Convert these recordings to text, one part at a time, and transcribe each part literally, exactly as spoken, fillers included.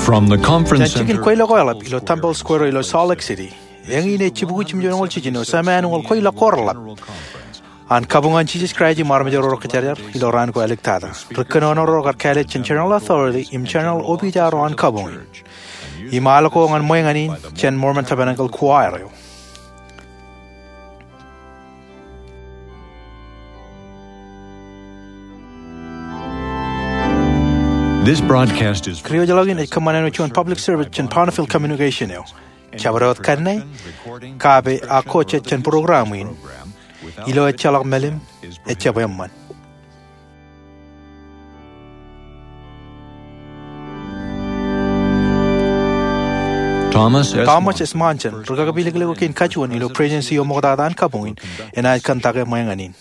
From the conference center. Jān jikin kweilọk ko eḷap ilo Temple Square ilo Salt Lake City, eñin ej jibukwi jimjuonñoul jiljino, jemān ñoul kweilọk ko reḷap an kabuñ an Jisōs Kraist im armej ro rej kōjatjar ilo raan ko āliktata. Ri kōnono ro kar kāālōt jān General Authority im General Opiij ro an kabuñ in. Im al ko ñan ṃweeñan in jān Mormon Tabernacle Choir eo. This broadcast is Kūr eo ej ḷọk in ej kōṃṃan āinwōt juon public service jān Bonneville Communication eo. Jabdewōt kanne, kape ak kōjjān program in, ilo ejjeḷọk mālim, ejjab eṃṃan. Thomas S. Thomas S. Monson, ri kakpilōklōk eo kein kajuon ilo Presidency eo ṃoktata an kabuñ in, enaaj kōntake ṃweeñan in.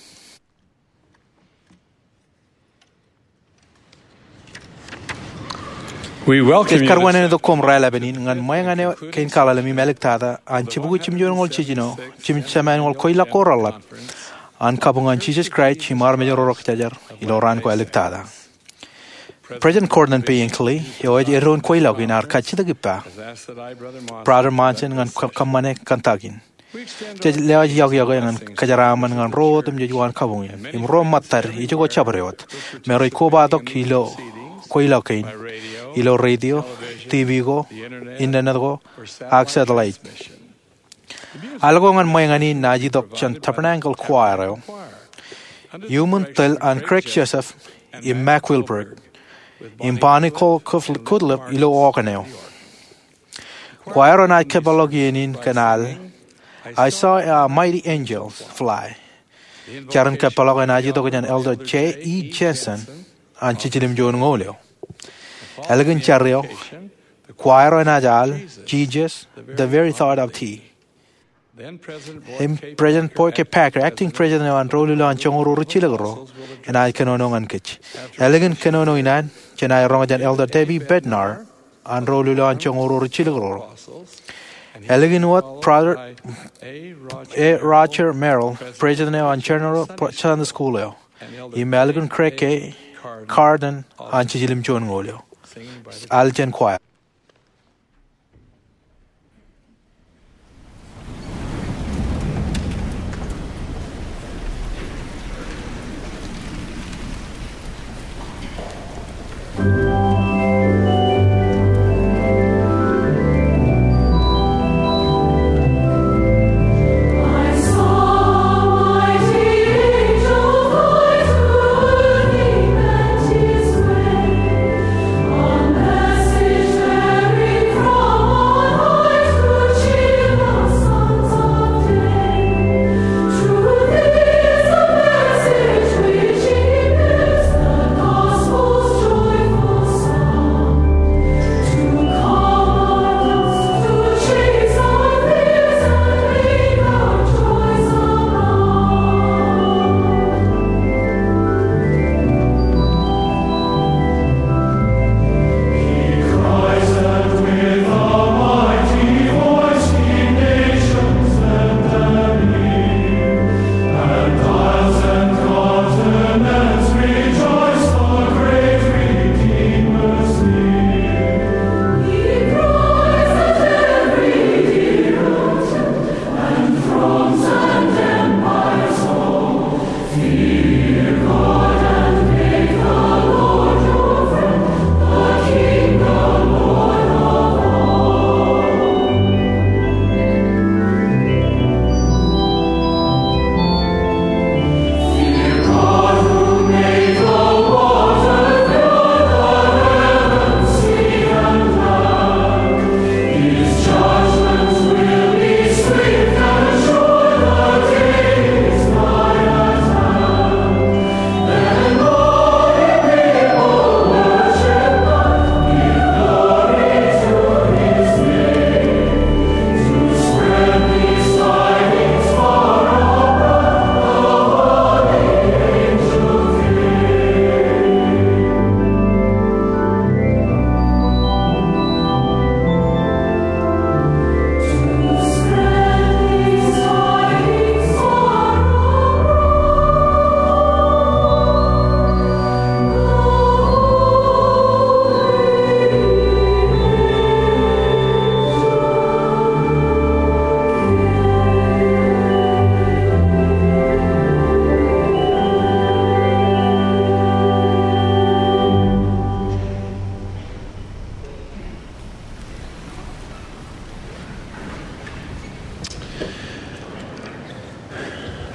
We welcome you. Ej karuwānōk koṃ raelepin in ñan ṃweeñan eo kein kaḷalem im āliktata an jibukwi jimjuonñoul jiljino, jemān ñoul kweilọk ko reḷap an kabuñ an Jisōs Kraist im armej ro rej kōjatjar ilo raan ko āliktata. President Gordon B. Hinckley, eo ej eddoin kweilọk in, ear kajjitōk ippa Brother Monson ñan kō-, kōṃṃane kōntak in. Jej lewōj yokwe ñan kōjeraaṃṃan ñan ro otemjej uwaan kabuñ in im ro ṃōttad ijoko jabdewōt me rej kobatok ilo kweilọk kein ilo radio, TV ko, internet ko, ak satellite. Al ko ñan ṃweeñan in enaaj itok jān Tabernacle Choir eo, iuṃwin tōl an Craig Joseph im Mac Wilberg im Bonnie Cole Goodlip ilo organ eo. Choir eo enaaj kōpeḷḷọk iien in kōn al I Saw a Mighty Angel Fly. Jar in kōpeḷḷọk enaaj itok jān Elder Jay E. Jensen an Jiljilimjuonñoul eo. Ālikin jar eo, choir eo enaaj al Jesus, the Very Thought of Thee. Im President Boyd K. Packer, acting president eo an Ro Luleo an Joñoul Ruo Rijjilōk Ruo, enaaj kōnono ñan kōj. Ālikin kōnono in an, jenaaj roñ jān Elder Debbie Bednar an Ro Luleo an Joñoul Ruo Rijjilōk Ruo. Ālikin wōt Brother A. Roger Merrill, president eo an General Sunday School eo. Im ālikin Craig K. Carden an Jiljilimjuonñoul eo. Al jān choir.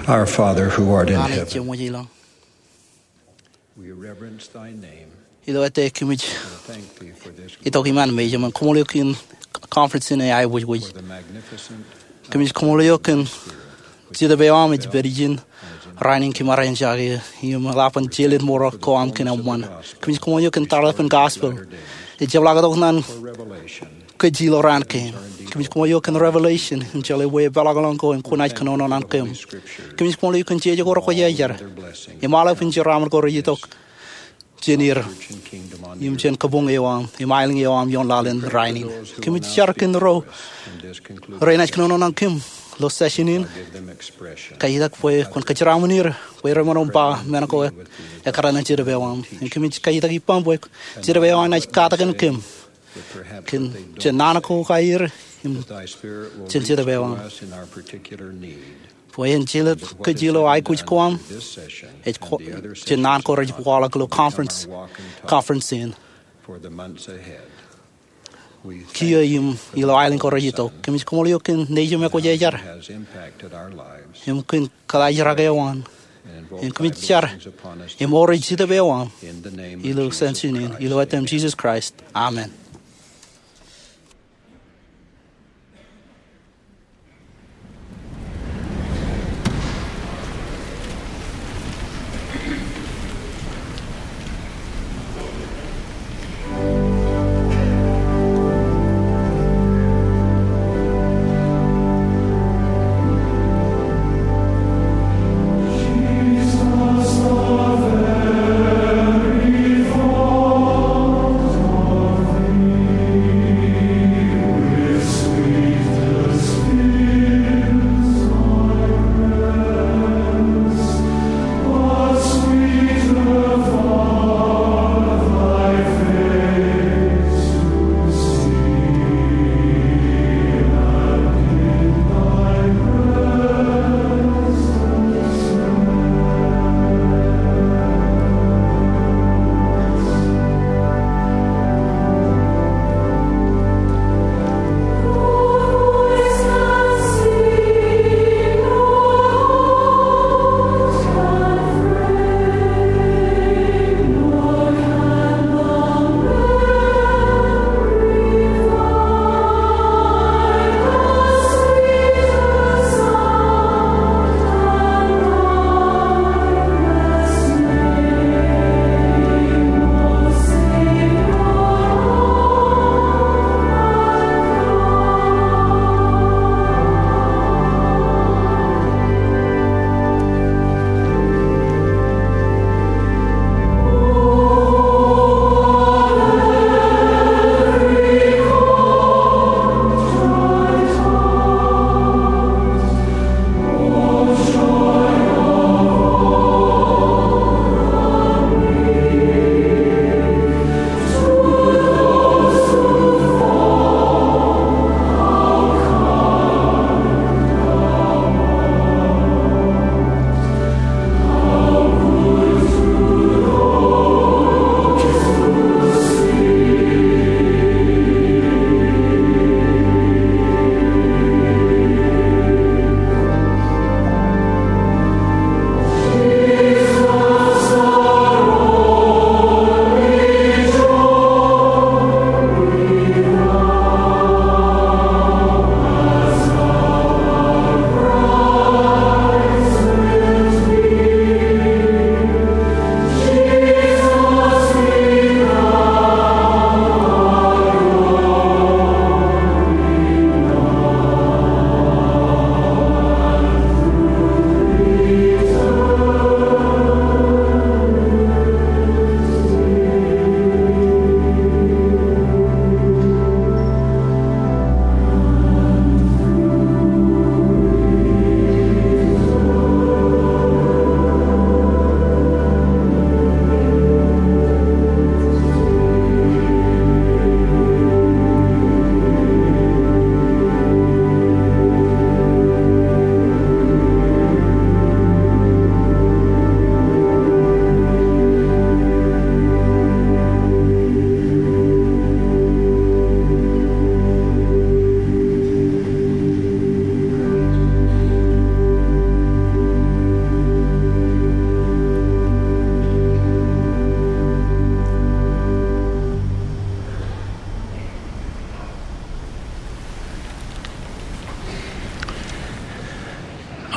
Our Father who art in Anij heaven, jemwōj ilọk. We reverence thy name. Ilo ettā kōmij and thank thee for this itok iṃaan mejān im koṃṃool eok kōn conference in ej aebōjbōj. For the magnificent Kōmij koṃṃool eok kōn Jetōb eo aṃ ej pād ijin rainin kōm ar eñjake im eḷap an jelōt mour ko aṃ kōn eṃṃan. Kōmij koṃṃool eok kōn tarlepen gospel ej jepḷaaktok naan kōj ilo raan kein. Kōmij koṃṃool eok kōn revelation im jeḷā bwe epeḷḷọk ko im kwōnaaj kōnono ñan kōm. Kōmij koṃṃool eok kōn jeje ko rekwōjarjar im aolep injeraṃōl ko rej itok jān er im jān kabuñ eo aṃ im aelōñ eo aṃ ioon laḷ in rainin. Kōmij jar kōn ro renaaj kōnono ñan kōm ilo session in. Kajitak bwe kwōn kōjeraaṃṃan er bwe ren ṃōṇōṇō im ba men ko ekkar ñan Jetōb eo aṃ. Im kōmij kajitak ippaṃ bwe Jetōb eo aṃ enaaj katakin kōm kōn jān naan ko aer im jān Jetōb eo aṃ. Bwe en jelōt kōj ilo aikuj ko aṃ ej ko jān naan ko rej waḷọk ilo conference, conference in. Kiiō im ilo aelōñ ko rej itok. Kōmij koṃṃool eok kōn nejūṃ ekwōjarjar im kōn kōḷaajrak eo an. Im kōmij jar im ore Jetōb eo aṃ ilo session in ilo etaṃ Jisōs Kraist. Amen.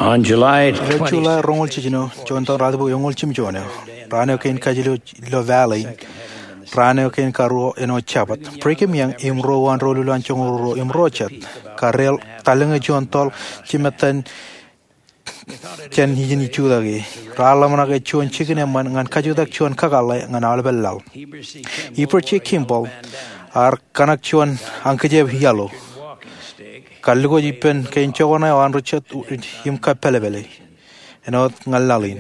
On July Ilo July roñoul jiljino, juon taon raatibuk eñoul jimjuon eo, raan eo kein kajjilōk ilo Valley in, raan eo kein karuo āinwōt Jabōt, Brigham Young im ruo uwaan doulul an joñoul ruo im ruo jet, kar deḷọñ tallōñe juon toḷ jimettan jān ijin ijutaki. Raar ḷōmṇak ej juon jikin eṃṃan ñan kajutak juon kakōḷḷe ñan aolepān laḷ. Heber J. Kimball ear kōṇak juon ankijep iaḷ, kallikōj ippān kein jokwane eo an ri jet im kappelepele āinwōt ñan laḷ in.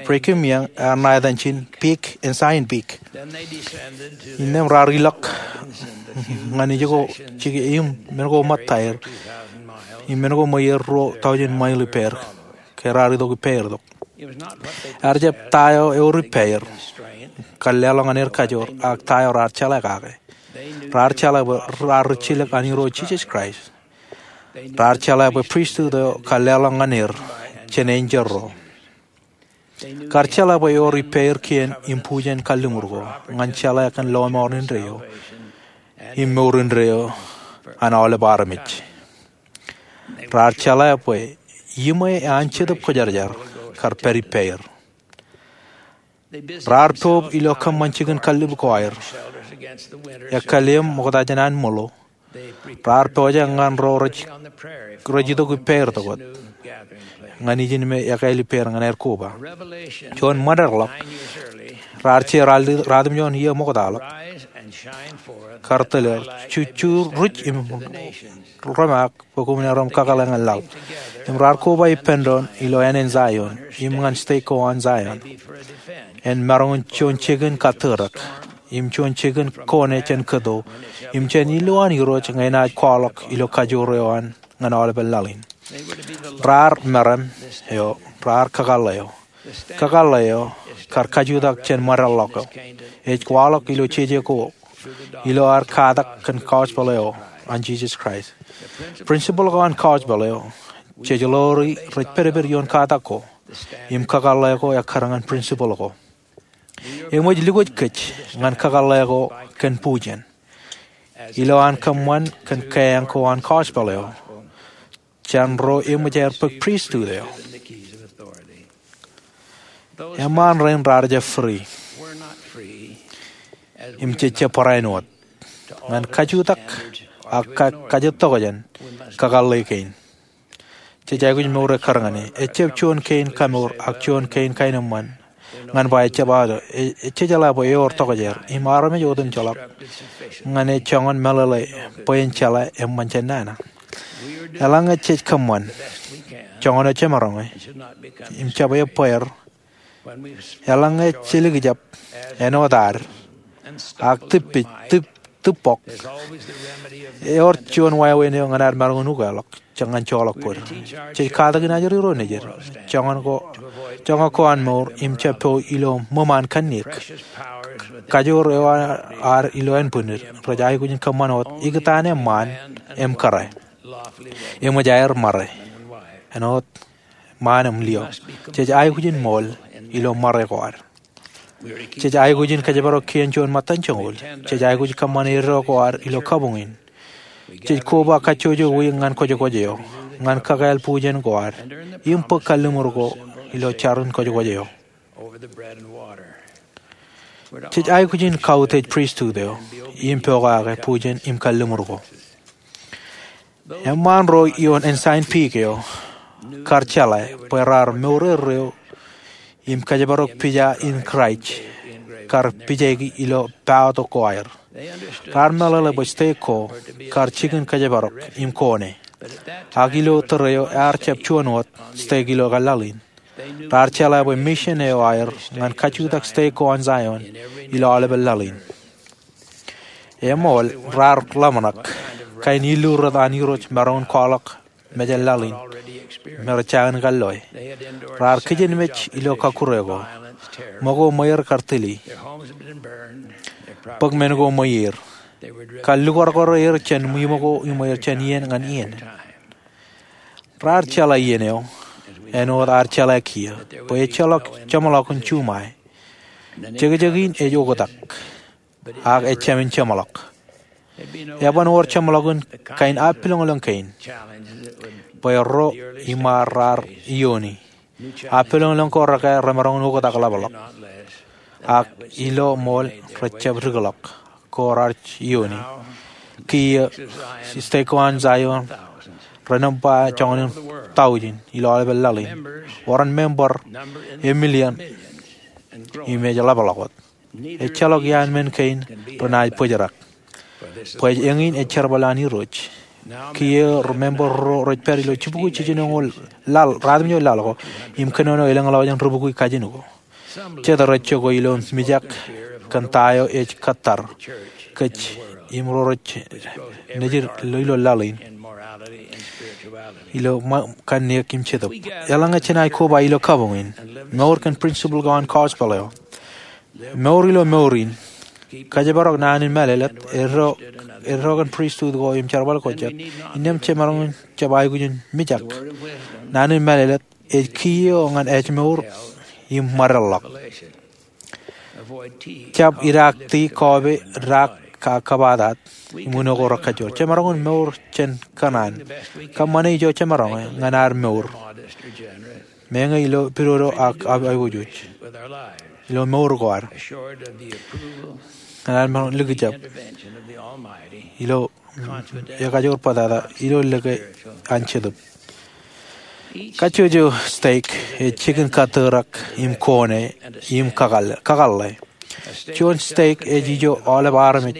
Brigham Young ear ṇa etan ijin Peak, Ensign Peak. Innām raar ilọk ñan ijoko jike im men ko ṃōttaer im men ko ṃweier ruo tọujin mail ippāer ke raar itok ippāer tok. Ear jab ta eo ewōr ippāer, kar leḷọk ñan er kajoor, ak ta eo raar jeḷā kake. Raar jeḷā bwe raar ri jilōk an Irooj Jisōs Kraist. Raar jeḷā bwe pristut eo kar leḷọk ñan er jān enjeḷ ro. Kar jeḷā bwe ewōr ippāer kien im bujen kalliṃur ko ñan jeḷā kōn lọmọọr indeeo im mour indeeo an aolep armej. Raar jeḷā bwe iṃwe an Jetōb Kwōjarjar kar pād ippāer. Raar poob ilo kōṃṃan jikin kallib ko aer, ekkā lem ṃokta jān an ṃōḷo. Raar pojak ñan ro rej itok ippāer tok wōt ñan ijin me ekāāl ippāer ñan aer koba. Juon ṃōdeḷọk, raar je ratimjuon iiō ṃoktaḷọk, kar tōl er, Jujuruj im rōmaak bwe koṃwin aer im kakōḷḷe ñan laḷ. Im raar koba ippān doon ilo ānen Zion im ñan stek ko an Zion, en maroñ in juon jikin kattōrōk im juon jikin kone jān kōto im jān ilowaan Irooj ñe enaaj kwaḷọk ilo kajoor eo an ñan aolepān laḷ in. Raar meram eo, raar kakōḷḷe eo. Kakōḷḷe eo kar kajutak jān ṃōdeḷọk eo. Ej kwaḷọk ilo jeje ko ilo ad katak kōn gospel eo an Jisōs Kraist. Principle ko an gospel eo, jej ḷoori rej pedped ioon katak ko, im kakōḷḷe ko ekkar ñan principle ko. Eṃōj lukkuun kōj ñan kakōḷḷe ko kōn bujen ilo an kōṃṃan kōn keeañ ko an gospel eo jān ro eṃōj aer bōk pristut eo. Eṃṃaan rein raar jab free im jej jab barāinwōt ñan kajutak ak kajjitōk jān kakōḷḷe kein. Jej aikuj mour ekkar ñan e. Ejjab juon kein kamour ak juon kein kaenōṃṃan ñan ba ejjab aō. Ej jeḷā bwe ewōr tokjāer im armej otemjeḷọk ñan e joñan meḷeḷe bwe en jeḷā eṃṃan jān nana. Eḷaññe jej kōṃṃan joñan eo jemaroñ e im jab ebbeer, eḷaññe jelikjab āinwōt ad ak tibpij, tib, tibok, ewōr juon wāween eo ñan ad maroñ in ukeḷọk, jekñan joḷọk bōd. Jej katakin ajri ro nejid joñan ko, joñak ko an mour im jab po ilo ṃōṃaan kanniōk. Kajoor eo ad ilo ānbwinnid rej aikuj in kōṃṃan wōt ikōtaan eṃṃaan im kōrā. Eṃōj aer ṃare āinwōt ṃaan im lio. Jej aikuj in ṃool ilo ṃare ko ad. Jej aikuj in kōjparok kien juon ṃōttan joñoul. Jej aikuj kōṃṃan eddo ko ad ilo kabuñ in. Jej koba kajjojo wiik ñan kwōjkwōj eo ñan kakāāl bujen ko ad im bōk kalliṃur ko ilo jarin kwōjkwōj eo. Jej aikuj in kautiej pristut eo im pokake bujen im kalliṃur ko. Eṃṃaan ro ioon Ensign Peak eo kar jeḷā bwe raar mour erreo im kōjparok pija in Kraist kar pijaiki ilo paotok ko aer. Raar meḷeḷe bwe stek ko kar jikin kōjparok im kone. Ak ilo tōre eo ear jab juon wōt stek ilo laḷ in. Raar jeḷā bwe mission eo aer ñan kajutak stek ko an Zion ilo aolepān laḷ in. Eṃool raar ḷōmṇak kain illu rot an Irooj maroñ in kwaḷọk mejān laḷ in me rej jañin kalloe. Raar kijenmej ilo kọkkure ko, ṃōko ṃweier kar tili, bōk men ko ṃweier, kar lukwarkwar er jān iṃōko iṃweier jān iien ñan iien. Raar jeḷā iien eo āinwōt ad jeḷā kiiō bwe ejjeḷọk jeṃḷọkin juṃae. Jekjek in ej oktak ak ejāmin jeṃḷọk. Eban wōr jeṃḷọkin kain appiloñlōñ kein bwe ro iṃaar raar iiooni. Appiloñlōñ ko rekā remaroñ in oktak ḷapḷọk, ak ilo ṃool rejjab dikḷọk ko raar iiooni. Kiiō, stek ko an Zaion renōṃba joñan in taujin ilo aolepān laḷ in, wōr an member emilion im ej ḷapḷọk wōt. Ejjeḷọk iaan men kein renaaj bōjrak bwe eñin ej jerbal an Irooj. Kiiō, member ruo rej pād ilo jibukwi jiljinoñoul laḷ, ruatimjuon laḷ ko im kōnono elōñḷọk jān ribukwi kajin ko. Jet rej jokwe ilo mijak kōn ta eo ej kōttar kōj im ro rej nejid ilo laḷ in ilo kanniōk im jetōb. Eḷaññe jenaaj koba ilo kabuñ in, mour kōn principle ko an gospel eo. Mour ilo mour in. Kōjparok naan in mālōtlōt. Eddo kōn pristut ko im jerbal ko jet. Innām jemaroñ in jab aikuj in mijak. Naan in mālōtlōt ej kiiō ñan ājmour im ṃōdeḷḷọk. Jab idaakti, kọọbe, daak, ak kōbatat im uno ko rekajjoor. Jemaroñ in mour jān kōṇaan. Kōṃṃane ijo jemaroñe ñan ad mour, meñe ilo pidodo ak aiboojoj ilo mour ko ad, ñan ad maroñ likjab ilo ekajoor bōtata ilo lōke an Jetōb. Kajjojo stek ej jikin kōtōrak im kone im kakōḷḷe. Juon stek ej ijo aolep armej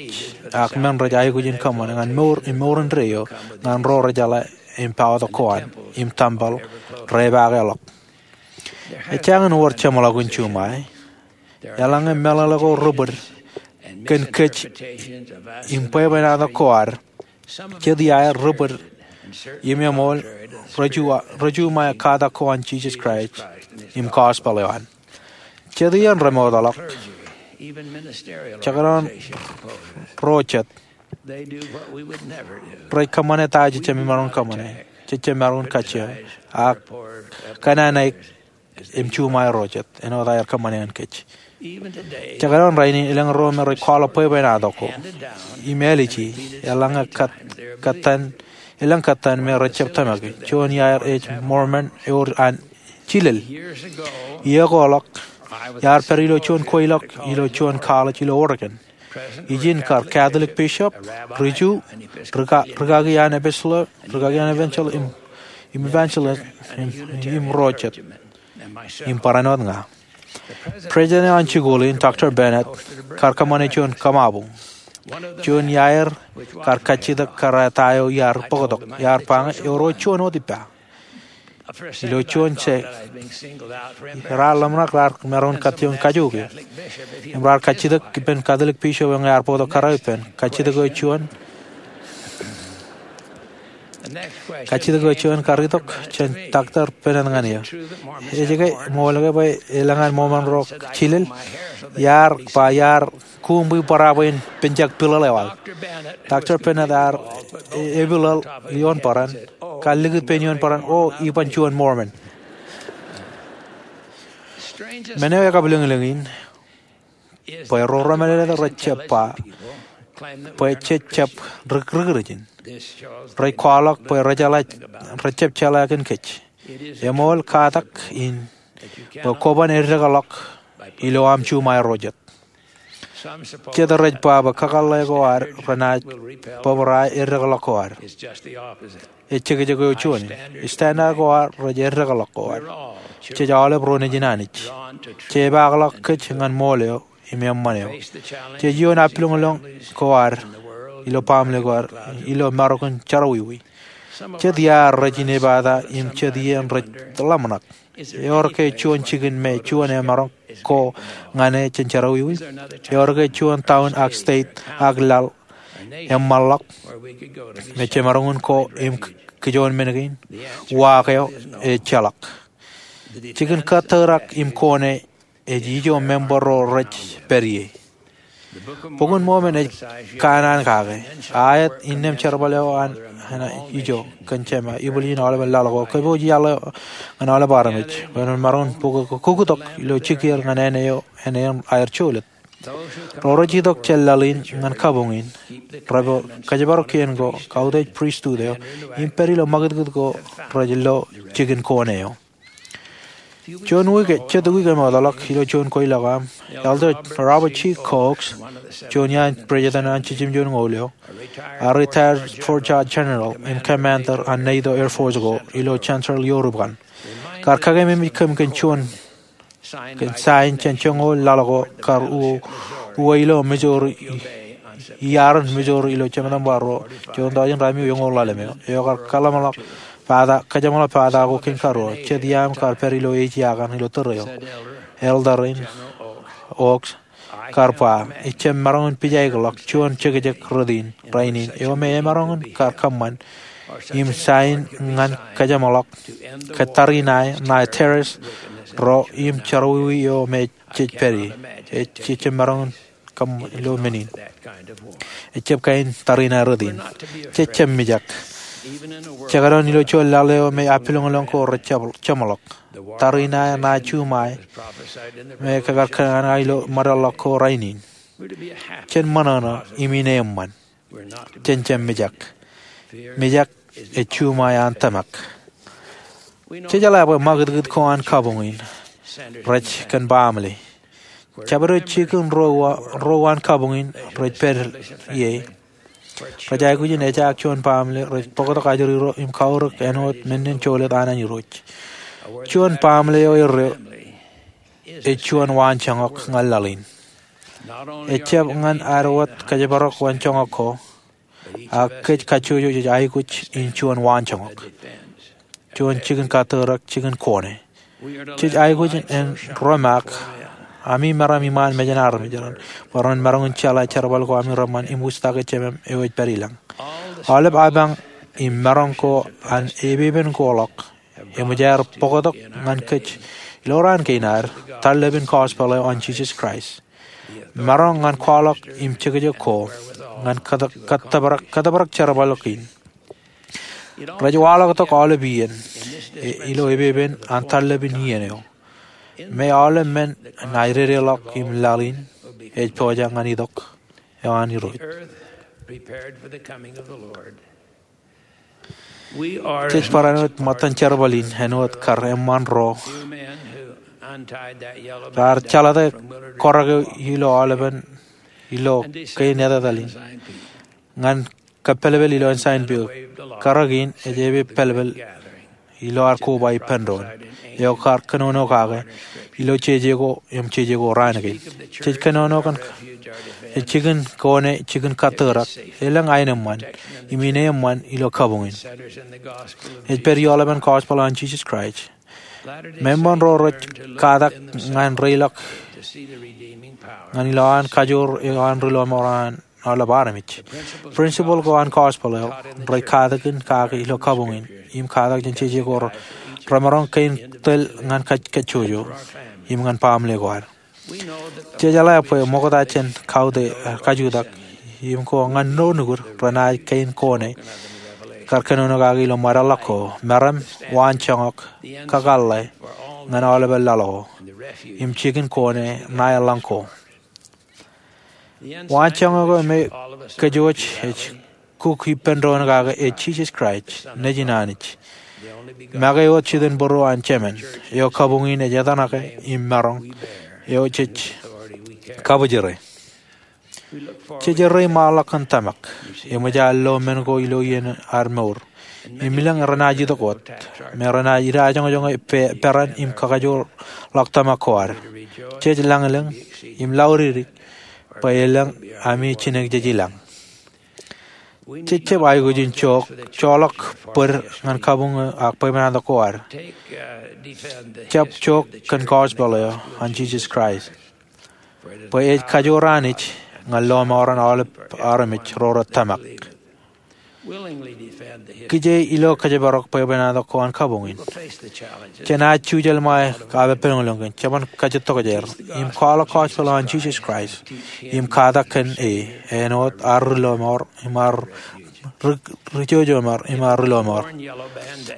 ak men rej aikuj in kōṃṃane ñan mour im mour indeeo ñan ro rejeḷā im paotok ko an im tempel repaakḷọk. Ejjañin wōr jeṃḷọkin juṃae. Eḷaññe meḷeḷe ko ri-bōd kōn kōj im bwebwenato ko ad, jet iaer ri-bōd im eṃool rejuṃae katak ko an Jisōs Kraist im gospel eo an. Jet iien remootḷọk, jekdọọn ro jet, rej kōṃṃane ta jejjab maroñ in kōṃṃane, jejjab maroñ in kajjioñ, ak kōnnaan aer im juṃae ro jet āinwōt aer kōṃṃane ñan kōj. Jekdọọn rainin elōñ ro me rej kwaḷọk bwebwenato ko im āliji eḷaññe elōñ kōttan me rejjab tōmaki. Juon iaer ej Mormon, ewōr an jilel. Iiō ko ḷọk, iar pād ilo juon kweilọk ilo juon college ilo Oregon. Ijin kar Catholic bishop, ri-Ju, rikaki an episcopal, rikaki an evangelist, im evangelist, im ro jet, im barāinwōt ña. President eo an jikuuḷ in, Doctor Bennett, kar kōṃṃane juon kōṃabuñ. Juon iaer kar kajjitōk kōrā ta eo iar bōktok, iar ba ñe ewōr juon wōt ippa. Ilo juon stek, raar ḷōmṇak raar maroñ in kōtioñ kajook eō. Im raar kajjitōk ippān Catholic bishop eo ñe ear bōktok kōrā ippān. Kajjitōk eo juon, kajjitōk eo juon kar itok jān Doctor Bennett ñan eō. Ej ke ṃool ke bwe elōñ an Mormon ro jilel? Iar ba iar kuuṃwij bōrā bwe in penjak piḷōḷ eo aō. Doctor Bennett ear epiḷōḷ ioon bōran, kar likūt pein ioon bōran, O, iban juon Mormon. Men eo ekabwilōñlōñ in bwe ro remālōtlōt rejjab ba bwe jej jab ri-Kūrijin. Rej kwaḷọk bwe rejjab jeḷā kōn kōj. Eṃool katak in bwe kwōban eddekḷọk ilo aṃ juṃae ro jet. Jet rej ba bwe kakōḷḷe ko ad renaaj bōbrae eddekḷọk ko ad. Ej jekjek eo juon in. Standard ko ad rej eddekḷọk ko ad. Jej aolep ro nejin Anij. Jepaakḷọk kōj ñan ṃool eo im eṃṃan eo. Jej iioon appiloñlōñ ko ad ilo baaṃle ko ad ilo maroñ in jerọwiwi. Jet iaer rej inepata im jet iien rej ḷōmṇak. Ewōr ke juon jikin me juon emaroñ ko ñan e jān jerọwiwi? Ewōr ke juon town ak state ak laḷ eṃṃanḷọk me jemaroñ in ko im kijoon men kein? Uwaak eo ejjeḷọk. Jikin kōtōrak im kone ej ijo member ro rej pād ie. Bok in Mormon ej kanaan kake. Aet, innām jerbal eo an ijo kōn jema, ibwiljin aolepen laḷ ko, kōpooj iaḷ eo ñan aolep armej bwe ren maroñ in bōk kuktok ilo jikier ñan āne eo āne in aer jolōt. Ro rej itok jān laḷ in ñan kabuñ in, repo kōjparok kien ko, kautiej pristut eo, im pād ilo ṃakūtkūt ko rej lo jikin kone eo. Juon wiik, jet wiik eṃootḷọk, ilo juon kweilọk aṃ, Elder Robert G. Cox, juon iaan president an Jemem Joñoul eo, a retired Fort George General im Commander an NATO Air Force ko ilo Chancellorsville, Europe kaṇ, kar kakememej kōm kōn juon kōn sain jān joñoul laḷ ko kar uwe ilo Missouri, iaarin Missouri ilo jemān bar ruo, juon tọujin ratimjuon eoon ḷalem eo, eo kar kōjeṃḷọk pata, kōjeṃḷọk pata ko kōn karuo. Jet iaam kar pād ilo ej iaan ilo tōre eo, Elder in Oaks kar ba, ij jab maroñ in pijaikḷọk juon jekjek rot in rainin eo me emaroñ in kar kōṃṃan im sain ñan kōjeṃḷọk ke tariṇae ṇae terrorist ro im jerọwiwi eo me jej pād ie. Ej, ej jab maroñ in kōṃṃan ilo men in. Ej jab kain tariṇae rot in. Jej jab mijak. Jekdọọn ilo juon laḷ eo me apilōñlōñ ko rej jab jeṃḷọk. Tariṇae ṇae juṃae me kar kōṇaan ilo ṃōdeḷọk ko rainin. Jen ṃōṇōṇō im ineeṃṃan. Jen jab mijak. Mijak ej juṃae an tōmak. Jej jeḷā bwe ṃakūtkūt ko an kabuñ in rej kōn baaṃle. Jabdewōt jikin ro, ro an kabuñ in rej pād ie rej aikuj in ejaak juon baaṃle rej bōktok ajri ro im kaurōk āinwōt men in jolōt an an Irooj. Juon baaṃle eo erreo ej juon waanjoñak ñan laḷ in. Ej jab ñan ad wōt kōjparok waanjoñak ko, ak kōj kajjojo jej aikuj in juon waanjoñak, juon jikin kattōrak, jikin kone. Jej aikuj in romaak ami meram iṃaan mejān armej raṇ bwe ren maroñ in jeḷā jerbal ko ami reṃṃan im wūjtake Jemem eo ej pād ilañ. Aolep apañ im maroñ ko an epepen ko ḷọk eṃōj aer bōktok ñan kōj ilo raan kein ad, tarlepen gospel eo an Jisōs Kraist. Maroñ ñan kwaḷọk im jekjek ko ñan kōtōprak, kōtōprak jerbal ḷọk in. Rej waḷọktok aolep iien ilo epepen an tarlepen iien eo me aolep men ṇa ededeḷọk im laḷ in ej pojak ñan itok eo an Irooj. Jej barāinwōt ṃōttan jerbal in āinwōt kar eṃṃan ro raar jeḷate kōrōk eo ilo aolepen ilo kein etetal in ñan kōppelpel ilo ensign peok. Kōrōk in ej epe pālpel ilo ad koba ippān doon eo kar kōnono kake ilo jeje ko im jeje ko raan kein. Jej kōnono kōn jikin kone, jikin kattōrak, elōñ aenōṃṃan im ineeṃṃan ilo kabuñ in. Ej pād ioḷapān gospel an Jisōs Kraist. Meṃṃan ro rej katak ñan reiḷọk ñan ilowaan kajoor eo an ri lọmọọr an aolep armej. Principle ko an gospel eo rej katakin kake ilo kabuñ in im katak jān jeje ko remaroñ kein tōl ñan kajjojo im ñan baaṃle ko ad. Jej jeḷā bwe ṃokta jān kautiej, kajutak im ko ñan ro nukud renaaj kein kone kar kōnono kake ilo ṃōdeḷọk ko, meram, waanjoñak, kakōḷḷe ñan aolepān laḷ ko im jikin kone ṇae ḷọk ko. Waanjoñak eo me kōjwōj ej kuk ippān doon kake ej Jisōs Kraist, Nejin Anij, make wōt jitōnbōro an Jemān, eo kabuñ in ej etanake im maroñ, eo jej kabōjrā. Jej errā im waḷọk kōn tōmak eṃōj ad lo men ko ilo iien ad mour im elōñ renaaj itok wōt me renaaj idajoñjoñe peran im kakajoorḷọk tōmak ko ad. Jej lañlōñ im laudikdik bwe elōñ ami jinōk jej ilañ. Jej jab aikuj in jook, joḷọk bōd ñan kabuñ eo ak bwebwenato ko ad. Jab jook kōn gospel eo an Jisōs Kraist bwe ej kajoor Anij ñan lọmọọren aolep armej ro rej tōmak. Kije ilo kōjparok bwebwenato ko an kabuñ in, jenaaj jujel ṃae kapeppelōñlōñ kōn, jeban kajjitokjeer im kwaḷọk gospel eo an Jisōs Kraist im katak kōn e āinwōt ad ri lọmọọr im ad ri, ri jojo im ad ri lọmọọr.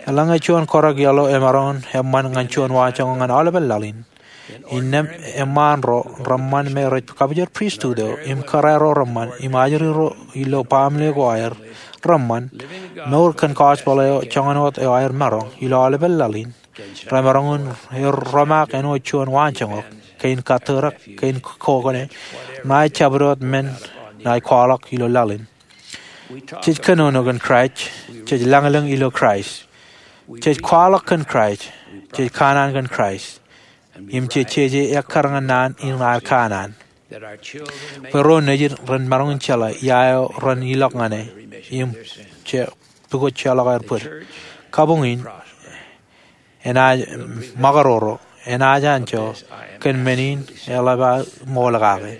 Eḷaññe juon kōrōk yellow emaroñ in eṃṃan ñan juon waanjoñak ñan aolepān laḷ in, Innām eṃṃaan ro reṃṃan me rej kabujar pristut eo im kōrā ro reṃṃan im ajri ro ilo baaṃle ko aer reṃṃan, mour kōn gospel eo joñan wōt eo aer maroñ ilo aolepān laḷ in, remaroñ in romaak āinwōt juon waanjoñak, kein kattōrak, kein kokōne, ṇae jabdewōt men ṇae kwaḷọk ilo laḷ in. Jej kōnono kōn Kraist, jej lañlōñ ilo Kraist, jej kwaḷọk kōn Kraist, jej kanaan kōn Kraist, im jej jeje ekkar ñan naan in ad kanaan, bwe ro nejid ren maroñ in jeḷā ia eo ren ilọk ñan e im je pukot jeorḷọk aer bōd. Kabuñ in enaaj ṃakaroro, enaaj anjọ, kōn men in eḷap aō ṃool kake.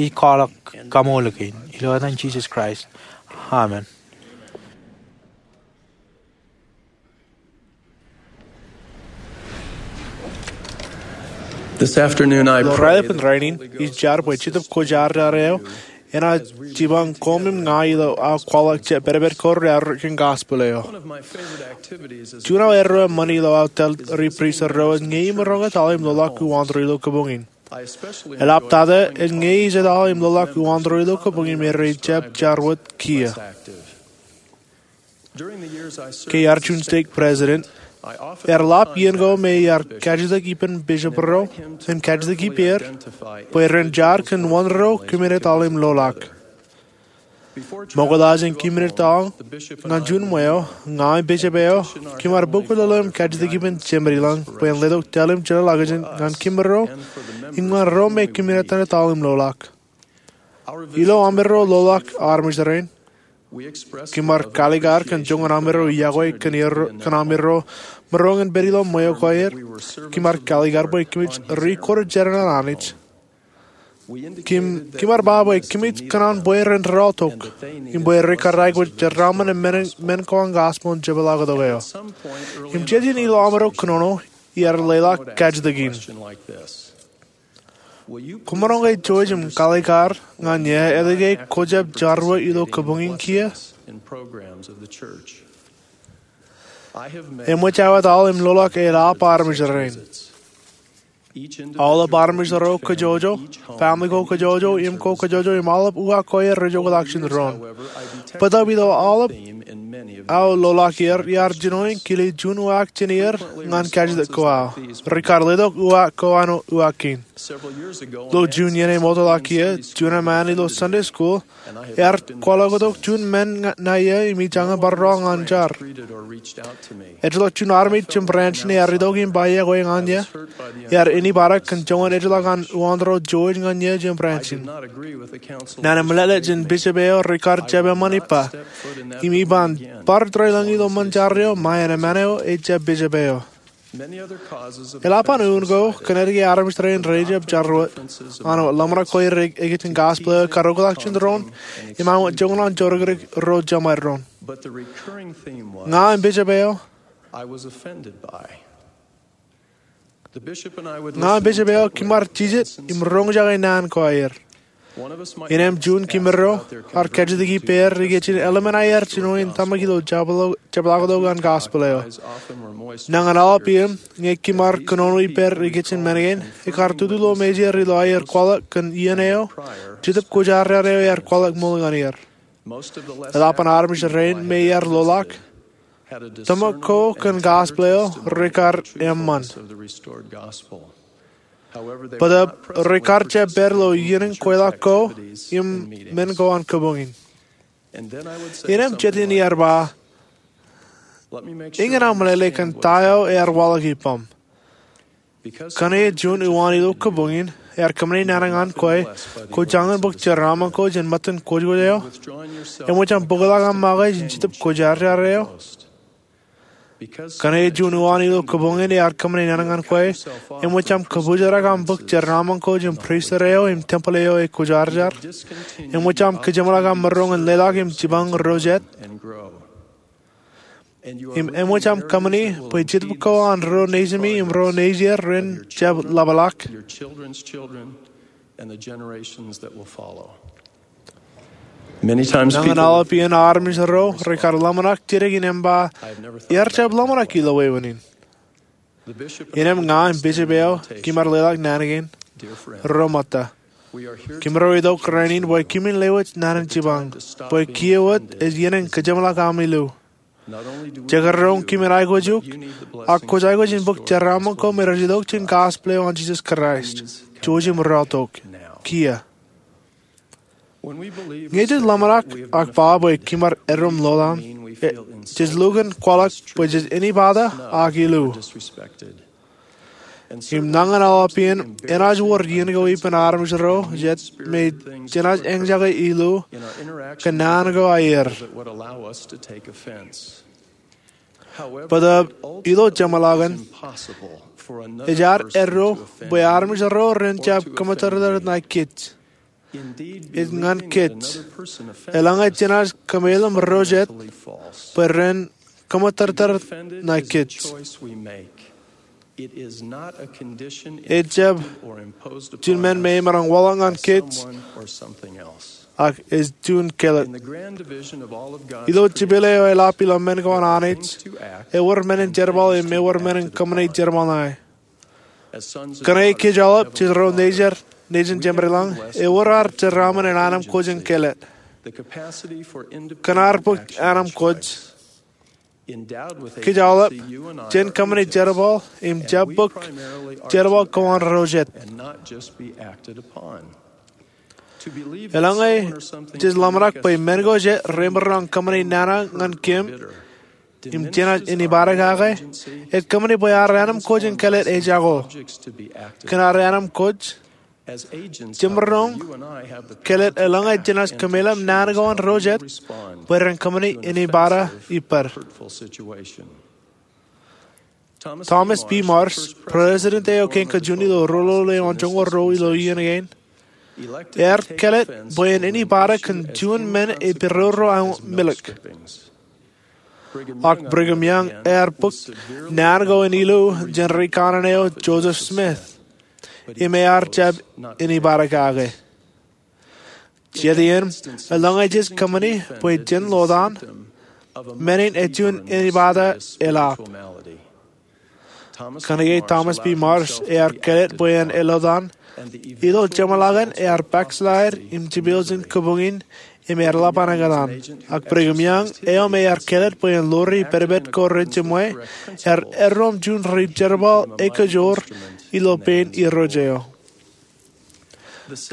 Ij kwaḷọk kaṃool kein ilo etan Jisōs Kraist, amen. This afternoon, I Ilo pray raelepin rainin, ij jar bwe Jetōb Kwōjarjar eo enaaj jipañ koṃ im ña ilo aō kwaḷọk jab pedped ko rearrot kōn gospel eo. Juon aō erreo eṃṃan ilo aō tōl ri pristut ro ej ñe imaroñ etal im loḷọk uwaantōre ilo kabuñ in. Eḷaptata ej ñe ij etal im loḷọk uwaantōre ilo kabuñ in me rej jab jar wōt kiiō. Ke iar juon stek president, ear ḷap iien ko me iar kajjitōk ippān bishop ro im kajjitōk ippāer bwe ren jar kōn wōn ro kimin etal im loḷọk. Ṃokta jān kimin etal ñan juon ṃweo, ña im bishop eo, kimar bōk lolo im kajjitōk ippān Jemedilōñ bwe en letok tōl im jeḷāḷọkjeṇ ñan kimirro im ñan ro me kimin etal im loḷọk. Ilo amirro loḷọk armej rein, kimar kalikar kōn joñan amirro iọkwe kōn amirro maroñ in pād ilo ṃweo ko aer. Kimar kalikar bwe kōmij ri-kōjatdikdik ñan Anij. Kimar ba bwe kōmij kōṇaan bwe ren rọọltok im bwe rekar aikuj jeraaṃṃan men ko an gospel jepḷaaktok eo. Im jet in ilo amirro kōnono, iar leḷọk kajjitōk in. Kwōmaroñ ke jouj im kalikar ñan eō etke kwō jab jar wōt ilo kabuñ in kiiō? Eṃōj aō etal im loḷọk eḷap armej rein. Aolep armej ro kōjọjọ, family ko kōjọjọ, im ko kōjọjọ, im aolep uwaak ko aer rej oktak jān doon. Bōtab ilo aolep aō loḷọk er, iar jino in kile juon uwaak jān er ñan kajjitōk ko aō. Rekar letok uwaak ko an uwaak kein. Ilo juon iien emootḷọk kiiō, juon eṃṃaan ilo Sunday school ear kwaḷọktok juon men ṇae eō im ij jañin bar roñ ñan jar. Ejjeḷọk juon armej jān branch in ear itok im ba iọkwe ñan eō. Ear āinwōt bar kōn joñan ejjeḷọk an uwaantōre George ñan eō jān branch in. Naan in meḷeḷe jān bishop eo rekar jab eṃṃan ippa. Im iban bar tōre lōñ ilo ṃōn jar eo, ṃae en eṃṃan eo ej jab bishop eo. Eḷap an eoon ko kōn etke armej rein rej jab jar wōt, an wōt ḷōmṇak ko aer ikijjien gospel eo ekar oktak jān doon, im an wōt joñan an jorrāān ro jeṃaer doon. Ña im bishop eo, ña im bishop eo kimar jijet im roñjake naan ko aer. Innām juon kimirro ar kajjitōk ippāer ikijjien eḷmen aer jino in tōmak ilo jepḷaaktok an gospel eo. Nañin aolep iien ñe kimar kōnono ippāer ikijjien men kein, ekar tutu ilo mejeir ilo aer kwaḷọk kōn iien eo Jetōb Kwōjarjar eo ear kwaḷọk ṃool ñan er. Eḷap an armej rein me ear loḷọk, tōmak ko kōn gospel eo rekar eṃṃan. Bōtab rekar jab pād ilo iien in kweilọk ko im men ko an kabuñ in. Innām jet in iar ba, eñin aō meḷeḷe kōn ta eo ear waḷọk ippaṃ. Kōnke ej juon uwaan ilo kabuñ in ear kōṃṃane naan ñan kwe, kwō jañin bōk jeraaṃṃan ko jān ṃōttan kwōjkwōj eo? Eṃōj aṃ bōkḷọk aṃ make jān Jetōb Kwōjarjar eo? Kōnke ej juon uwaan ilo kabuñ in ear kōṃṃane naan ñan kwe, eṃōj aṃ kōpoojarak aṃ bōk jeraaṃṃan ko jān pristut eo im tempel eo ekwōjarjar? Eṃōj aṃ kajeṃḷọk aṃ maroñ in leḷọk im jipañ ro jet? Im eṃōj aṃ kōṃṃani bwe jetōb ko an ro nejimi im ro nejier ren jab ḷapḷọk? Nañin aolep iien armej ro rekar ḷōmṇak jidik in ba, iar jab ḷōmṇak ilo wāween in. Innem ña im bishop eo, kōm ar leḷọk naan kein. Ro ṃōtta, kōmro itok rainin bwe kōmin lewōj naan in jipañ, bwe kiiō wōt ej iien in kōjeṃḷọk aṃ illu. Jekdọọn kōmin aikuj eok, ak kwōj aikuj in bōk jeraaṃṃan ko me rej itok jān gospel eo an Jisōs Kraist. Jouj im rọọltok kiiō. Ñe jej ḷōmṇak ak ba bwe kōm ar eddo im ḷotan, jej lukkuun kwaḷọk bwe jej inepata ak illu. Im nañin aolep iien, enaaj wōr iien ko ippān armej ro jet me jenaaj eñjake illu kōn naan ko aer. Bōtaab ilo jeṃḷọkin, ej ad eddo bwe armej ro ren jab kōṃṃootōktōk ṇae kōj. Ej ñan kōj. Eḷaññe jenaaj kōmeḷeḷe im ro jet bwe ren kōṃṃootōktōk ṇae kōj, ejjab juon men me emaroñ waḷọk ñan kōj, ak ej juon kāālōt. Ilo jipel eo eḷap ilo men ko an Anij, ewōr men in jerbal im ewōr men in kōṃṃane jerbal ṇae. Kōnke kōj aolep jej ro nejid, nejin Jemedlañ, ewōr ad jeraaṃṃan in anemkwōj in kāālōt. Kōn ad bōk anemkwōj, kōj aolep jen kōṃṃane jerbal im jab bōk jerbal ko an ro jet. Eḷaññe jej ḷōmṇak bwe men ko jet remaroñ kōṃṃane nana ñan kōm im jenaaj inepata kake, ej kōṃṃane bwe ad anemkwōj in kāālōt ejako. Kōn ad anemkwōj, jemaroñ kāālōt eḷaññe jenaaj kōmeḷeḷe naan ko an ro jet bwe ren kōṃṃane inepata ippād. Thomas B. Marsh, president eo kein kajjioñ ilo roñoul eoon joñoul ruo ilo iien kein, ear kāālōt bwe en inepata kōn juon men ej peroro aṃ milōk. Ak Brigham Young ear bōk naan ko in illu jān ri kanaan eo Joseph Smith, im ear jab inepata kake. Jet iien, eḷaññe jej kōṃṃane bwe jen ḷotan, men in ej juon inepata eḷap. Kōnke Thomas B. Marsh ear kāālōt bwe en eḷotan, ilo jeṃḷọkin ear backslide im jipel jān kabuñ in im ear ḷap an ekōṇaan. Ak Brigham Young eo me ear kāālōt bwe en ḷoori pedped ko rej jiṃwe, ear eddo im juon ri jerbal ekajoor ilo pein irooj eo.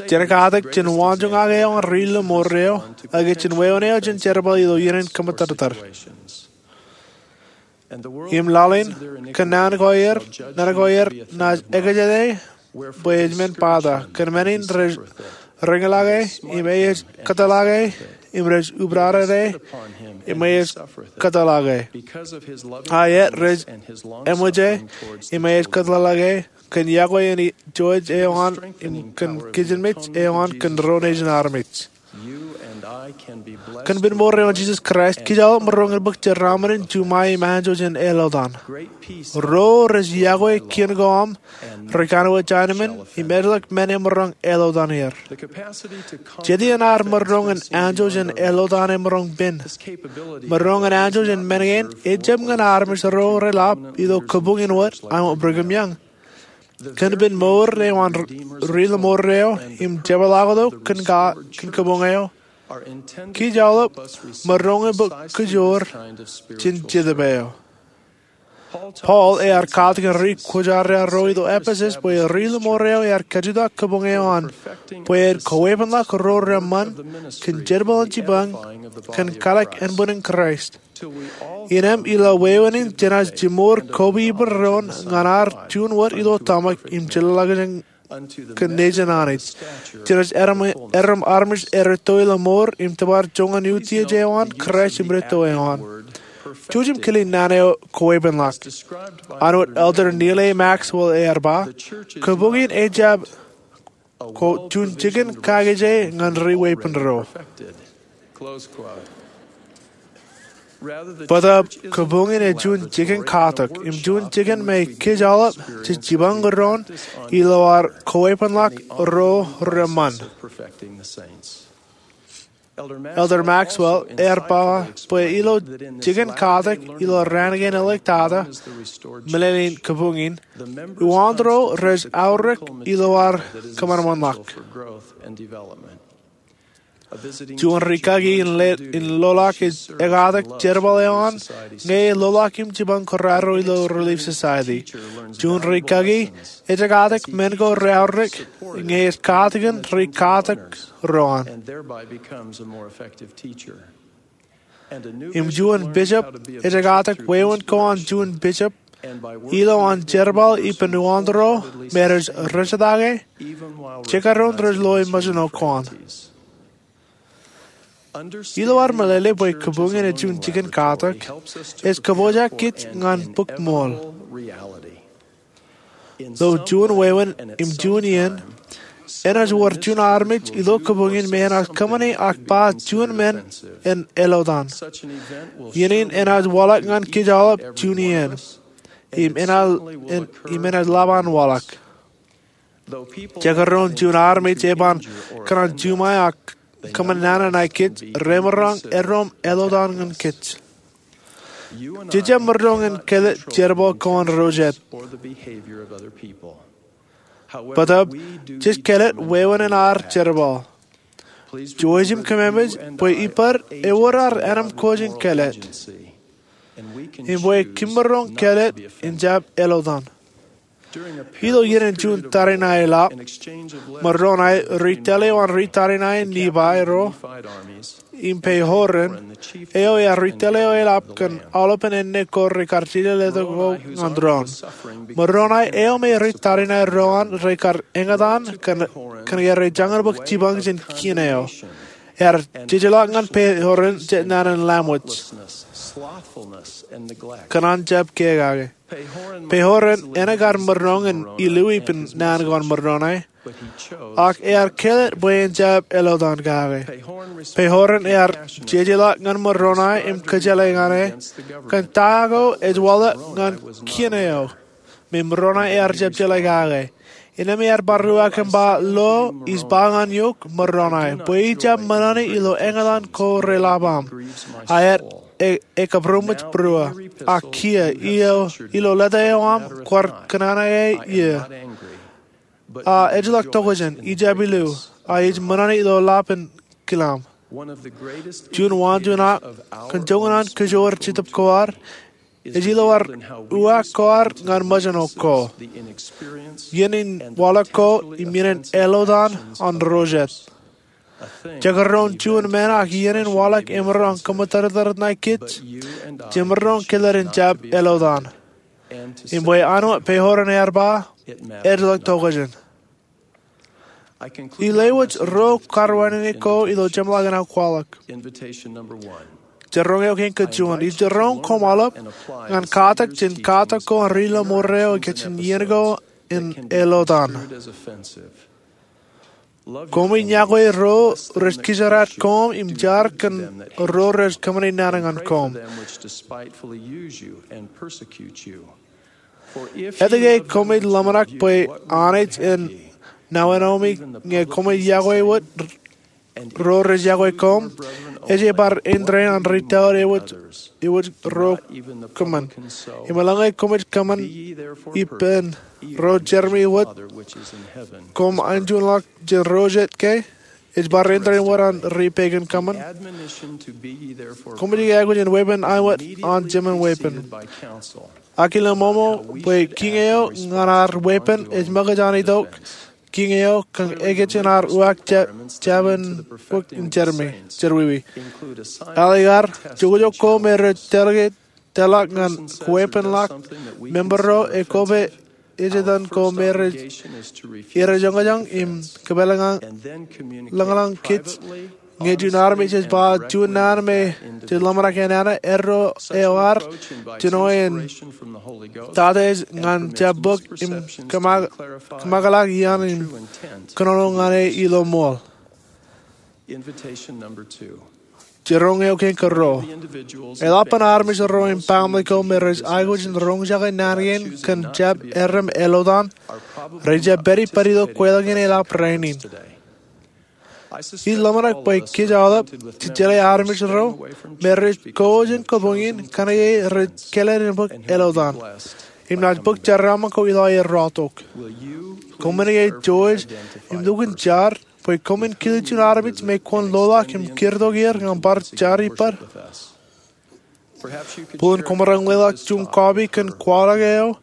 Jen katak jān waanjoñak eo an ri lōṃor eo, ak jān wāween eo jān jerbal ilo iien in kōṃṃootōktōk. Im laḷ in, kōn naan ko aer, naan ko aer naaj ekjete bwe ej men pata, kōn men in rej reñlake, im ej kōtḷọke, im rej ubdadede, im ej kōtḷọke. Aet, rej eṃōje, im ej kōtḷọke, kōn yokwe in ijooj eo an, im kōn kijenmej eo an kōn ro nejin armej. Kōn pen mour eo an Jisōs Kraist, kōj aolep maroñ in bōk jeraaṃṃan in juṃae im anjọ jān eḷotan. Ro rej yokwe kien ko aṃ, rej kanooj anemān, im ejjeḷọk men emaroñ eḷotan er. Jet iien ad maroñ in anjọ jān eḷotan emaroñ pen. Maroñ in anjọ jān men kein, ejjab ñan armej ro reḷap ilo kabuñ in wōt aṃ Brigham Young. Kōn pen mour eo an ri lōṃor eo im jepḷaaktok kōn kabuñ eo, kōj aolep maroñ in bōk kajoor jān Jetōb eo. Paul ear katak in ri kwōjarjar ro ilo Epesōs bwe ri lōṃor eo ear kajutak kabuñ eo an bwe en kowepenḷọk ro reṃṃan kōn jerbal in jipañ kōn kalōk ānbwinnin Kraist. Innem ilo wāween in jenaaj jimor koba ippān doon ñan ad juon wōt ilo tōmak im jeḷāḷọkjeṇ kōn nejin Anij. Jenaaj erom armej erūtto ilo mour im tōpar joñan utiej eo an Kraist im rūtto eo an. Jouj im kile naan eo kowepenḷọk. Āinwōt Elder Neal A. Maxwell ear ba, kabuñ in ejjab juon jikin kakije ñan ri weeppān ro. Bōtaab kabuñ in ej juon jikin katak im juon jikin me kōj aolep jej jipañ doon ilo ad kowepenḷọk ro reṃṃan. Elder Maxwell ear ba bwe ilo jikin katak ilo raan kein āliktata, meḷeḷein kabuñ in, uwaantōro rej aorōk ilo ad kōṃanṃanḷọk. Juon rikaki in loḷọk ekatak jerbal eo an ñe loḷọk im jipañ kōrā ro ilo Relief Society. Juon rikaki ej ekatak men ko reaorōk ñe ej katakin ri katak ro an. Im juon bishop ej ekatak wāween ko an juon bishop ilo an jerbal ippān uwaantōro me rej rejjitōk e jekdọọn rej lo ṃōjṇo ko an. Ilo ad meḷeḷe bwe kabuñ in ej juon jikin katak, ej kōpooj kōj ñan bōk ṃool. Ilo juon wāween im juon iien, enaaj wōr juon armej ilo kabuñ in me enaaj kōṃṃane ak ba juon men en elotan. Iien in enaaj waḷọk ñan kōj aolep juon iien im enaaj lap an waḷọk. Jekdọọn juon armej eban kōṇaan juṃae ak kōṃṃan naan ṇae kōj, remaroñ erom elotan ñan kōj. Jej jab maroñ in kāālōt jerbal ko an ro jet. Bōtab jej kāālōt wāween in ad jerbal. Jouj im kōmemej bwe ippād ewōr ad ānōm ko jān kāālōt im bwe kōm maroñ kāālōt in jab elotan. Ilo iien in juon tariṇae eḷap, Moroni ri tōl eo an ri tariṇae in Nifai ro im Pehoren eo ear ri tōl eo eḷap kōn aolepān āne ko rekar jejeḷā letok ñan doon. Moroni eo me ri tariṇae ro an rekar eñtaan kōn ke rej jañin bōk jipañ jān kien eo. Ear jejeḷā ñan Pehoren jet naan in lamwōj, kōṇaan jab kea kake. Pehoren enaaj kar maroñ in illu ippān naan ko an Moroni, ak ear kāālōt bwe en jab elotan kake. Pehoren ear jejeḷā ñan Moroni im kōjeḷā ñan e kōn ta ko ej waḷọk ñan kien eo me Moroni ear jab jeḷā kake. Innām ear bar uwaak im ba, Lo, ij ba ñan eok Moroni bwe ij jab ṃōṇōṇō ilo eñtaan ko reḷap aṃ, a ej kabūroṃōj būruō. Ak kiiō, ilo lōta eo aṃ kwaar kōṇaan eo ie. A ejjeḷọk tokjān, ij jab illu, a ij ṃōṇōṇō ilo ḷap in kilaṃ. Juon waanjoñak kōn joñan an kōjoor Jetōb ko ad ej ilo ad uwaak ko ad ñan ṃōjṇo ko, iien in waḷọk ko im iien in elotan an ro jet. Jekdọọn juon men ak iien in waḷọk emaroñ kōṃṃan tōrtōr ṇae kōj, jemaroñ kāālōt in jab elotan. Im bwe an wōt Pehoren ear ba, ejjeḷọk tokjān. Ij lewōj ruo karuwaineneik ko ilo jeṃḷọkin aō kwaḷọk. Jiroñ eo kein kōn juon, ij jiroñ koṃ aolep ñan katak jān katak ko an ri lọmọọr eo ikijjien iien ko in elotan. Koṃij yokwe ro rej kijeraad koṃ im jar kōn ro rej kōṃṃane naan ñan koṃ. Etke koṃij ḷōmṇak bwe Anij en nāwenomi ñe koṃij yokwe wōt ro rej yokwe koṃ? Ej bar indein an ri tōl eo ewōj ro kōṃṃan. Im eḷaññe koṃij kōṃṃan ippān ro jermi wōt, koṃ enjeḷọk jān ro jet ke? Ej bar indein wōt an ri pegan kōṃṃan. Koṃij aikuj in weeppān aiwōt an jemān weeppān. Ak ilo ṃoṃo bwe kiiñ eo ñan ad weeppān ej ṃōkaj an itok kiiñ eo kōn ekōjin ad uwaak jabōn bōk in jermiwi. Ālikin ad, jokjok ko me rej tōl ke tōl ḷọk ñan kweeppān ḷọk member ro, ekwe ej etan ko me rej erejoñojoñ im kōpeḷḷọk lōñlōñ kōj. Ñe juon armej ej ba juon naan me jej ḷōmṇak en nana, erro eo ad jino en tata ej ñan jab bōk im kōṃakḷọk iaan im kōnono ñan e ilo ṃool. Jiroñ eo kein kōn ruo. Eḷapḷọk armej ro im baaṃle ko me rej aikuj in roñjake naan kein kōn jab erom elotan, rej jab pād ippād ilo kweilọk in eḷap rainin. Ij ḷōmṇak bwe kōj aolep jej jeḷā armej ro me rej kōjin kōpoñ in kōnke rej kōḷḷālḷọk ālikin ālikin ālikin. Im naaj bōk jeraaṃṃan ko ilo aer rọọltok. Koṃwin George im lukkuun jar bwe koṃwin kile juon armej me kwōn loḷọk im kūrtok er ñan bar jar ippād? Bōlen koṃ maroñ leḷọk juon kọọpi kōn kwaḷọk eo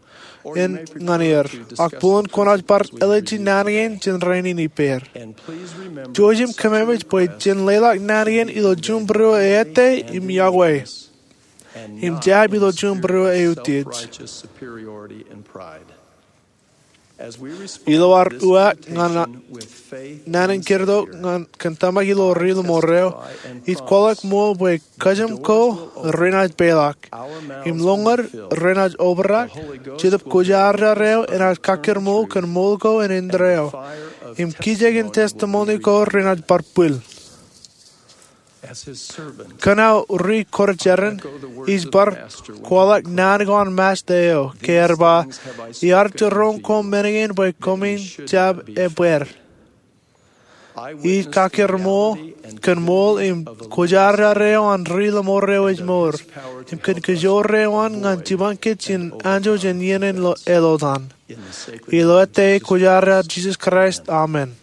in ñan er, ak bōlen kwōnaaj bar ālije naan kein jān rainin ippāer. Jouj im kōmemeej bwe jen leḷọk naan kein ilo juon būruō ettā im yokwe, im jab ilo juon būruō eutiej. Ilo ad uwaak ñan naan in kūrtok kōn tōmak ilo ri ḷōṃaro, ij kwaḷọk ṃool bwe kajjitōk ko renaaj peḷḷọk, im lọñed renaaj obrak. Jetōb Kwōjarjar eo enaaj kakkōrmool kōn ṃool ko en indeeo, im kijeek in testimony ko renaaj bar bwil. Kōn aō ri kwōjarjar in, ij bar kwaḷọk naan ko an Masta eo, ke ear ba, iar jiroñ koṃ men kein bwe koṃwin jab ebbeer. Ij kakkōrmool kōn ṃool im kwōjarjar eo an ri ḷōṃaro eo ej mour, im kōn kōjoor eo an ñan jipañ kōj jān anjọ jān iien in ālikin ālikin. Ilo ettā Kwōjarjar Jisōs Kraist, amen.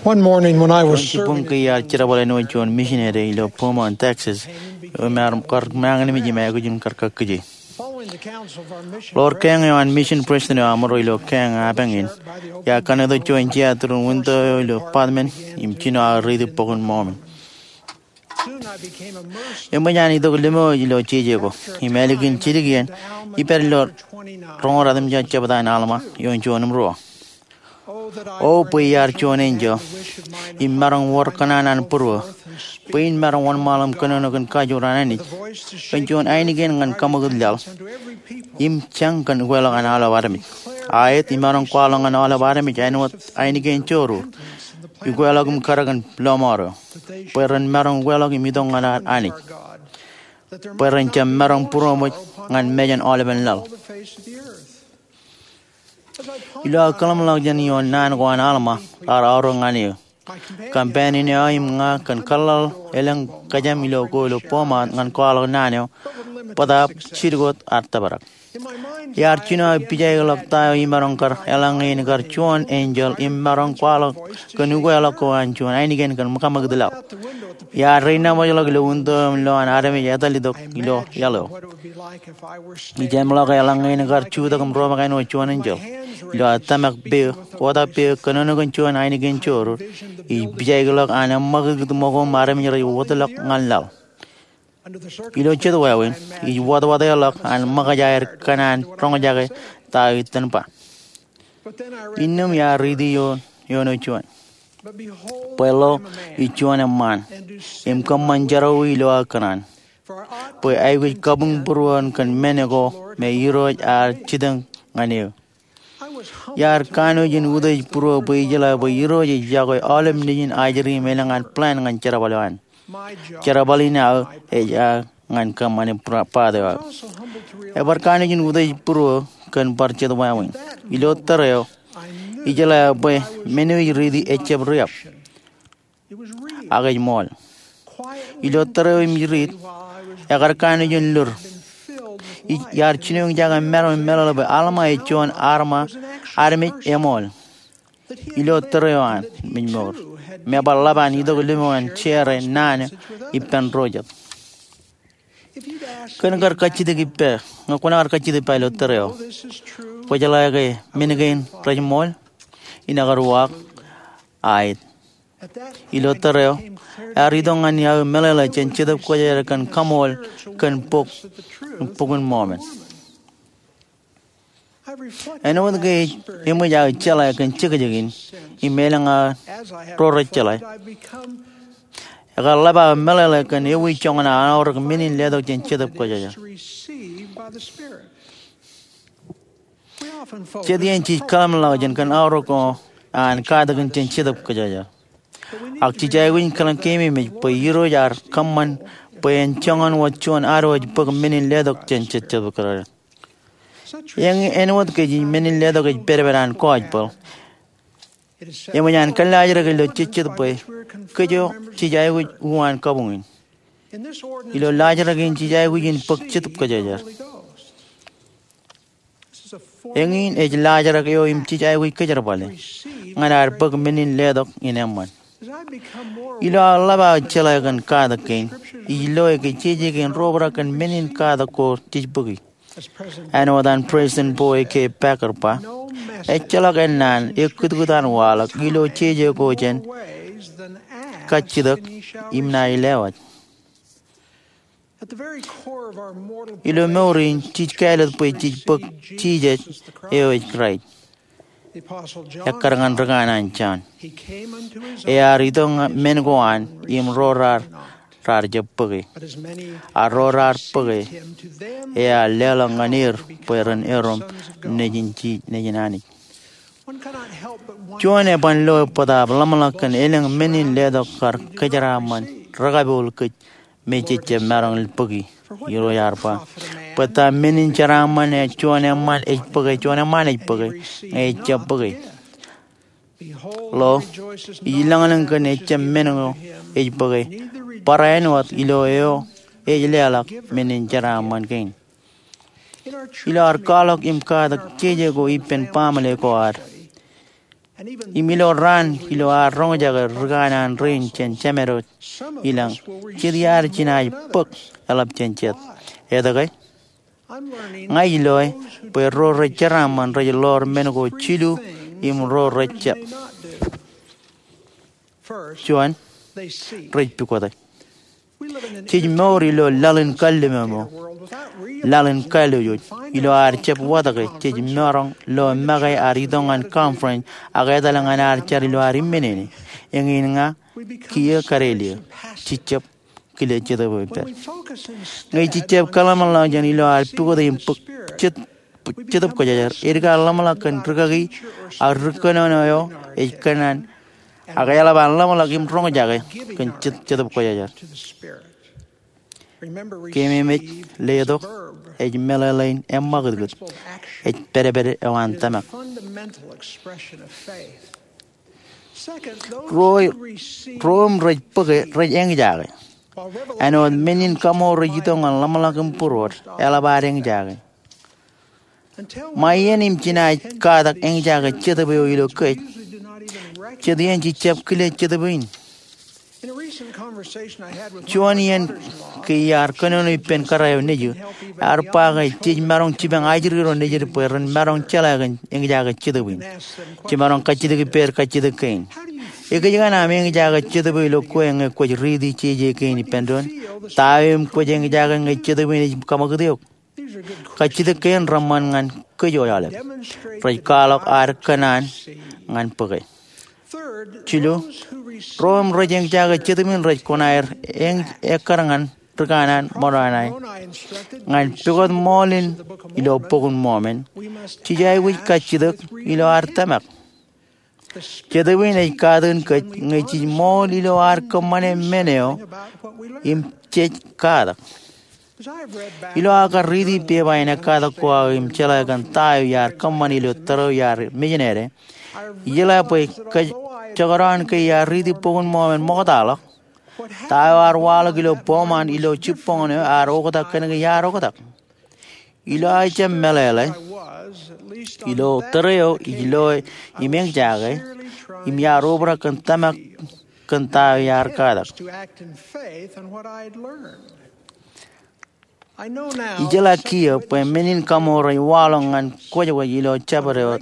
One morning when I was serving, iar jerbal āinwōt juon misineri ilo Beaumont, Texas, im ear kar mañinmej im aikuj in kar kakkije. Ḷoor keeñ eo an mission president eo aṃro ilo keeñ epañ in, iar kanooj juon jea tūrun winto eo ilo apartment im jino aō riiti Bok in Mormon. Eṃōj an itok limo ilo jeje ko, im ālikin jidik iien, ij pād ilo roñoul ratimjuon jebta in Alma, ioon juon im ruo. O bwe iar juon enjeḷ, im maroñ wōr kōṇaan an būruō, bwe in maroñ wōnṃaanḷọk im kōnono kōn kajoor an Anij, kōn juon ainikien ñan kaṃakūt laḷ, im jañ kōn ukeḷọk an aolep armej. Aet, imaroñ kwaḷọk ñan aolep armej āinwōt ainikien jorur, ukeḷọk im karōk in lọmọọr eo, bwe ren maroñ ukeḷọk im itok ñan ad Anij, bwe ren jab maroñ būroṃōj ñan mejān aolepen laḷ. Ilo aō kōḷmānḷọkjeṇ ioon naan ko an Alma raar aorōk ñan eō, companion eo aō im ña kōn kōḷḷāḷ elōñ kōjām ilo ko ilo Beaumont ñan kwaḷọk naan eo, bōtaab jidik wōt ad tōprak. Iar jino aō pijaikḷọk ta eo imaroñ kar eḷaññe in kar juon enjeḷ im maroñ kwaḷọk kōn ukeḷọk ko an juon ainikien kōn kaṃakūt laḷ. Iar renaṃōjḷọk ilo winto im lo an armej etal itok ilo iaḷ eo. Ij emḷọk eḷaññe in kar jutak im roñjake āinwōt juon enjeḷ. Ilo aō tōmak peō, kotak peō kōnono kōn juon ainikien jorur, ij pijaikḷọk an eṃṃakūtkūt ṃōko im armej rej wōtlọk ñan laḷ. Ilo jet wāween, ij wōtwōtḷọk an ṃōkaj aer kōṇaan roñjake ta eo itōn ba. Innām iar riiti ioon eo juon. Bwe lo, ij juon eṃṃaan, im kōṃṃan jerọwiwi ilo aō kōṇaan, bwe aikuj kabuñ būruon kōn men ko me Irooj ear jitōñ ñan eō. Iar kanooj in utiej būruō bwe ijeḷā bwe Irooj ej yokwe aolep nejin ajri im elōñ an plan ñan jerbal eo an. Jerbal in aō ej aō ñan kōṃṃane part eo aō. Ebar kanooj in utiej būruō kōn bar jet wāween. Ilo tōre eo, ijeḷā bwe men eo ij riiti ejjab riab. Ak ej ṃool. Ilo tōre eo im ij riit, ekar kanooj in lur. Iar jinoin jake maroñ in meḷeḷe bwe Alma ej juon armej eṃool ilo tōre eo an im ej mour, im ebar ḷap an itok limo an share naan eo ippān ro jet. Kōn kar kajjitōk ippa, ñe kwōn kar kajjitōk ippa ilo tōre eo, kwōjeḷā ke men kein rej ṃool, innem kar uwaak, aet. Ilo tōre eo, ear itok ñan aō meḷeḷe jān Jetōb Kwōjarjar kōn kaṃool kōn bok, Bok in Mormon. Āinwōt ke eṃōj aō jeḷā kōn jekjek in, im elōñ aō ro rej jeḷā, ekar ḷap aō meḷeḷe kōn ewi joñan an aorōk men in letok jān Jetōb Kwōjarjar. Jet iien jej kōḷmānḷọkjeṇ kōn aorōk ko an katakin jān Jetōb Kwōjarjar. Ak jej aikuj in kōḷmānḷọkjeṇ bwe Irooj ear kōṃṃan bwe en joñan wōt juon ad wōj bōk men in letok jān Jetōb Kwōjarjar. Eñin āinwōt ke jej men in letok ej pedped an gospel, eṃōj an kōllaajrak ilo jejjet bwe kōj jej aikuj uwaan kabuñ in. Ilo laajrak in jej aikuj in bōk Jetōb Kwōjarjar. Eñin ej laajrak eo im jej aikuj kōjerbale ñan ad bōk men in letok in eṃṃan. Ilo aō ḷap aō jeḷā kōn katak kein, ij loe ke jeje kein ro obrak kōn men in katak ko jej bōki. Āinwōt an President Boyd K. Packer ba, ejjeḷọk ennaan ekkūtkūt an waḷọk ilo jeje ko jān kajjitōk im naaj lewōj. Ilo mour in, jej kāālōt bwe jej bōk Jisōs eo ej Kraist. Ekkar ñan rikanaan Jon. Ear itok men ko an im ro raar, raar jab bōke. Ak ro raar bōke, ear leḷọk ñan er bwe ren erom nejin Ji-, nejin Anij. Juon eban loe bōtaab ḷōmṇak kōn elōñ men in letok kar kōjeraaṃṃan rekapool kōj me jej jab maroñ bōki. Irooj ear ba, bwe ta men in jeraaṃṃan eo juon eṃṃan ej bōke, juon eṃṃan ej bōke, ñe ejjab bōke? Lo, ij lōñlōñ kōn ejjab men ko ej bōke, barāinwōt ilo eo ej leḷọk men in jeraaṃṃan kein. Ilo ad kwaḷọk im katak jeje ko ippān baaṃle ko ad, im ilo raan ilo ad roñjake rikanaan rein jān Jemād eo ilañ, jet iar jinaaj bōk eḷap jān jet. Etke? Ña ij loe bwe ro rej jeraaṃṃan rej ḷoor men ko jilu im ro rej jab. Juon, rej pukote. Jej mour ilo laḷ in kalliṃōṃō, laḷ in kālojoj. Ilo ad jab watōke, jej maroñ lo make ad itok ñan conference ak etal ñan ad jar ilo ad imminene. Eñin ña kiiō kadelie, jej jab kile Jetōb eo ippād. Ñe jej jab kōḷmānḷọkjeṇ ilo ad pukote im bōk jet Jetōb Kwōjarjar, edik ad ḷōmṇak kōn rikaki ak ri kōnono eo ej kōnnaan, ak eḷap an ḷōmṇak im roñjake kōn Jet-, Jetōb Kwōjarjar. Keememej, letok ej meḷeḷein eṃṃakūtkūt, ej pedped eo an tōmak. Ro, ro im rej bōke rej eñjake. Āinwōt men in kaṃool rej itok ñan ḷōmṇak im būruod, eḷap ad eñjake. Ṃae iien im jinaaj katak eñjake Jetōb eo ilo kōj, jet iien jej jab kile Jetōb in. Juon iien ke iar kōnono ippān kōrā eo nejū, ear ba ke jej maroñ jipañ ajri ro nejid bwe ren maroñ jeḷā kōn eñjake Jetōb in. Jemaroñ kajjitōk ippāer kajjitōk kein. Ekōjkan aṃ eñjake Jetōb eo ilo kwe ñe kwōj riiti jeje kein ippān doon? Ta eo im kwōj eñjake ñe Jetōb in ej kaṃakūt eok? Kajjitōk kein reṃṃan ñan kōj aolep. Rej kwaḷọk ad kōṇaan ñan bōke. Jilu, ro im rej eñjake Jetōb in rej koṇaer eñ-, ekkar ñan rikanaan Moronai. Ñan pukot ṃool in ilo Bok in Mormon, jej aikuj kajjitōk ilo ad tōmak. Jetōb in ej katakin kōj ñe jej ṃool ilo ad kōṃṃane men eo im jej katak. Ilo aō kar riiti pepa in ekkatak ko aō im jeḷā kōn ta eo iar kōṃṃan ilo tōre eo iar mejānede, ijeḷā bwe kōjekdọọn ke iar riiti Bok in Mormon ṃoktaḷọk. Ta eo ear waḷọk ilo Beaumont ilo jibboñōn eo ear oktak kōnke iar oktak. Ilo aō jab meḷeḷe, ilo tōre eo ij loe im eñjake, im iar obrak kōn tōmak kōn ta eo iar katak. Ijeḷā kiiō bwe men in kaṃool rej waḷọk ñan kwōjkwōj ilo jabdewōt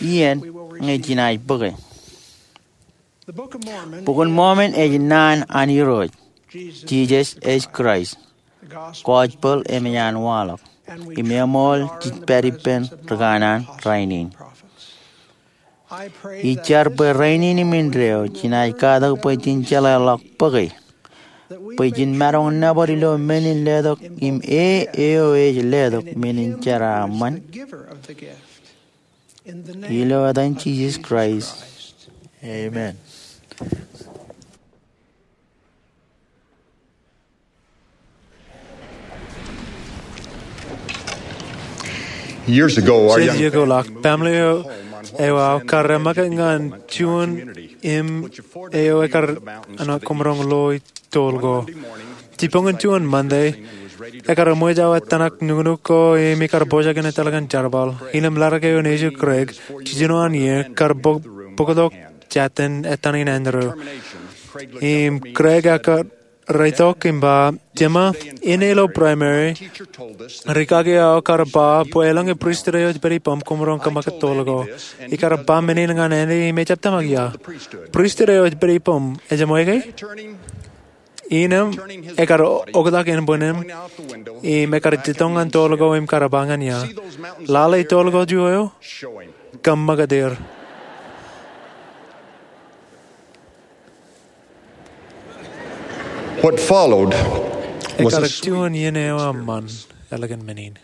iien ñe jinaaj bōke. Bok in Mormon ej naan an Irooj, Jisōs ej Kraist, gospel emōj an waḷọk, im eṃool jej pād ippān rikanaan rainin. Ij jar bwe rainin im indeeo jinaaj katak bwe jen jeḷā ḷọk bōke, bwe jen maroñ nōbar ilo men in letok im e eo ej letok men in jeraaṃṃan. Ilo etan Jisōs Kraist, amen. Years ago, our young family moved from our home on what was then Paramilio eo aō kar eṃṃakūt ñan juon im eo ekar koṃaroñ lo itoḷ ko. Jibboñin juon Monday, ekar eṃōj aō ettōṇak nuknuk ko im ikar pojak in etal kōn jerbal. Innem ladik eo nejū Craig, jiljino an iiō, kar bōk-, bōktok jatin etan in Andrew. Im Craig ekar reitok im ba, Jema, inne ilo primary, rikaki eo kar ba bwe eḷaññe pristut eo ej pād ippām koṃaroñ kōṃṃakūt toḷ ko. Ikar ba men in ñan āne im ejab tōmak ia. Pristut eo ej pād ippām, ejab ṃōj ke? Innem ekar oktak ānbwinnem im ekar jitōñ ñan toḷ ko im kar ba ñan ia, Lale itoḷ ko juon eo? Kōṃṃakūt er. What followed was a sweet. Ekar juon iien eo eṃṃan ālikin men in.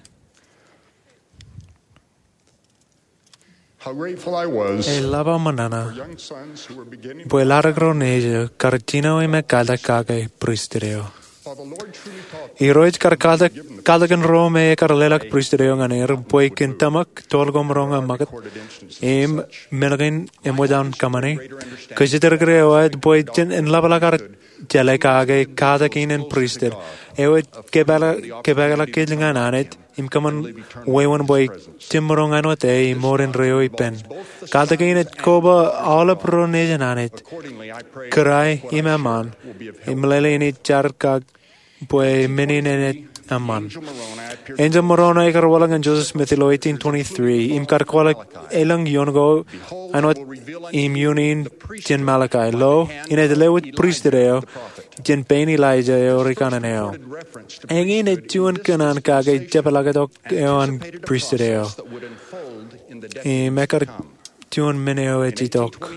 How grateful I was. Eḷap aō ṃōṇōṇō bwe ladik ro nejū kar jino im ekālōt kake pristut eo. Irooj kar kalōk, kalōk in ro me ekar leḷọk pristut eo ñan er bwe jen tōmak toḷ koṃaroñ ṃakūt im men kein eṃōj an kōṃṃani. Kōjatdikdik eo ej bwe jen, en ḷapḷọk ad jeḷā kake katak in en pristut eo ej kōpeḷḷọk, kōpeḷḷọk kōj ñan Anij im kōṃṃan wāween bwe jen maroñ āinwōt e im mour indeeo ippān. Katak in ej koba aolep ro nejin Anij, kōrā im eṃṃan, im meḷeḷe in ij jar kake bwe men in enaaj eṃṃan. Enjeḷ Moroni ekar waḷọk ñan Joseph Smith ilo eighteen twenty-three im kar kwaḷọk elōñ iioon ko āinwōt im iioon in jān Malachi. Lo, inaaj lewōj pristut eo jān pein Elijah eo rikanaan eo. Eñin ej juon kōṇaan kake jepḷaaktok eo an pristut eo. Im ekar juon men eo ej itok.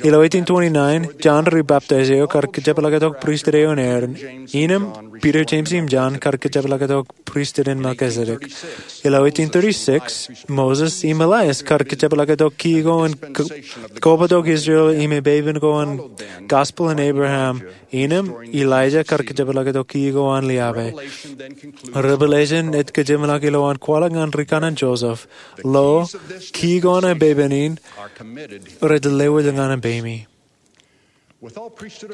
Ilo eighteen twenty-nine, John ri Baptist eo kar kajepḷaaktok pristut eo in Aaron. Innem, Peter, James, im John kar kajepḷaaktok pristut in Melchizedek. Ilo eighteen thirty-six, Moses im Elias kar kajepḷaaktok kiiō ko in k-, kobatok Israel im epepen ko an gospel in Abraham. Innem, Elijah kar kajepḷaaktok kiiō ko an liabe. Revelation ej kōjeṃḷọk ilowaan kwaḷọk ñan rikanaan Joseph. Lo, kiiō ko an epepen in rej lewōj ñan peimi.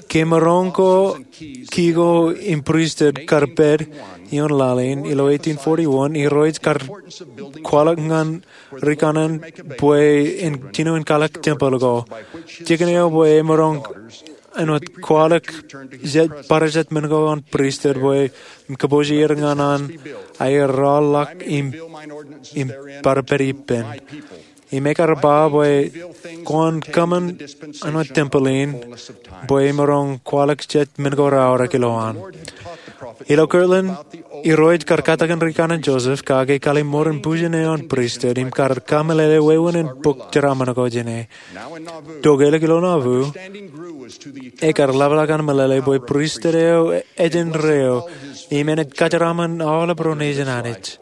Kōmaroñ ko kiiō ko im pristut kar pād ioon laḷ in ilo eighteen forty-one, Irooj kar kwaḷọk ñan rikanaan bwe en jino in kalōk tempel ko. Jikin eo bwe emaroñ āinwōt kwaḷọk jet, bar jet men ko an pristut bwe im kōpooje er ñan an aer rọọlḷọk im, im bar pād ippān. Im ekar ba bwe kwōn kōṃṃan āinwōt tempel in bwe emaroñ kwaḷọk jet men ko raorōk ilowaan. Ilo Kirtland, Irooj kar katakin rikanaan Joseph kake kallimmour in bujen eo an pristut im kar kameḷeḷe wāween in bok jeraaṃṃan ko jāne. Dokeḷọk ilo Nauvoo, ekar ḷapḷọk an meḷeḷe bwe pristut eo ej indeeo im enaaj kajeraaṃṃan aolep ro nejin Anij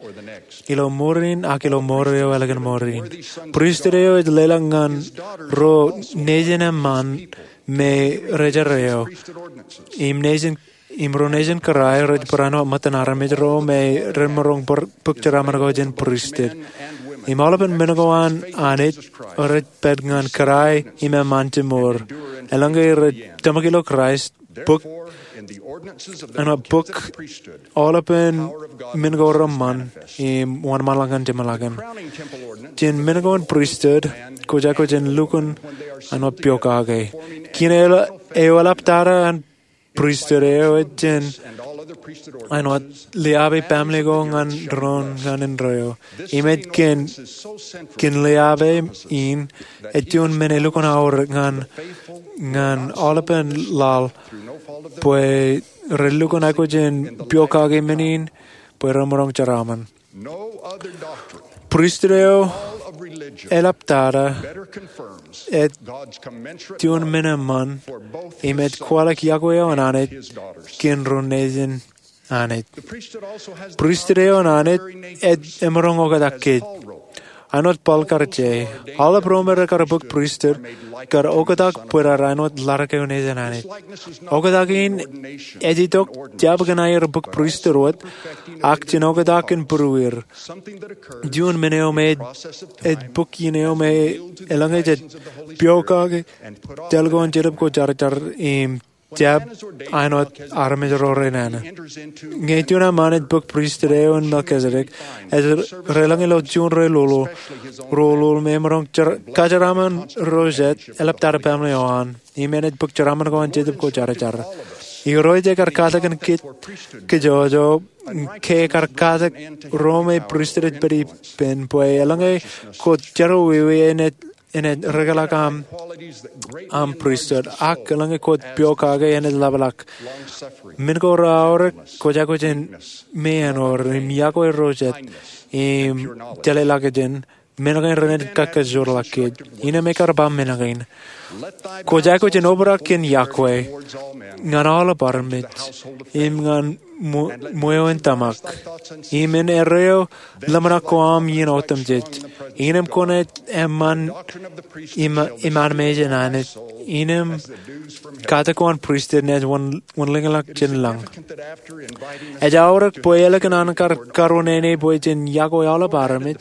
ilo ṃoor in ak ilo ṃoor eo ālikin ṃoor in. Pristut eo ej leḷọk ñan ro nejin eṃṃaan me ri-jeje eo im nejin im ro nejin kōrā rej barāinwōt ṃōttan armej ro me rej maroñ bōk jeraaṃṃan ko jān pristut. Im aolepen men ko an Anij rej pād ñan kōrā im eṃṃaan jimor. Eḷaññe rej tōmak ilo Kraist, bōk, āinwōt bōk aolepen men ko reṃṃan im wōnṃaanḷọk ñan jeṃḷọkin. Jān men ko an pristut, kwōj aikuj in lukkuun āinwōt piokake. Kiiō eo eḷaptata an pristut eo ej jān āinwōt liabe baaṃle ko ñan doon ñan indeeo. Im ej kōn, kōn liabe in ej juon men elukkuun aorōk ñan, ñan aolepen laḷ bwe rej lukkuun aikuj in piokake men in bwe remaroñ jeraaṃṃan. Pristut eo eḷaptata ej juon men eṃṃan im ej kwaḷọk yokwe eo an Anij kōn ro nejin Anij. Pristut eo an Anij ej emaroñ oktak kōj. āinwōt Paul kar je. Aolep ro me rekar bōk pristut kar oktak bwe raar āinwōt ḷaddik eo nejin Anij. Oktak in ej itok jab kōn aer bōk pristut wōt, ak jen oktak in būrueir. Juon men eo me ej bōk iien eo me elōñ ej jet piokake jān ko an Jetōb Kwōjarjar im jab āinwōt armej ro renana. Ñe juon eṃṃan ej bōk pristut eo an Melkisedek, ej relōñ ilo juon relolo, relolo me emaroñ kajeraaṃṃan ro jet, eḷaptata baaṃle eo an, im en ej bōk jeraaṃṃan ko an Jetōb Kwōjarjar. Irooj ekar katak kōn kōj kajjojo, ke ekar katak ro me pristut ej pād ippān, bwe eḷaññe kwōj jerọwiwi enaaj rekḷọk aṃ pristut, ak eḷaññe kwōj piokake enaaj ḷapḷọk. Men ko reaorōk kwōj aikuj in meanor im yokwe ro jet im jeḷā ḷọkjeṇ, men kein renaaj kakajoorḷọk kōj. Innem ekar ba men kein. Kwōj aikuj in obrak in yokwe ñan aolep armej im ñan ṃweo in tōmak, im en erreo ḷōmṇak ko aṃ iien otemjej. Innem kwōnaaj eṃṃan im, im an mejān Anij. Innem katak ko an pristut enaaj wōnḷōñḷọk jān lañ. Ej aorōk bwe ālikin an kar karuo nene bwe jen yokwe aolep armej,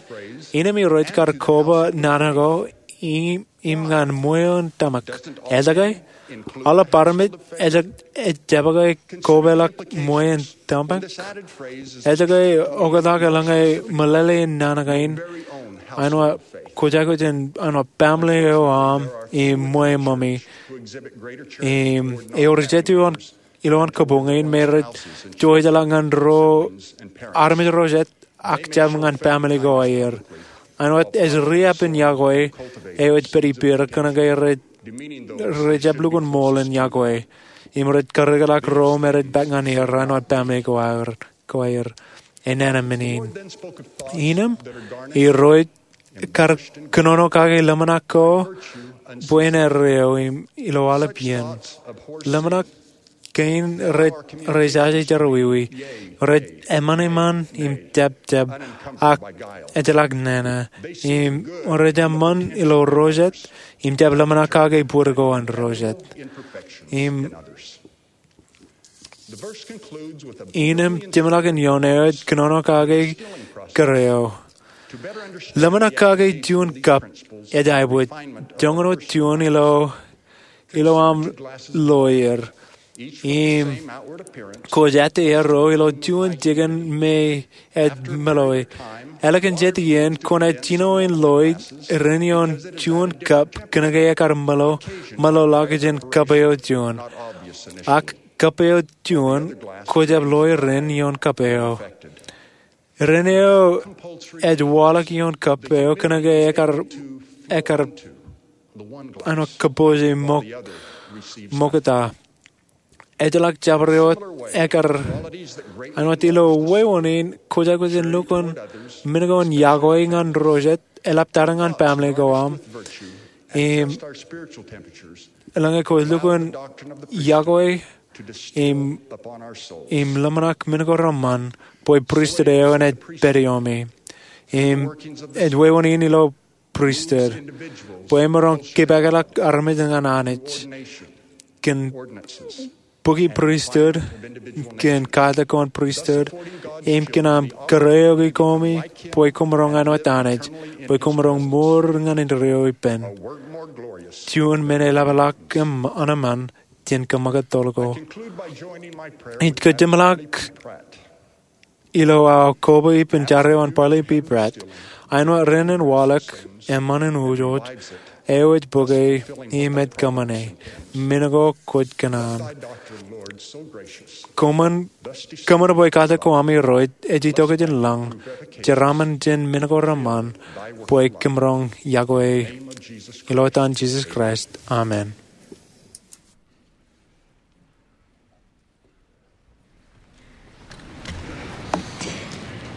innem Irooj kar koba naan ko im, im ñan ṃweo in tōmak. Ejake, aolep armej ej, ej jab ke kobaḷọk ṃweo in tōmak? Ejake, oktak eḷaññe meḷeḷe in naan kein, āinwōt kwōj aikuj in, āinwōt baaṃle eo aṃ im ṃweo ṃōmi, im ewōr jet ilo an kabuñ in me rej jouj ḷọk ñan ro armej ro jet ak jab ñan baaṃle ko aer. Āinwōt ej riab in yokwe eo ej pād ippāer kōnke rej, rej jab lukkuun ṃool in yokwe. Im rej karekḷọk ro me rej bōk ñan er āinwōt baaṃle ko aer, ko aer. Enana men in. Innem, Irooj kar kōnono kake ḷōmṇak ko bwe en erreo im ilo aolep iien. Ḷōmṇak kein rej, rej jaje jerọwiwi, rej eṃṃan eṃṃan im jab jab, ak ejjeḷọk nana, im rej eṃṃan ilo ro jet, im jab ḷōmṇak kake bōd ko an ro jet. Im innem jemḷọkin ioon eo ej kōnono kake kōrā eo. Ḷōmṇak kake juon kab ej aebōj, joñan wōt juon ilo, ilo aṃ lawyer. Im kwōj ettā erreo ilo juon jikin me ej meḷeḷe. Ālikin jet iien kwōnaaj jino in loe ren ioon juon kab kōnke ekar meḷeḷe, meḷeḷọk jān kab eo juon. Ak kab eo juon kwōj jab loe ren ioon kab eo. Ren eo ej waḷọk ioon kab eo kōnke ekar, ekar āinwōt kabbokbok ṃōk, ṃokta. Ejjeḷọk jabdewōt ekar, āinwōt ilo wāween in kwōj aikuj in lukkuun men ko in yokwe ñan ro jet, eḷaptata ñan baaṃle ko aṃ. Im eḷaññe kwōj lukkuun yokwe im, im ḷōmṇak men ko reṃṃan bwe pristut eo enaaj pād iomi. Im ej wāween in ilo pristut bwe emaroñ kipakḷọk armej ñan Anij. Kōn bukwi pristut, kōn katak ko an pristut, im kōn aṃ kōrā eok koṃ bwe koṃ maroñ āinwōt Anij, bwe koṃ maroñ mour ñan indeeo ippān. Juon men eḷapḷọk im ṇa eṃṃan jān kōṃṃakūt toḷ ko. Ij kōjeṃḷọk ilo aō koba ippān jar eo an Parley P. Pratt, āinwōt ren en waḷọk eṃṃan in wōjwōj eo ej bōke im ej kōṃṃane men ko kwōj kōṇaan. Kōṃṃan, kōṃṃan bwe katak ko aṃ Irooj ej itok jān lañ, jeraaṃṃan jān men ko reṃṃan bwe kōmaroñ yokwe. Ilo etan Jisōs Kraist, amen.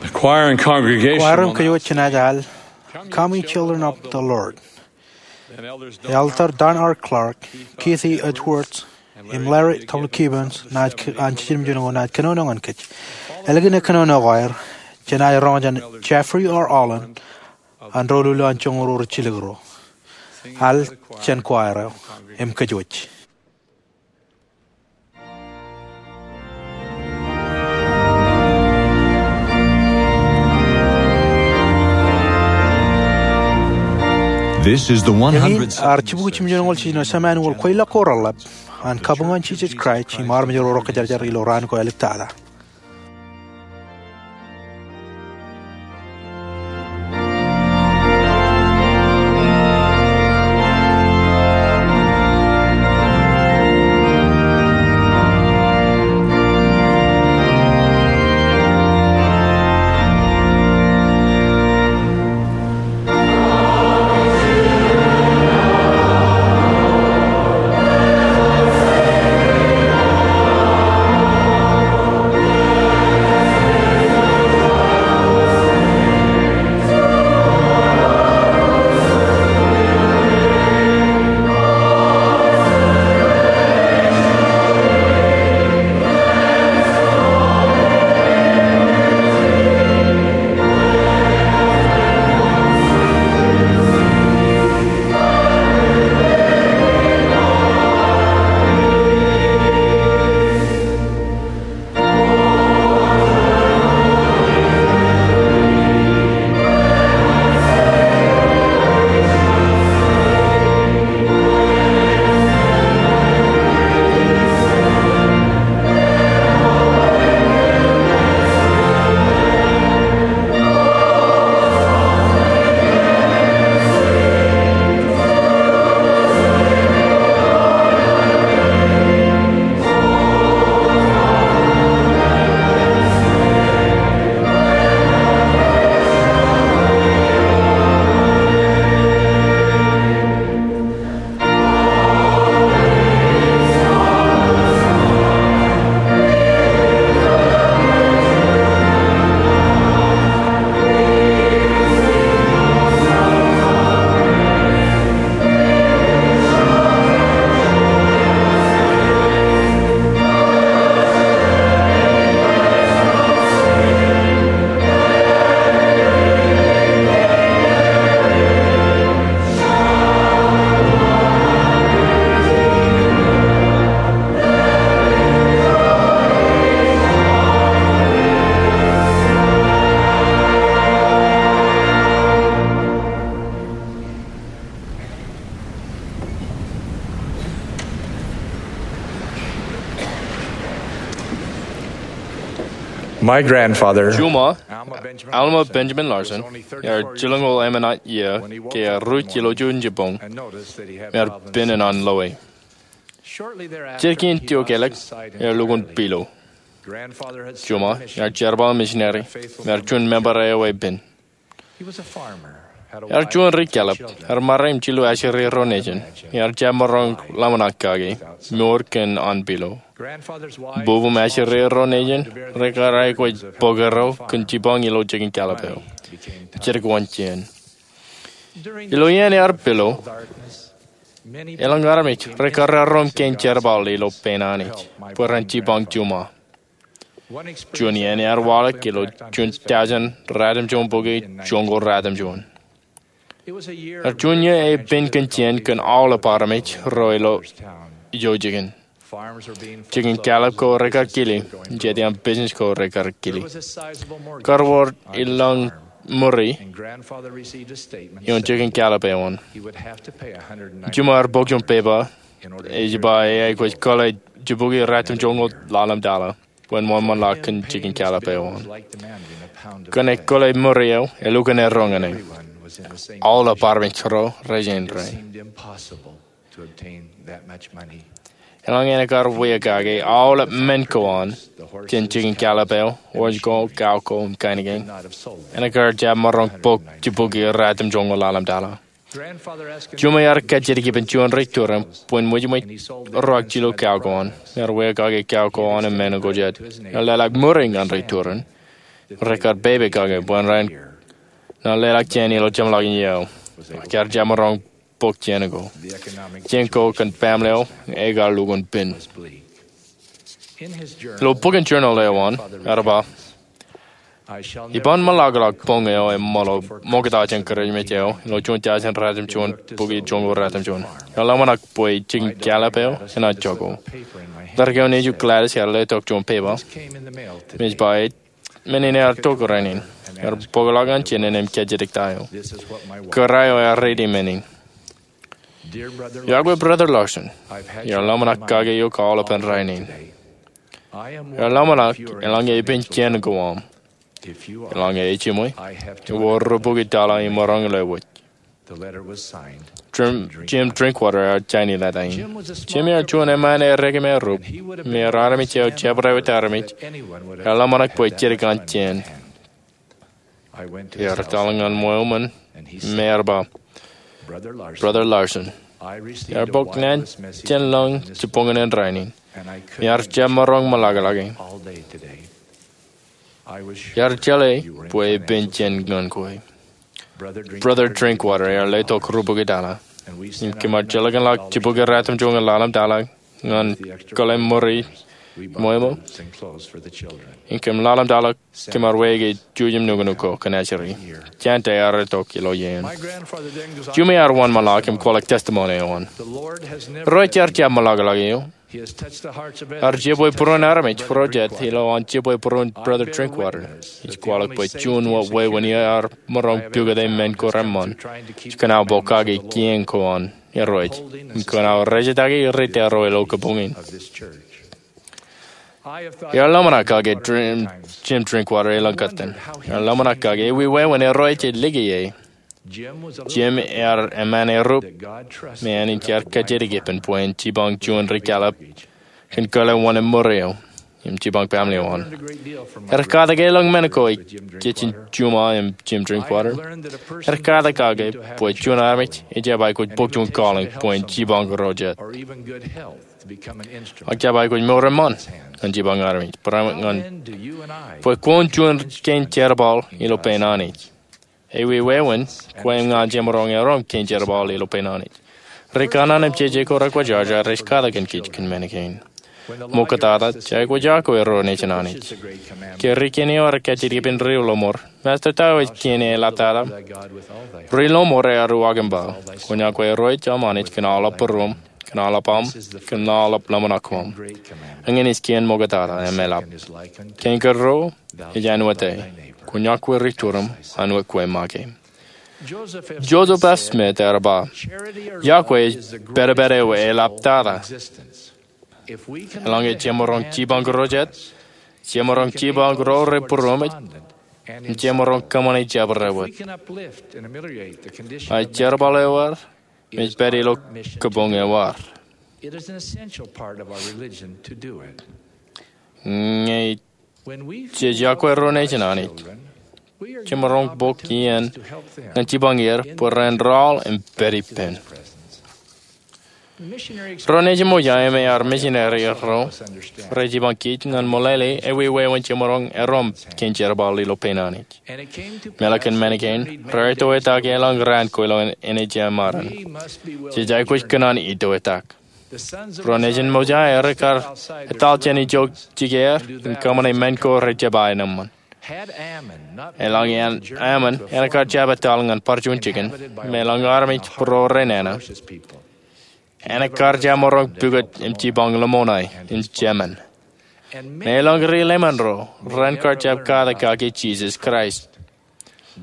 The choir and congregation Kwaer im will now kōjwōj jenaaj al, "Come, ye children of the Lord." Elder Don R. Clark, Keith E. Edwards, im Larry W. Gibbons, naaj k-, an jiljilimjuon ko naaj kōnono ñan kōj. Ālikin kōnono ko aer, jenaaj roñ jān Jeffrey R. Holland, an ro lulō an joñoul ro rijjilōk ro. Al jān choir eo im kōjwōj. This is the Eñin ear jibukwi jimjuonñoul jiljino Sāmānwōl Kwōjeḷā ko reḷḷap an kabuñ an Jisōs Kraist im armej ro rej kōjarjar ilo raan ko āliktata. My grandfather, Juṃa, Alma Benjamin Larsen, ear jilñoul emān iiō ke ear ruj ilo juon jibboñ im ear pen in an loe. Jet kein tok āliktata, ear lukkuun pilo. Juṃa ear jerbal misineri im ear juon member eo epen. Ear juon ri kallib, ear ṃare im jilu ajri ro nejin, ear jab maroñ ḷōmṇak kake, mour kōn an pilo. Bubum ajri ro nejin, rekar aikuj bōk erro kōn jibboñ ilo jikin kallib eo. Jet ko an jān. Ilo iien ear pilo, elōñ armej rekar erom kein jerbal ilo pein Anij bwe ren jibboñ Juṃa. Juon iien ear waḷọk ilo juon tọujin ratimjuon bukwi joñoul ratimjuon. Ear juon iiō epen kōn jān kōn aolep armej ro ilo ijo jikin. Jikin kallib ko rekar kili, jet iaan business ko rekar kili. Kar wōr elōñ ṃuri ioon jikin kallib eo an. Juṃa ear bōk juon pepa ej ba e aikuj kōḷḷe jibukwi ratimjuon ḷalem tala bwe en wōnṃaanḷọk kōn jikin kallib eo an. Kōn e kōḷḷe ṃuri eo, elukkuun erro ñan e. Aolep armej ro rej āindein. Elōñ āne kar wia kake aolep men ko an jān jikin kallib eo, wōj ko, kao ko im kain kein. Āne kar jab maroñ bōk jibukwi ratimjuon ḷalem tala. Juṃa ear kajjitōk ippān juon ri turin bwe en ṃwijṃwij ruwak jilu kao ko an. Ear wia kake kao ko an im men ko jet. Ear leḷọk ṃuri ñan ri turin. Rekar pepe kake bwe en raan. Ear leḷọk jān ilo jeṃḷọkin iiō eo. Ak ear jab maroñ bōk jān ko. Jān ko kōn family eo ekar lukkuun pen. Ilo bok in journal eo an, ear ba, Iban ṃōḷakḷọk boñ eo eṃṃan ṃokta jān Kūrijmej eo ilo juon jān ratimjuon bukwi joñoul ratimjuon. Ear ḷōmṇak bwe jikin kāālōt eo enaaj jako. Ledik eo nejū Gladys ear letok juon pepa. Im ej ba, men in ear tok rainin. Ear bōkḷọk ñan jinen im kajjitōk ta eo. Kōrā eo ear riiti men in. Iọkwe Brother Larsen, iar ḷōmṇak kake eok aolepān rainin. Iar ḷōmṇak eḷaññe ippān kien ko aṃ. Eḷaññe ejiṃwe, ewōr ri bukwi tala imaroñ ilo wōj. Jim, Jim Drinkwater ear jaini leta in. Jim ear juon eṃṃan erekimerup, im ear armej eo jabdewōt armej ear ḷōmṇak bwe jidik an jān. Ear etal ñan ṃweo ṃōn im ear ba, Brother Larsen, iar bōk naan jān lōñ jibboñōn in rainin, im iar jab maroñ ṃōḷakḷọke. Iar jeḷā bwe ippān jān ñan kwe. Brother Drinkwater ear letok ri bukwi tala. Im kōm ar jilkinḷọk jibukwi ratimjuon ñan ḷalem tala ñan kōḷḷe ṃuri ṃweo. Im kōm ḷalem tala kōm ar wāween jujem nuknuk ko kōn ajri. Jān ta ear itok ilo iien. Juṃi ear wōnṃaanḷọk im kwaḷọk testimony eo an. Irooj ear jab ṃōḷakḷọk eō. Ear jibwe būruon armej ro jet ilo an jibwe būruon Brother Drinkwater. Ij kwaḷọk bwe juon wōt wāween ear maroñ pukot men ko reṃṃan. Ej kōṇaan bōk kake kien ko an Irooj im kōṇaan rejetake ri tōro ilo kōpoñ in. Iar ḷōmṇak kake Jim Drinkwater elōñ kōttan. Iar ḷōmṇak kake ewi wāween Irooj ej lōke e. Jim ear eṃṃan erup me āinwōt ear kajjitōk ippān bwe en jipañ juon ri kāālōt kōn kōḷḷe wōṇāān ṃuri eo im jipañ baaṃle eo an. Ear katak elōñ men ko ej jejin juṃae im Jim Drinkwater. Ear katak kake bwe juon armej ejjab aikuj bōk juon calling bwe en jipañ ro jet. Ak jab aikuj mour eṃṃan ñan jipañ armej, bwe kwōn juon kein jerbal ilo pein Anij. Ewi wāween kwe im ña jemaroñ erom kein jerbal ilo pein Anij. Ri kanaan im jeje ko rekwōjarjar rej katak kōn kōj kōn men kein. Ṃoktata, jekwe jako ro nejin Anij. Ke ri kein eo rej kajjitōk ippān ri lọmọọr, Masta, ta eo ej kien eḷaptata? Ri lọmọọr ear uwaak im ba, Kwōn iọkwe Irooj aṃ Anij kōn aolep būruōṃ, kōn aolep aṃ, kōn aolep ḷōmṇak koṃ. Eñin ej kien ṃoktata im eḷap. Kein kōrā ej āinwōt e, Kwōn iọkwe ri turiṃ āinwōt kwe make. Joseph F. Smith ear ba, iọkwe ej pedped eo eḷaptata. Eḷaññe jemaroñ jipañ ro jet, jemaroñ jipañ ro rej būruōṃ, im jemaroñ kōṃṃane jabdewōt, ej jerbal eo ad im ej pād ilo kōpoñ eo ad. Ñe jej iọkwe ro nejin Anij, jemaroñ bōk iien ñan jipañ er bwe ren raoḷ im pād ippān. Ro nejin Mosiah im ear misineri ro rej jipañ kōj ñan meḷeḷe ewi wāween jemaroñ erom kein jerbal ilo pein Anij. Im eḷak kōn men kein, raar itoitak elōñ raan ko ilo eṇ ej emaroñ. Jej aikuj kōṇaan itoitak. Ro nejin Mosiah rekar etal jān ijo jikier im kōṃṃane men ko rejjab ba enaaj eṃṃan. Eḷaññe Ammon en kar jab etal ñan bar juon jikin, im eḷaññe armej būruō renana, en kar jab maroñ pukot im jipañ Lamanai im Jamin. Im eḷaññe ri Leiman ro ren kar jab katak kake Jisōs Kraist.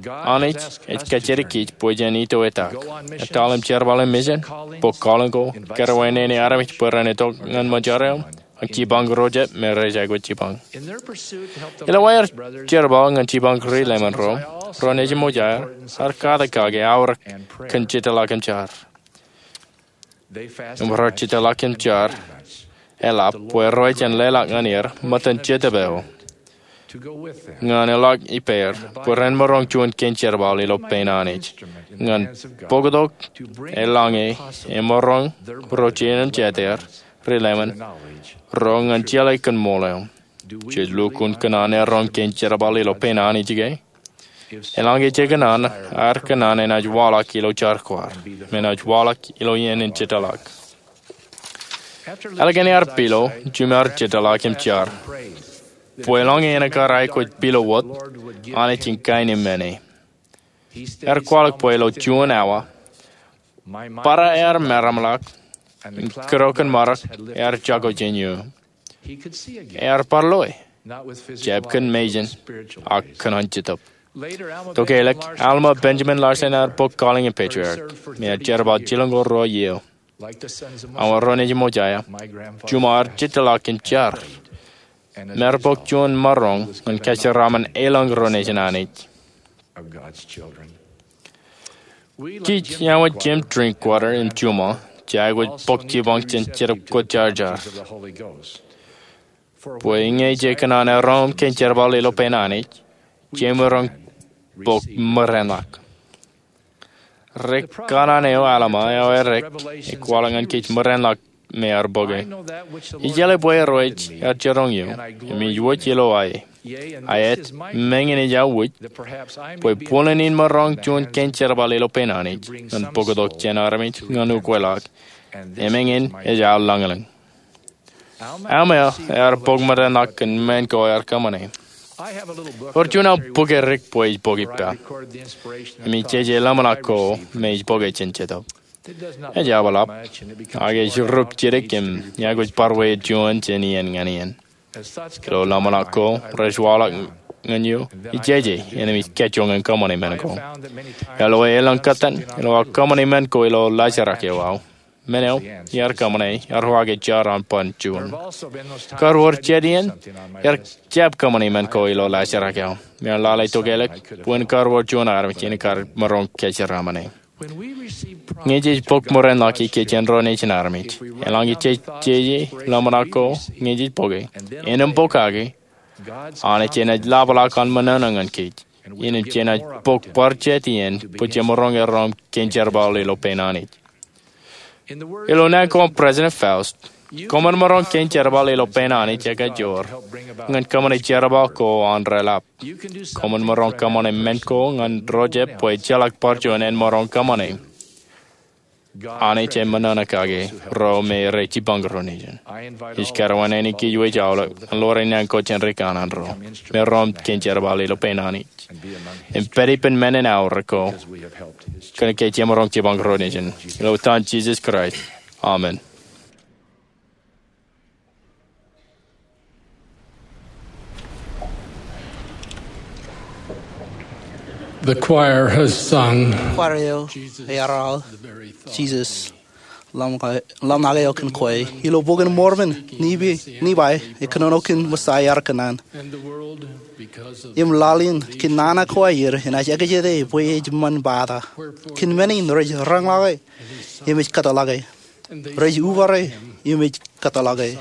Anij ej kajjitōk kōj bwe jen itoitak, etal im jerbal in misin, bōk calling ko, kōrā wāween armej bwe ren itok ñan ṃōjarro, ak jipañ ro jet me rej aikuj jipañ. Ilo aer jerbal ñan jipañ ri Leiman ro, ro nejin Mosiah ear katak kake aorōk kōn jitōḷọk im jar. Im raar jitōḷọk im jar eḷap bwe rej jen leḷọk ñan er ṃōttan Jetōb eo ñan eḷak ippāer bwe ren maroñ juon kein jerbal ilo pein Anij ñan bōktok eḷaññe emaroñ ro jeiū im jeiū er, ri Leiman, ro ñan jeḷā kōn ṃool eo. Jej lukkuun kōṇaan erom kein jerbal ilo pein Anij ke? Eḷaññe jej kōṇaan, ad kōṇaan enaaj waḷọk ilo jar ko ad, im enaaj waḷọk ilo iien in jitōḷọk. Ālikin ear pilo, Jim ear jitōḷọk im jar. Bwe eḷaññe en kar aikuj pilo wōt, Anij en kaenōṃṃane. Ear kwaḷọk bwe ilo juon awa, barāinwōt ear meramḷọk, im kūrokin ṃōrōk ear jako jān eō. Ear bar loe, jab kōn mejān, ak kōn an Jetōb. Tokālik, Alma Benjamin Larsen ear bōk Calling a Patriarch, im ear jerbal jilñoul ruo iiō. Ak ilo ro nejin Mosaia, juṃae ear jitōḷọk im jar, im ear bōk juon maroñ ñan kōjeraaṃṃan elōñ ro nejin Anij. Kij eo an Jim Drinkwater im juṃae, jej aikuj bōk jipañ jān Jetōb Kwōjarjar. Bwe ñe jej kōṇaan erom kōn jerbal ilo pein Anij, jej maroñ bōk ṃōrainḷọk. Ri kanaan eo Alma eo edik, ekwaḷọk ñan kōj ṃōrainḷọk me ear bōke. Ij jeḷā bwe ro rej jiroñ eō, im ij wōj ilo aō. Ak ej, meñe ij wōj, bwe bōlen in maroñ juon kōn jerbal ilo pein Anij, ñan bōktok jān armej ñan ukweḷọk, im eñin ej aō lañlōñ. Alma ear bōk ṃōrainḷọk kōn men ko ear kōṃṃane. Ewōr juon aō bōk edik bwe ij bōk ippa, im ij jeje ḷōmṇak ko me ij bōke jān Jetōb. Ej aō eḷap, ak ej rup jidik im ij aikuj bar wōt juon jān iien ñan iien. Ilo ḷōmṇak ko rej waḷọk ñan eō, ij jeje, im ij kajjioñ in kōṃṃane men ko. Ilo elōñ kōttan, ilo aō kōṃṃane men ko ilo laajrak eo aō, men eo iar kōṃṃane, ear uwaak jar an ban juon. Kar wōr jet iien, iar jab kōṃṃane men ko ilo laajrak eo. Im ear lale tokālik, bwe en kar wōr juon armej in kar maroñ kōjeraaṃṃane. Ñe jej bōk ṃōrainḷọk ikijjien ro nejin armej, eḷaññe jej jeje ḷōmṇak ko ñe jej bōke, innām bōk kake, Anij enaaj ḷapḷọk an ṃōṇōṇō ñan kōj. Innām jenaaj bōk bar jet iien, bwe jemaroñ erom kōn jerbal ilo pein Anij. Ilo naan ko an President Faust, koṃwin maroñ kōn jerbal ilo pein Anij ekajoor, ñan kōṃṃane jerbal ko an reḷap. Koṃwin maroñ kōṃṃane men ko ñan rojab bwe ejjeḷọk bar juon en maroñ kōṃṃane. Anij eṃōṇōṇō kake ro me rej jipañ ro nejin. Ij kōrā wōt āne kōj wōj aolep, ñan ḷoor naan ko jān ri kanaan ro, me rom kōn jerbal ilo pein Anij. Im pād ippān men in aorōk ko, kōnke jemaroñ jipañ ro nejin. Ilo etan Jisōs Kraist. Amen. The choir has sung. Choir eo, ear aō, Jesus, Lamb eo, Lamb eo kōn kwe. Ilo Bok in Mormon, Nephi, Nephi, ekōnono kōn Messiah ear kōṇaan. Im laḷ in, kōn nana ko aer, enaaj ekjete bwe ej ṃan bata. Kōn men in rej rañḷọke, im ej kōtḷọke. Rej ubare, im ej kōtḷọke.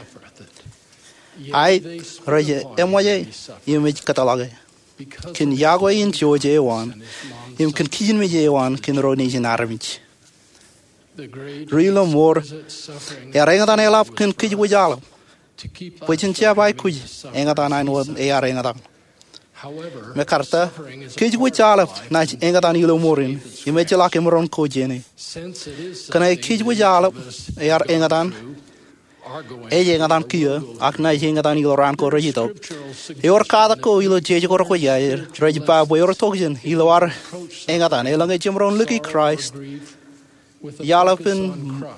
Ak rej eṃōje, im ej kōtḷọke. Kōn yokwe in jouj eo an, im kōn kijenmej eo an kōn ro nejin armej. Ri ilo mour, ear eñtaan eḷap kōn kōj wōj aolep, bwe jen jab aikuj eñtaan āinwōt ear eñtaan. Mekarta, kōj wōj aolep naaj eñtaan ilo mour in, im ejjeḷọk emaroñ ko jāne. Kōnke kōj wōj aolep ear eñtaan, ej eñtaan kiiō, ak naaj eñtaan ilo raan ko rej itok. Ewōr katak ko ilo jeje ko rekwōj aer, rej ba bwe ewōr tokjān ilo ad eñtaan, eḷaññe jemaroñ liki Kraist, iaḷ epen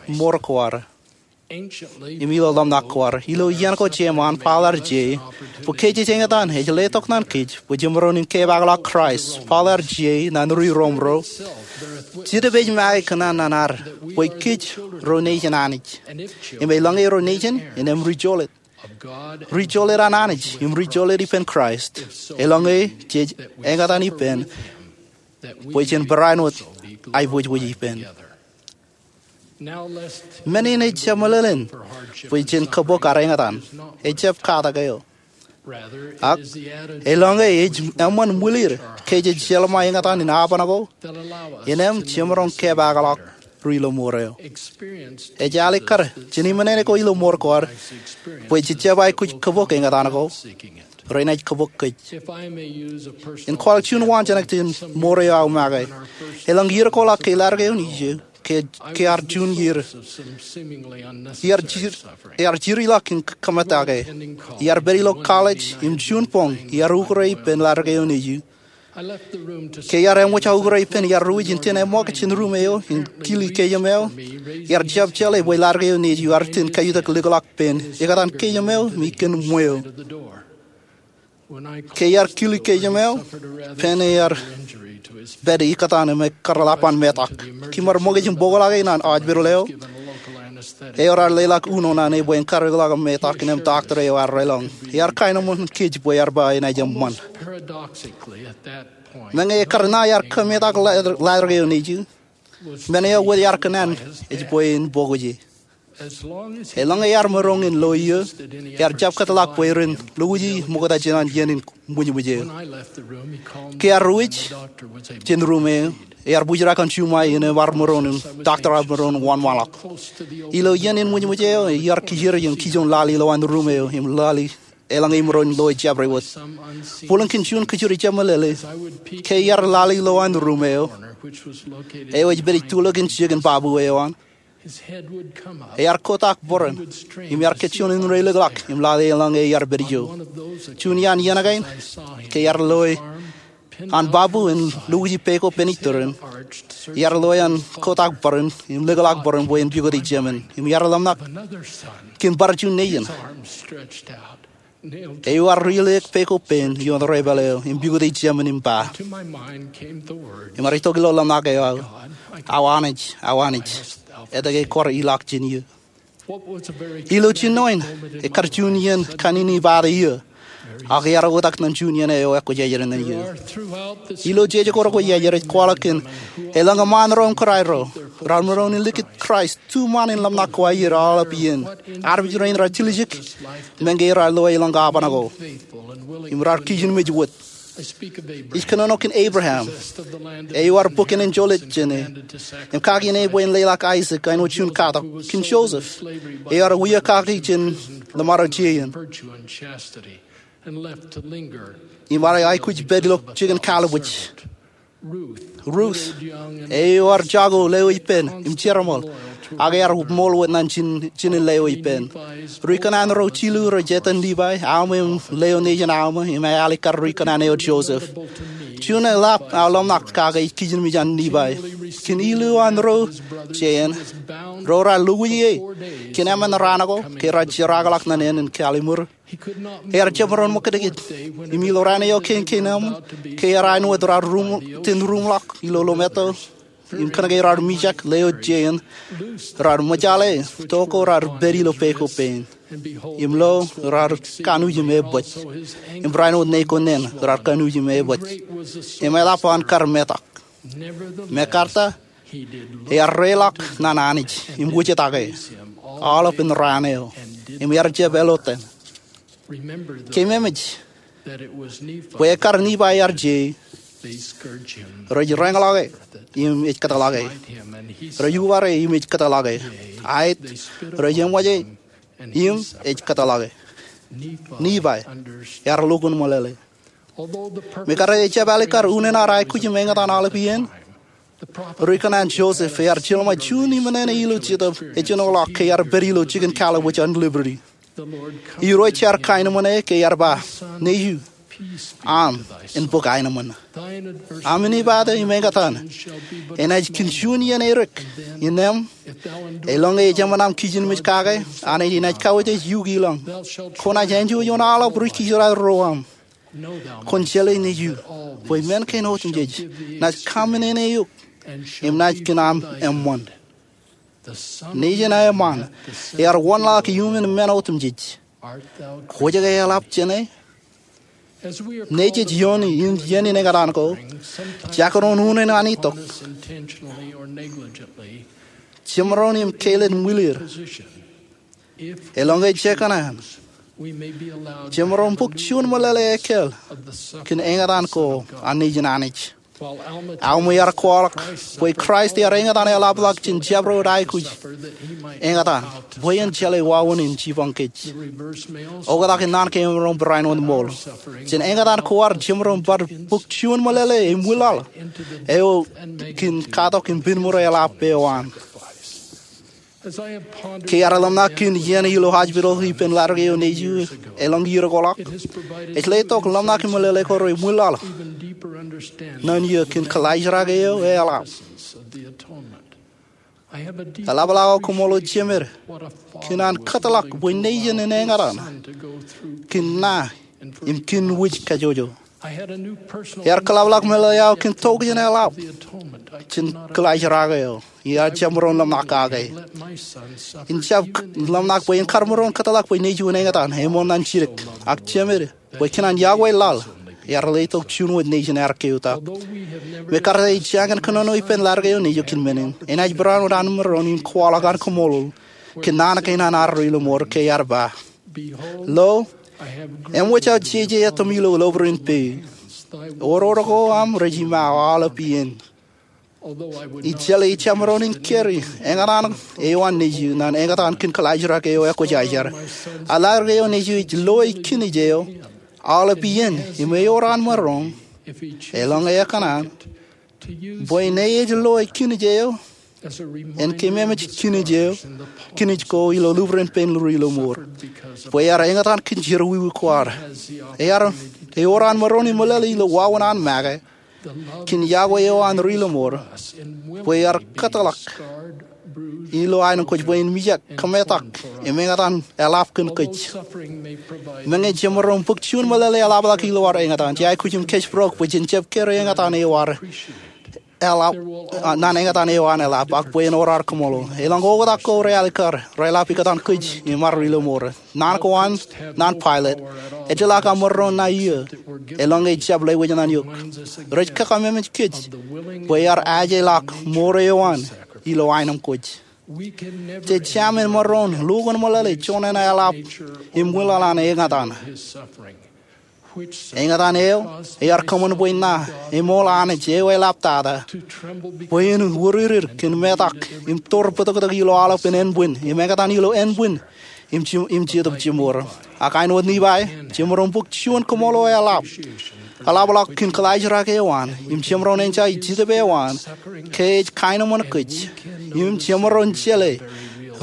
mour ko ad. Im ilo ḷōmṇak ko ad, ilo iien ko jeṃaan Paul ear je, bwe kōj ej eñtaan, ej letok naan kōj, bwe jemaroñ in kepaakḷọk Kraist, Paul ear je, naan ri Rom ro. Jetōb ej make kōn naan ad, bwe kōj ro nejin Anij. Im eḷaññe ro nejin, innām ri jolōt. Ri jolōt an Anij, im ri jolōt ippān Kraist. Eḷaññe jej eñtaan ippān, bwe jen barāinwōt aiboojoj ippān. Men in ejjab meḷeḷein bwe jen kōbok ad eñtaan, ejjab katak eo. Ak, eḷaññe ej eṃṃan ṃwilir ke jej jeḷā ṃōk eñtaan in aoban ko, innām jemaroñ kepaakḷọk ri ilo mour eo. Ej alikkar jān iṃōṇōṇō ko ilo mour ko ad, bwe jej jab aikuj kōbok eñtaan ko, renaaj kōbok kōj. In kwaḷọk juon waanjoñak jān mour eo aō make. Eḷaññe iiō ko ḷọk ke ḷadik eo in ijo, ke, ke ear juon iiō. Iar jir, iar jiriḷọk in kōṃṃan ake. Iar pād ilo college im juon boñ iar ukure ippān laḷ eo nejū. Ke iar eṃōj aō ukure ippān, iar ruwij in ten eṃṃook jān ruum eo im kili keememeo. Iar jab jeḷā bwe laḷ eo nejū ear ten kaiutak likḷọk peiṃ ikōtaan keememeo im iien ṃweo. Ke iar kili keememeo, peiṃ ear pād ikōtaan im ekar lap an metak. Kōmar ṃōkaj im bōkḷọk e ñan hospital eo eo raar leḷọk uno ñan e bwe en kar likḷọk metak. Innām doctor eo ear deḷọñ. Ear kaenōṃṃan kōj bwe ear ba enaaj eṃṃan. Meñe ekar ṇa iar kōmetak laḷ eo nejū, men eo wōt ear kōṇaan ej bwe en bōk e. Eḷaññe ear maroñ in lo iiō, ear jab kōtḷọk bwe ren lukkuun ṃokta jān an iien in ṃwijṃwij eo. Ke ear ruwij jān ruum eo, ear bōjrak an juṃae in ear maroñ im doctor ear maroñ wōnṃaanḷọk. Ilo iien in ṃwijṃwij eo, iar kijeer im kijoñ laḷ ilowaan ruum eo im laḷ eḷaññe imaroñ lo e jabdewōt. Bōlen kōn juon kōjro ijemālele, ke iar laḷ ilowaan ruum eo, eo ej pād ituḷọk in jikin babu eo an, ear kotak bōran im ear kajjioñ indein likḷọk im laḷ eḷaññe iar pād ijo. Juon iaan iien kaṇ, ke iar loe an babu in lukkuun peko pen itōrin, iar loe an kotak bōran im likḷọk bōran bwe en pukot ijemān. Im iar ḷōmṇak kōn bar juon nejin eo ear rileik peko pen ioon debwāāl eo im pukot ijemān im ba, im ear itok ilo ḷōmṇak eo aō, Aō Anij, Aō Anij, etke kwōj ilọk jān eō? Ilo jinoin, ekar juon iien kaṇ in ibaate eō, ak ear oktak ñan juon iien eo ekwōjarjar ñan eō. Ilo jeje ko rekwōjarjar ej kwaḷọk kōn eḷaññe ṃaan ro im kōrā ro raar maroñ in likūt Kraist, tuṃaan in ḷōmṇak ko aer aolep iien, armej rein raar tiljek meñe raar loe eḷaññe apaṇ ko im raar kijenmej wōt. Ij kōnono kōn Abraham, eo ear bōk āne in jolōt jān e im kaki āne bwe en leḷọk Aisak āinwōt juon katak, kōn Joseph, eo ear wia kaki jān ḷōṃaro jeien im ear aikuj pād ilo jikin kalliṃwij. Ruth, eo ear jako leo ippān im jereṃōl, ak ear ṃool wōt ñan jinen leo ippān. Ri kōṇaan ro jilu rej etan Levi, Alma im leo nejin Alma, im Alikar ri kōṇaan eo Joseph. Juon eḷap aō ḷōmṇak kake ej kijenmej an Levi. Kōn ilu an ro jeien, ro raar lukkuun e kōn emān raan ko ke raar jerkakḷọk ñan ānen kalliṃur. Ear jab maroñ ṃōkajdik im ilo raan eo kein kein aṃ, ke ear āinwōt raar ten ruṃḷọk ilo lomātto im kōnke raar mijak leo jeien, raar ṃōjale to ko raar pād ilo peko pein. Im lo, raar kanooj im ebōj. Im raar āinwōt ṇe ko ṇen raar kanooj im ebōj. Im eḷap an kar metak. Mekarta, ear reḷọk ñan Anij im wūjtake aolepān raan eo, im ear jab elotan. Keememej bwe ekkar Levi ear je, rej reñḷọk e im ej kōtḷọk e. Rej uwaar e im ej kōtḷọk e. Aet, rej eṃōj e im ej kōtḷọk e. Levi ear lukkuun ṃōḷeḷe. Mekarta ejjab Alikar unin ad aikuj im eñtaan aolep iien, ri kōṇaan Joseph ear jeḷā ṃōk juon iṃōṇōṇō ilo jetōb ejenoḷọk ke ear pād ilo jikin kalliṃwij an Liberty. Irooj ear kaenōṃṃan e ke ear ba, Nejū, aṃ en bōk aenōṃṃan. Aṃ inibaata im eñtaan enaaj kōn juon iien edik. Innām, eḷaññe ej eṃṃan aṃ kijenmej kake, Anij enaaj kawōj eok ilọñ. Kwōnaaj āinjuon ioon aolep ri kijeraad ro aṃ. Kwōn jeḷā Nejū bwe men kein otemjej naaj kaminene eok im naaj kōn aṃ eṃṃan. Nejin aō eṃṃaan ear wōnḷọk iuṃwin men otemjej. Kwōj ke eḷap jāne? Nejej ioon iien in eñtaan ko, jekdọọn unin an itok, jemaroñ im kāālōt ṃwilir. Eḷaññe jekōṇaan, jemaroñ bōk juon ṃōḷeḷe ekkāāl kōn eñtaan ko an Nejin Anij. Alma ear kwaḷọk bwe Kraist ear eñtaan eḷapḷọk jān jabdewōt aikuj eñtaan bwe en jeḷā wāween in jipañ kōj. Oktak in naan keememej barāinwōt ṃool jān eñtaan ko ad jemaroñ bar bōk juon meḷeḷe im wilaḷ eo kōn katak im penmure eḷap eo an. Ke ear ḷōmṇak kōn iien ilo hospital ippān laḷ eo nejū elōñ iiō ko ḷọk, ej letok ḷōmṇak im meḷeḷe ko re im wilaḷ naan iiō kōn kōḷaajrak eo eḷap. Eḷapḷọk aō koṃṃool O Jemed kōn an kōtḷọk bwe nejin in eñtaan kōn na im kōn wūj kajjojo. Ear kōḷapḷọk meḷeḷe aō kōn tokjān eḷap jān kōḷaajrak eo ear jemaroñ ḷōmṇak kake. In jab ḷōmṇak bwe en kar maroñ kōtḷọk bwe nejū in eñtaan eṃool ñan jidik, ak Jemed, bwe kōn an yokwe laḷ, ear letok juon wōt nejin ear keotak. Im kar ej jañin kōnono ippān laḷ eo nejū kōn men in, enaaj barāinwōt an maroñ in kwaḷọk an kaṃṃoolol kōn naan kein an ad ri-lọmọọr ke ear ba, Lo, eṃōj aō jeje etōm ilo lobōd in peiū. Oror ko aṃ rej iṃaaō aolep iien. Ij jeḷā ij jemaroñ in kari eñtaan eo an nejū ñan eñtaan kōn kōḷaajrak eo ekwōjarjar. Ak laḷ eo nejū ej loe kinij eo aolep iien im ewōr an maroñ, elōñ ekōṇaan, bwe ṇe ej loe kinij eo en keememej kinij eo, kinij ko ilo lubran pein ri-lọmọọr, bwe ear eñtaan kōn jerọwiwi ko ad. Ear, ewōr an maroñ im meḷeḷe ilo wāween an make kōn yokwe eo an ri-lọmọọr, bwe ear kōtḷọk ilo aenōṃ kōj bwe en mijak kōmetak im eñtaan eḷap kōn kōj. Meñe jemaroñ bōk juon meḷeḷe eḷapḷọk ilo ad eñtaan, jej aikuj im kōjparok bwe jen jab kōrā eñtaan eo ad eḷap, a, ñan eñtaan eo an eḷap, ak bwe en ewōr ad kaṃṃoolol. Elōñ oktak ko realikkar reḷap ikōtaan kōj im ad ri-lọmọọr. Naan ko an, naan pilot, ejjeḷọk aṃ maroñ ṇa iiō, elōñ ej jab lewōj ñan eok. Rej kōkememej kōj bwe ear ajeḷọk mour eo an ilo aenōṃ kōj. Jej jab maroñ lukkuun meḷeḷe joñan eḷap im wilaḷ an eñtaan. Eñtaan eo ear kōṃṃan bwe ṇa eṃool Anij eo eḷaptata, bwe en wūririr kōn metak im tōr bōtōktōk ilo aolepān ānbwin im eñtaan ilo ānbwin im je-, im jetōb jemour. Ak āinwōt Nifai, jemaroñ bōk juon kaṃṃoolol eḷap, eḷapḷọk kōn kōḷaajrak eo an im jemaroñ enjoy Jetōb eo an ke ej kaenōṃṃan kōj im jemaroñ jeḷā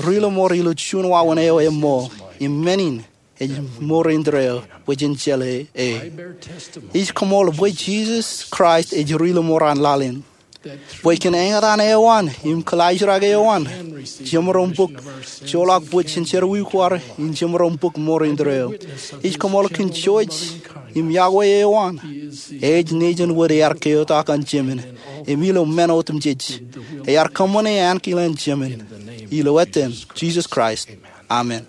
ri-lọmọọr ilo juon wāween eo eṃṃool im men in ej mour indeeo bwe jen jeḷā e. Ij kaṃṃoolol bwe Jisōs Kraist ej ri-lọmọọr an laḷ in, bwe kōn eñtaan eo an im kōḷaajrak eo an jemaroñ bōk joḷọk bōd jān jerọwiwi ko ad im jemaroñ bōk mour indeeo. Ij kaṃṃoolol kōn jouj im yokwe eo an. Ej nejin wōt ear keotak an Jemān im ilo men otemjej ear kōṃṃane ankilaan Jemān. Ilo etan Jisōs Kraist, amen.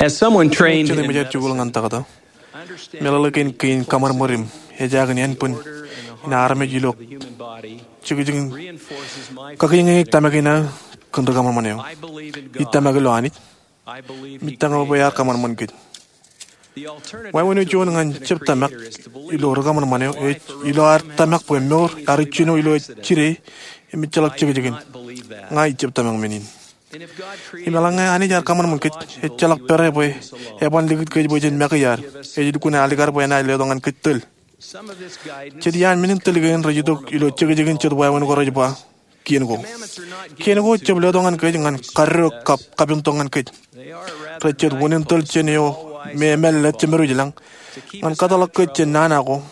As someone trained in medicine, I understand that the order in the human body reinforces my faith in the divine order in the human body. Meḷeḷe kein kōṃanṃan im ejaake in ānbwin in armej ilo jekjekin kakeñeik tōmak in aō kōn ri kōṃanṃan eo. Ij tōmak ilo Anij. Im ij tōmak bwe ear kōṃanṃan kōj. Wāween eo juon ñan jab tōmak ilo ri kōṃanṃan eo ej ilo ad tōmak bwe mour ear ijjino ilo ej jide im ejjeḷọk jekjekin. Ña ij jab tōmak men in. Im eḷaññe Anij ear kōṃanṃan kōj, ejjeḷọk pere bwe eban likūt kōj bwe jen make iar. Ej lukkuun alikkar bwe enaaj letok ñan kōj tōl. Jet iaan men in tōl kein rej itok ilo jekjekin jet wāween ko rej ba, kien ko. Kien ko jab letok ñan kōj ñan karreo kab kapentok ñan kōj. Rej jet wūnin tōl jān eo me emālōtlōt jemedwōj lañ ñan kōtḷọk kōj jān nana ko,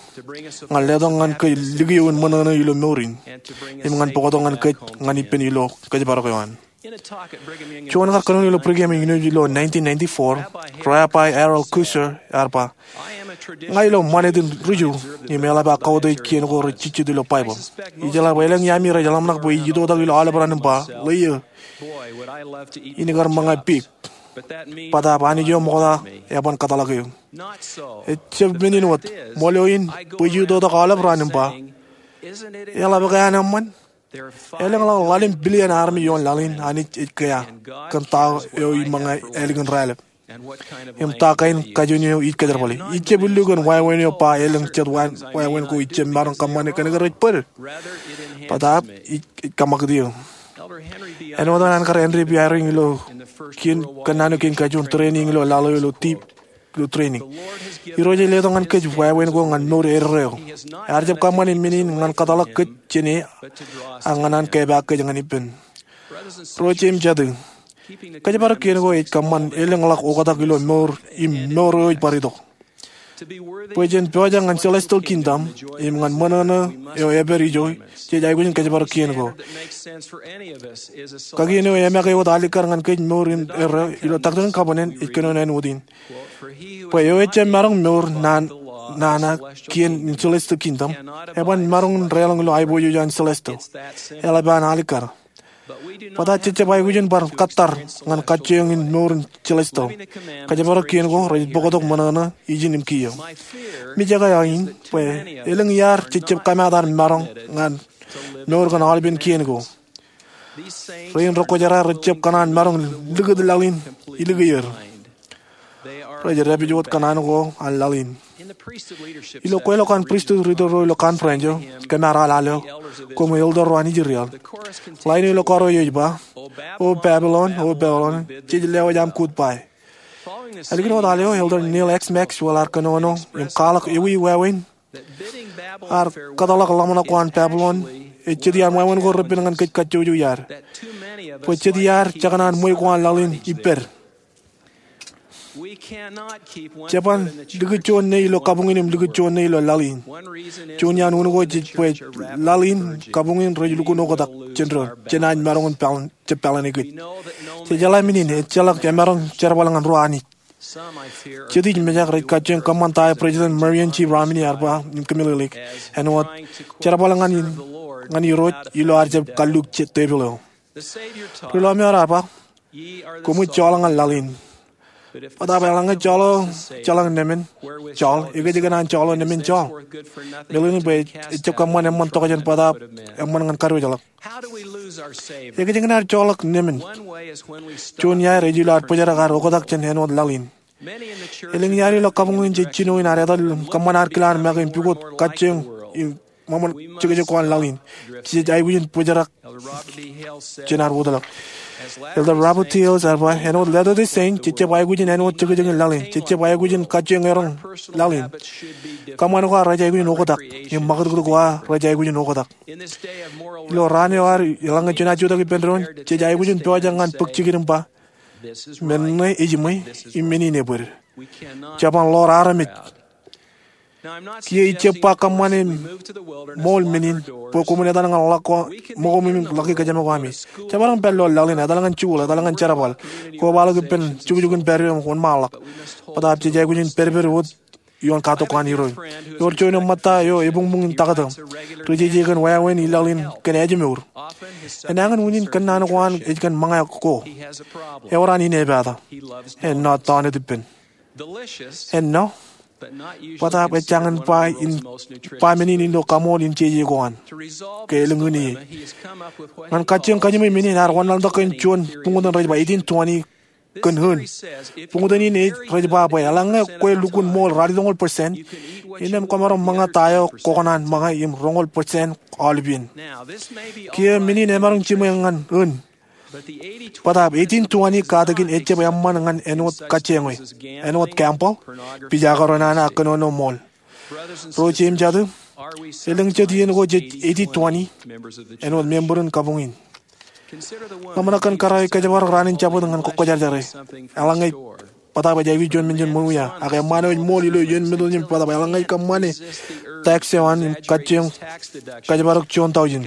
ñan letok ñan kōj likio in ṃōṇōṇō ilo mour in, im ñan bōktok ñan kōj ñan ippān ilo kōjparok eo an. Juon kar kōnono ilo Brigham Young University ilo nineteen ninety-four, Rabbi Harold Kusser ear ba, ña ilo ṃanit in ri-Ju im eḷap aō kautiej kien ko rej jejjet ilo Baibōḷ. Ijeḷā bwe elōñ iaami rej ḷōmṇak bwe ij itoitak ilo aolep raan im ba, ḷeo, in kar ṃōñā pik. Bōtaab Anij eo ṃokta eban kōtḷọk eō. Ejjab men in wōt, ṃool eo in bwe ij itoitak aolep raan im ba, eḷap ke an eṃṃan? Elōñḷọk ḷalem billion armej ioon laḷ in Anij ej kea kōn ta eo iṃōñā ālikin raelep im ta kain kajoor eo ij kōjerbale. Ij jab illu kōn wāween eo ba elōñ jet wāween ko ij jab maroñ kōṃṃane kōnke rej bōd, bōtaab ij kōṃakūt eō. Āinwōt an kar Henry B. Eyring ilo kōnnaan eo kein kajoor, training ilo laḷ eo ilo deep ilo training. Irooj ej letok ñan kōj wāween ko ñan mour eddo eo. Ear jab kōṃṃane men in ñan kōtḷọk kōj jān e ak ñan an kepaak kōj ñan ippān. Ro jeiū im jatū, kōjparok kien ko ej kōṃṃan elōñḷọk oktak ilo mour im mour eo ej bar itok. Bwe jen pojak ñan celestial kingdom im ñan ṃōṇōṇō eo epād ijo, jej aikuj in kōjparok kien ko. Kakien eo eṃake wōt alikkar ñan kōj mour in erreo ilo Doctrine and Covenants ej kōnono āinwōt in. Bwe eo ejjab maroñ mour nana kien in celestial kingdom, eban maroñ in deḷọñ ilo aiboojoj an celestial. Eḷap an alikkar. Bōtaab jejjab aikuj in bar kōttar ñan kajjioñ in mour in celestial. Kōjparok kien ko rej bōktok ṃōṇōṇō, ijin im kiiō. Mijak eo aō in bwe elōñ iaad jejjab kōmaat aer maroñ ñan mour kōn aolepen kien ko. Rein rekwōjarjar rejjab kōṇaan maroñ likūt laḷ in ilikier. Rej dāpij wōt kōṇaan ko an laḷ in. Ilo kweilọk an pristut leader ro ilo conference eo, kōm ar al eo, koṃ elder ro an Israel. Lain eo ilo kōrā eo ej ba, O Babylon, O Babylon, jej lewōj aṃ goodbye. Ālikin wōt al eo, Elder Neal X. Maxwell ear kōnono im kwaḷọk ewi wāween. Ear kōtḷọk ḷōmṇak ko an Babylon ej jet iaan wāween ko repen ñan kōj kajjojo iaad. Bwe jet iaad jekōṇaan ṃweiuk ko an laḷ in ippād. Jeban likūt juon ṇe ilo kabuñ in im likūt juon ṇe ilo laḷ in. Juon iaan unin ko ej bwe laḷ in, kabuñ in rej lukkuun oktak jān doon, jenaaj maroñ in pālōn, jab pālōn e kōj. Jej jeḷā men in, ejjeḷọk emaroñ jerbal ñan ruo Anij. Jet ij mejak rej kajjioñ kōṃṃan ta eo President Marion G. Romney ear ba im kōmeḷeḷeik, āinwōt jerbal ñan, ñan Irooj ilo ad jab kalluuk tepil eo. Ri lọmọọr ear ba, koṃij joḷọk ñan laḷ in. Bōtaab eḷaññe joḷọk ejjeḷọk nemān joḷ, ekōjkan an joḷọk nemān joḷ? Meḷeḷein bwe ejjab kōṃṃan eṃṃan tokjān bōtaab eṃṃan ñan kadiwōjḷọk. Ekōjkan ad joḷọk nemān? Juon iaer ej ilo ad bōjrak ad oktak jān āinwōt laḷ in. Elōñ iaad ilo kabuñ in jej jino in ad etal im kōṃṃan ad kilaan make im pukot kajjioñ im ṃōṃan jekjek ko an laḷ in. Jej aikuj in bōjrak jān ad wōtlọk. Elder Robert T. Hales ear ba, āinwōt Latter-day Saint, jejjab aikuj in āinwōt jekjek in laḷ in. Jejjab aikuj in kajjioñ eroñ laḷ in. Kōṃṃan ko ad rej aikuj in oktak im ṃakūtkūt ko ad rej aikuj in oktak. Ilo raan eo ad, eḷaññe jenaaj jutak ippān doon, jej aikuj in pojak ñan bōk jikin im ba, men ṇe ejiṃwe im men in ebōd. Jeban ḷoor armej. Kiiō ij jab ba kōṃṃane ṃool men in bwe koṃwin etal ñan ḷọk ko ṃōko im ḷọk kōjām ko ami. Jemaroñ pād ilo laḷ in, etal ñan jikuuḷ, etal ñan jerbal, kobaḷọk ippān jukjukin pād eo im wōnṃaanḷọk. Bōtaab jej aikuj in pedped wōt ioon katok ko an Irooj. Ewōr juon eo ṃōtta eo ebuñbuñ in taktō. Ri jeje kōn wāween ilaḷ in kōn ājmour. Enañin unin kōnnaan ko an ej kōn ṃōñā ko. Ewōr an inepata. Ennọ tọọnet ippān. Ennọ, bōtaab ejjañin ba in, ba men in ilo kaṃool in jeje ko an. Ke elōñ in ie. Ñan kajjioñ kajiṃwe men in, ear wanlaḷtak kōn juon buñtōn rej ba eighteen twenty kōn ōn. Buñtōn in ej rej ba bwe eḷaññe kwe lukkuun ṃool ralitōñoul percent, innām kwōmaroñ ṃōñā ta eo kwōkōṇaan ṃōñā im roñoul percent aolepān. Kiiō men in emaroñ jiṃwe ñan ōn. Bōtaab eighteen twenty katakin ejjab eṃṃan ñan āinwōt kajjioñ e, āinwōt gambling, pija kōrōnana ak kōnono ṃool. Ro jeiū im jatū, elōñ jet iien ko jej eighteen twenty āinwōt member in kabuñ in. Ḷōmṇak kōn kōrā eo ij kōjparok raan in Jabōt ñan kwōjarjare. Eḷaññe, bōtaab ej aikuj juon menjen ṃōṃia, ak eṃṃaan eo ej ṃool ilo iien Meḷeḷe in bōtaab eḷaññe ej kōṃṃane tax eo an im kajjioñ kōjparok juon tọujin.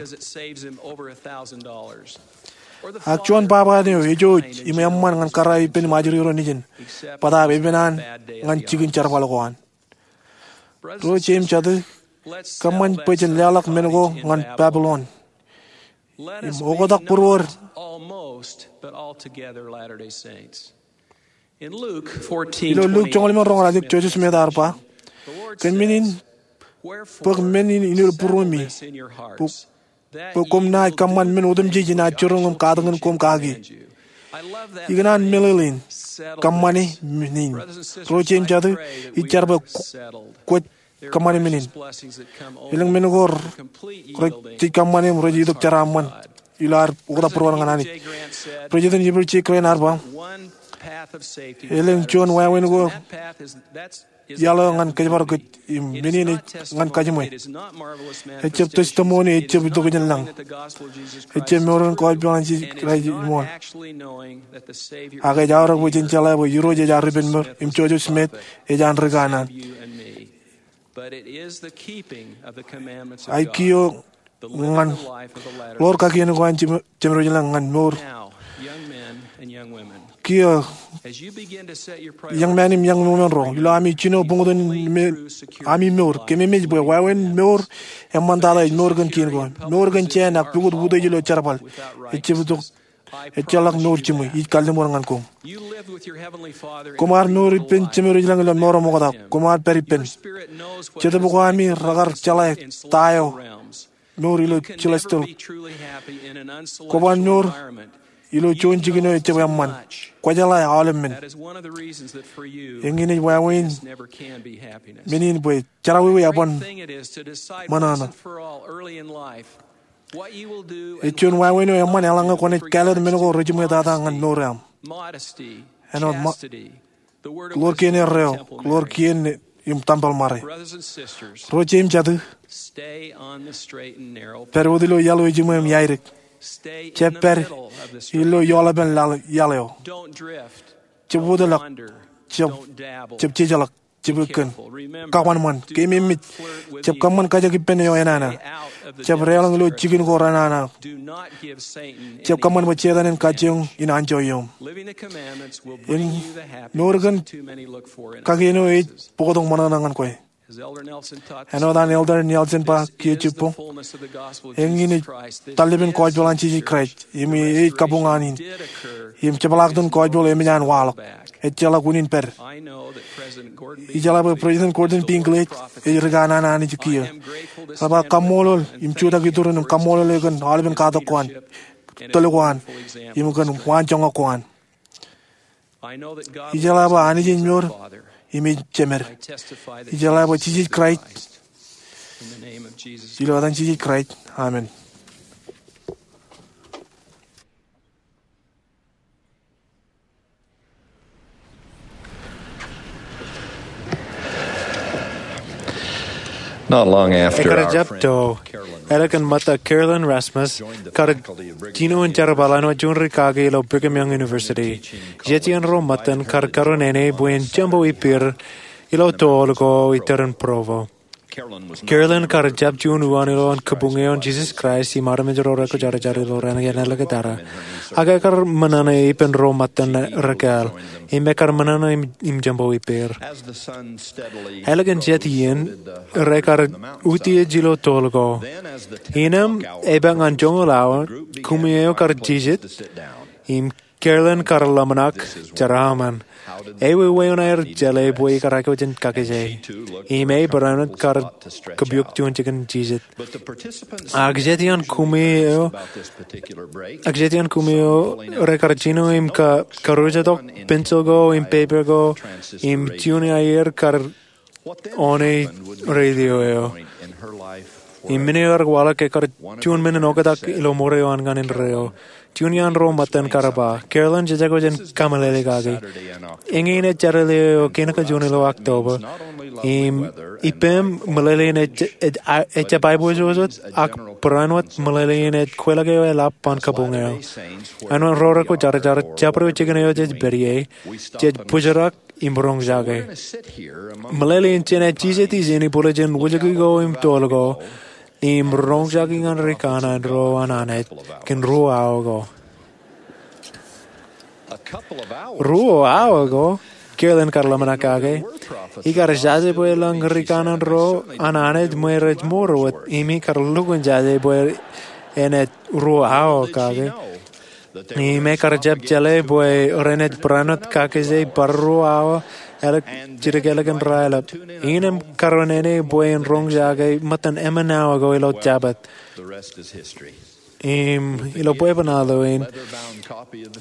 Ak juon baba eo ej jouj im eṃṃan ñan kōrā eo ippān im ajri ro nejin, bōtaab epen an ñan jikin jerbal ko an. Ro jeiū im jatū, kōṃṃan bwe jen leḷọk men ko ñan Babilon im oktak būruod. Ilo Luk joñoul limōn roñoul, āinwōt Joseph Smith ear ba, kōn men in, bōk men in ilo būruemi, bwe bwe koṃ naaj kōṃṃan men otemjej in jiroñ im katakin koṃ kaki. Ikōṇaan meḷeḷein kōṃṃane men in. Ro jeiū im jatū, ij jar bwe kwōj kōṃṃane men in. Elōñ men ko rej jej kōṃṃane im rej itok jeraaṃṃan ilo ad oktak būruon ñan Anij. President Heber J. Grant ear ba, elōñ juon wāween ko iaḷ eo ñan kōjparok kōj, im men in ej ñan kajiṃwe. Ejjab testimony, ejjab itok jān lañ. Ejjab mour in kōjparok ñan Jisōs Kraist ṃool. Ak ej aorōk bwe jen jeḷā bwe Irooj ej ar ippān mour im Joseph Smith ej an rikanaan. Ak kiiō ñan ḷoor kakien ko an Jemedwōj ilañ ñan mour. Kiiō, iọñ men im iọñ women ro, ilo ami jino buñtōn ami mour, kōmemej bwe wāween mour eṃṃantata ej mour kōn kien ko. Mour kōn jān ak pukot utiej ilo jerbal. Ejjab itok, ejjeḷọk mour jiṃwe. Ij kalliṃur ñan koṃ. Koṃ ar mour ippān Jemedwōj ilañ ilo mour eo ṃokta. Koṃ ar pād ippān. Jetōb ko ami rekar jeḷā ta eo mour ilo celestial. Kwōban mour ilo juon jikin eo ejjab eṃṃan. Kwōjeḷā aolep men. Eñin ej wāween men in bwe jerọwiwi eban ṃōṇōṇō. Ej juon wāween eo eṃṃan eḷaññe kwōnaaj kāālōt men ko rejiṃwe tata ñan mour eo aṃ. Āinwōt ḷoor kien erreo, ḷoor kien im tempel ṃare. Ro jeiū im jatū, pād wōt ilo iaḷ eo ejiṃwe im iaidek. Jab pād ilo eoḷapen iaḷ eo. Jab wōtlọk, jab, jab jejeḷọk, jab ekkōn. Kōṃanṃan, kōmemej. Jab kōṃṃan kajjioñ ippān eo enana. Jab deḷọñ ilo jikin ko renana. Jab kōṃṃan bwe Setan en kajjioñ in anjọ iom. Mour kōn kakien eo ej bōktok ṃōṇōṇō ñan kwe. Āinwōt an Elder Nelson ba kiiō jibboñ, eñin ej tallipen gospel an Jisōs Kraist im ej kabuñ an in im jepḷaaktok gospel eo emōj an waḷọk. Ejjeḷọk unin pād. Ijeḷā bwe President Gordon B. Hinckley ej rikanaan Anij kiiō. Ej ba kaṃṃoolol im jutak iturin im kaṃṃoolol e kōn aolepen katak ko an, tōl ko an, im kōn waan joñak ko an. Ijeḷā bwe Anij ej mour im ej jemed. Ijeḷā bwe Jisōs Kraist. Ilo etan Jisōs Kraist, amen. Ekar jab to, ālikin ṃōtta Carolyn Rasmus kar jino in jerbal āinwōt juon ri kaki ilo Brigham Young University. Jet iien ro ṃōttan kar kariṇaṇe bwe en jembo ippāer ilo tool ko iturūṃ Provo. Carolyn kar jab juon uwaan ilo an kabuñ eo an Jisōs Kraist im armej ro rekwōjarjar ilo raan kein āliktata. Ak ekar ṃōṇōṇō ippān ro ṃōttan rekāāl im ekar ṃōṇōṇō im jembo ippāer. Ālikin jet iien, rekar utiej ilo tool ko. Innām, epaak ñan joñoul awa, kumi eo kar jijet im Carolyn kar ḷōmṇak jeraaṃṃan. Ewi wāween aer jeḷā bwe ikar aikuj in kakijjeen? Im e barāinwōt kar kapiok juon jikin jijet. Ak jet iaan kumi eo, ak jet iaan kumi eo rekar jino im ka, karujatok pensil ko im pepe ko im juon aier kar one radio eo. Im men eo ear waḷọk ekar juon men in oktak ilo ṃoor eo an ñan indeeo. Juon iaan ro ṃōttan kar ba, Carolyn, jej aikuj in kameḷeḷe kaki. Eñin ej Jādule eo kein kajuon ilo October. Im ippām meḷeḷein ej, ej, ejjab aiboojoj wōt, ak barāinwōt meḷeḷein ej kweilọk eo eḷap an kabuñ eo. Āinwōt ro rekwōjarjar, jabdewōt jikin eo jej pād ie, jej bōjrak im roñjake. Meḷeḷein jenaaj jijet ijin ibwiljin wūjke ko im tool ko, im roñjake ñan ri kanaan ro an Anij kōn ruo awa ko. Ruo awa ko, Carolyn kar ḷōmṇak kake. Ikar jaje bwe elōñ ri kanaan ro an Anij ṃwe rej mour wōt, im ikar lukkuun jaje bwe enaaj ruo awa kake. Im ekar jab jeḷā bwe renaaj barāinwōt kakijjeen bar ruo awa jidik ālikin raelep. Innām karuwainene bwe en roñjake ṃōttan ṃōṇōṇō ko ilo Jabōt. Im ilo bwebwenato eo in,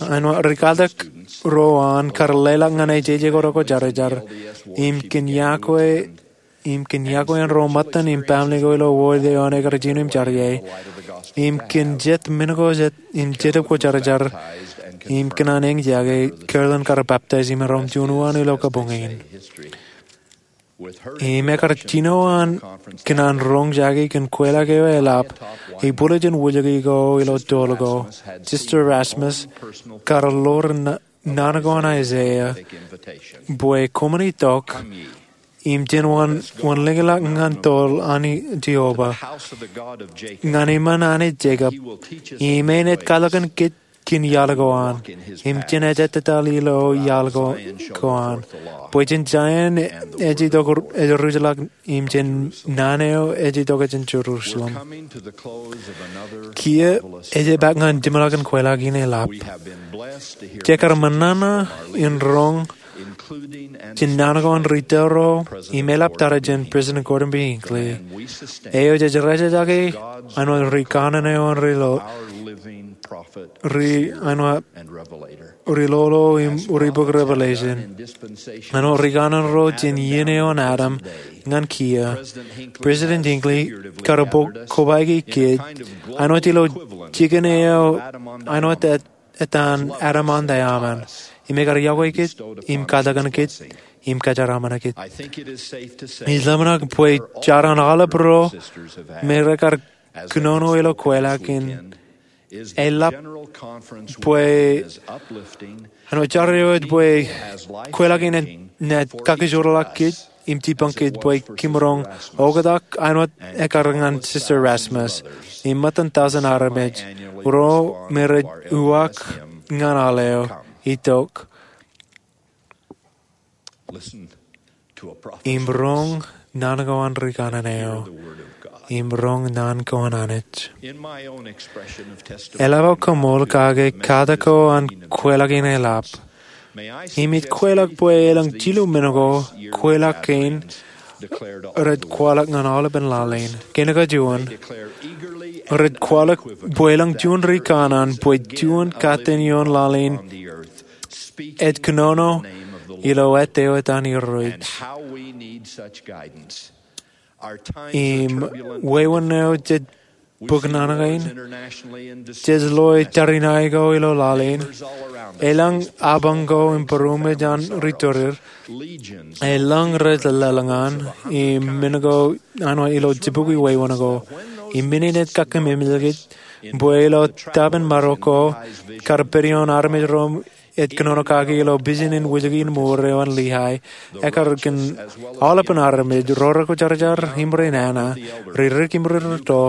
āinwōt ri katak ro an kar leḷọk ñan ejeje ko rekwōjarjar im kōn yokwe, im kōn yokwe ro ṃōttan im baaṃle ko ilo wōd eo an ekkar jino im jar ie, im kōn jet men ko jet im Jetōb Kwōjarjar, im kōn an eñjake, Carolyn kar baptize im erom juon uwaan ilo kabuñ in. Im ekkar jino an kōn an roñjake kōn kweilọk eo eḷap, ibwiljin wūjke ko ilo toḷ ko, Sister Rasmus kar ḷoor naan ko an Aiseia, bwe koṃwin itok im jen wanlōñḷọk ñan toḷ an Jeova, ñan iṃaan Anij Jekob, im en ej kaḷokan kōj kōn iaḷ ko an, im jen ejjettata ilo iaḷ ko an, bwe jān Zaion ej itok ej ruj ḷọk, im jān naan eo ej itok jān Jerusalem. Kiiō, ejepaak ñan jiṃḷọkin kweilọk in eḷap. Jekar ṃōṇōṇō in roñ jān naan ko an ri tōro im eḷaptata jān President Gordon B. Hinckley, eo jej rejejaki āinwōt ri kanaan eo an ri lo, ri, āinwōt ri lolo im ri bok Revelation, āinwōt ri kanaan ro jān iien eo an Adam ñan kiiō. President Hinckley kar bōk kobaiki kōj āinwōt ilo jikin eo, āinwōt etan Adam an Teaman, im ekar iọkwe kōj im katak kōn kōj im kōjeraaṃṃan kōj. Ij ḷōmṇak bwe jar an aolep ro me rekar kōnono ilo kweilọk in eḷap bwe, āinwōt jar eo ej bwe kweilọk in naaj kakijoorḷọk kōj im jipañ kōj bwe kimaroñ oktak āinwōt ekkar ñan Sister Rasmus im ṃōttan tọujin armej ro me rej uwaak ñan aḷ eo, itok im roñ naan ko an ri kanaan eo im roñ naan ko an Anij. Eḷap aō kaṃool kake katak ko an kweilọk in eḷap, im ij kweilọk bwe elōñ jilu men ko kweilọk kein rej kwaḷọk ñan aolepān laḷ in. Kein kajuon, rej kwaḷọk bwe elōñ juon ri kanaan bwe juon katten ioon laḷ in ej kōnono ilo ettā eo etan Irooj. Im wāween eo jej bōk naan kein, jej loe tariṇae ko ilo laḷ in, elōñ apañ ko im būruōm ej an ri tōre, elōñ rej lōḷñan, im men ko āinwōt ilo jibukwi wāween ko, im men in ej kakkememej kōj bwe ilo tōpar in marok ko kar pād ioon armej ro ej kōnono kaki ilo pijin in wūjke in mour eo an Liai, ekkar kōn aolepān armej, ro rekwōjarjar im ri nana, ri rik im ri rūtto,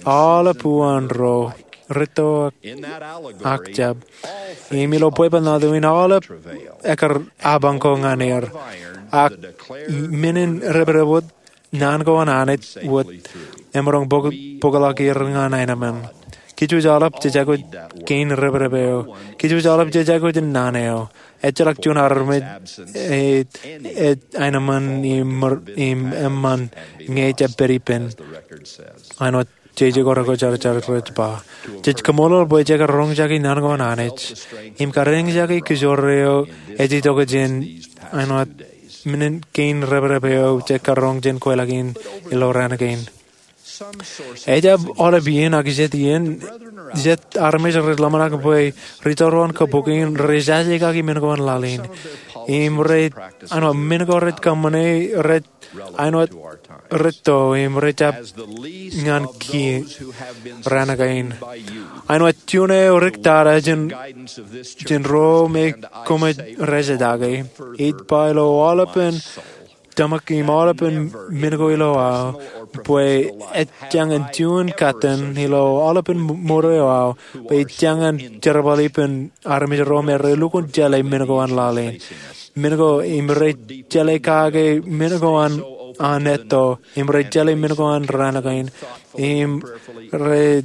aolep uwaan ro, rūtto ak jab. Im ilo bwebwenato in aolep ekkar apañ ko ñan er, ak men in debdeb wōt naan ko an Anij wōt emaroñ bōkḷọk er ñan aenōṃṃan. Kōjwōj aolep jej aikuj kein debdeb eo. Kōjwōj aolep jej aikuj in naan eo. Ejjeḷọk juon armej ej aenōṃṃan im eṃṃan ñe ejjab pād ippān āinwōt jeje ko rekwōjarjar rej ba. Jej kaṃṃoolol bwe jekar roñjake naan ko an Anij im kar eñjake kōjro eo ej itok jān āinwōt men in kein debdeb eo jekar roñ jān kweilọk in ilo raan kein. Ejjab aolep iien ak jet iien, jet armej rej ḷōmṇak bwe ri tōro an kabuki in rej jaje kaki men ko an laḷ in im rej, āinwōt men ko rej kōṃṃane rej āinwōt rūtto im rej jab ñan kiiō raan kein. Āinwōt juon eo dik tata jān ro me koṃij rejejjake, ij ba ilo aolepān tōmak im aolepān men ko ilo aō bwe ejjañin juon katten ilo aolepān mour eo aō bwe ij jañin jerbal ippān armej ro me relukkuun jeḷā men ko an laḷ in, men ko im rej jeḷā kake men ko an an etto, im rej jeḷā men ko an raan kein, im rej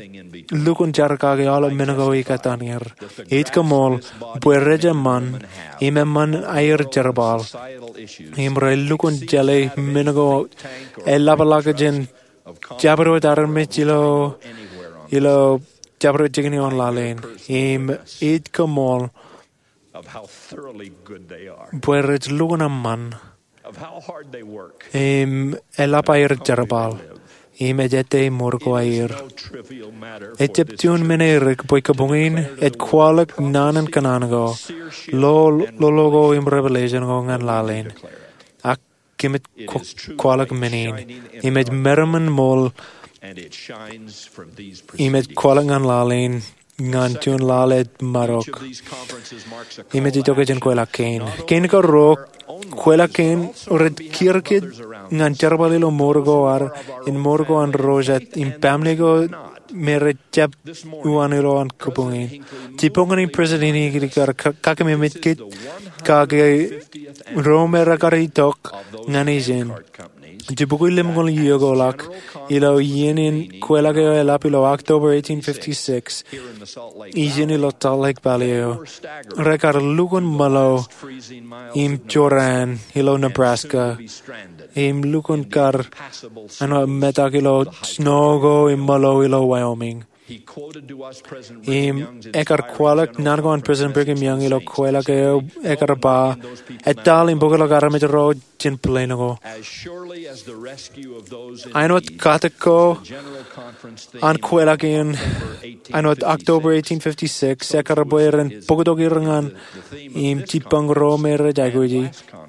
lukkuun jar kake aolep men ko ikōtaan er. Ij koṃṃool bwe rej eṃṃan, im eṃṃan aer jerbal, im rej lukkuun jeḷā men ko eḷapḷọk jān jabdewōt armej ilo, ilo jabdewōt jikin ioon laḷ in. Im ij koṃṃool bwe rej lukkuun eṃṃan, im eḷap aer jerbal, im ej ettā mour ko aer. Ejjab juon men erik bwe kabuñ in ej kwaḷọk naan in kōṇaan ko, lo, lolo ko im revelation ko ñan laḷ in. Ak kōmij kwaḷọk men in, im ej meram in ṃool, im ej kwaḷọk ñan laḷ in ñan juon laḷ ej maroñ, im ej itok jān kweilọk kein. Kein karuo, kweilọk kein rej kiiō kōj ñan jerbal ilo mour ko ad, im mour ko an ro jet, im family ko me rej jab uwaan ilo an kabuñ in. Jibboñōn in president in ikar kakememej kōj kake ro me rekar itok ñan ijin. Jibukwi lemñoul iiō ko ḷọk, ilo iien in kweilọk eo eḷap ilo October eighteen fifty-six, ijin ilo Salt Lake Valley eo, rekar lukkuun ṃōḷo im jorrāān ilo Nebraska, im lukkuun kar āinwōt metak ilo snow ko im ṃōḷo ilo Wyoming. Im ekar kwaḷọk naan ko an President Brigham Young ilo kweilọk eo, ekar ba, etal im bōkḷọk armej ro jān plane ko. Āinwōt katak ko an kweilọk in, āinwōt October eighteen fifty-six, ekar bwe ren bōktok er ñan im jibboñ ro me rej aikuji.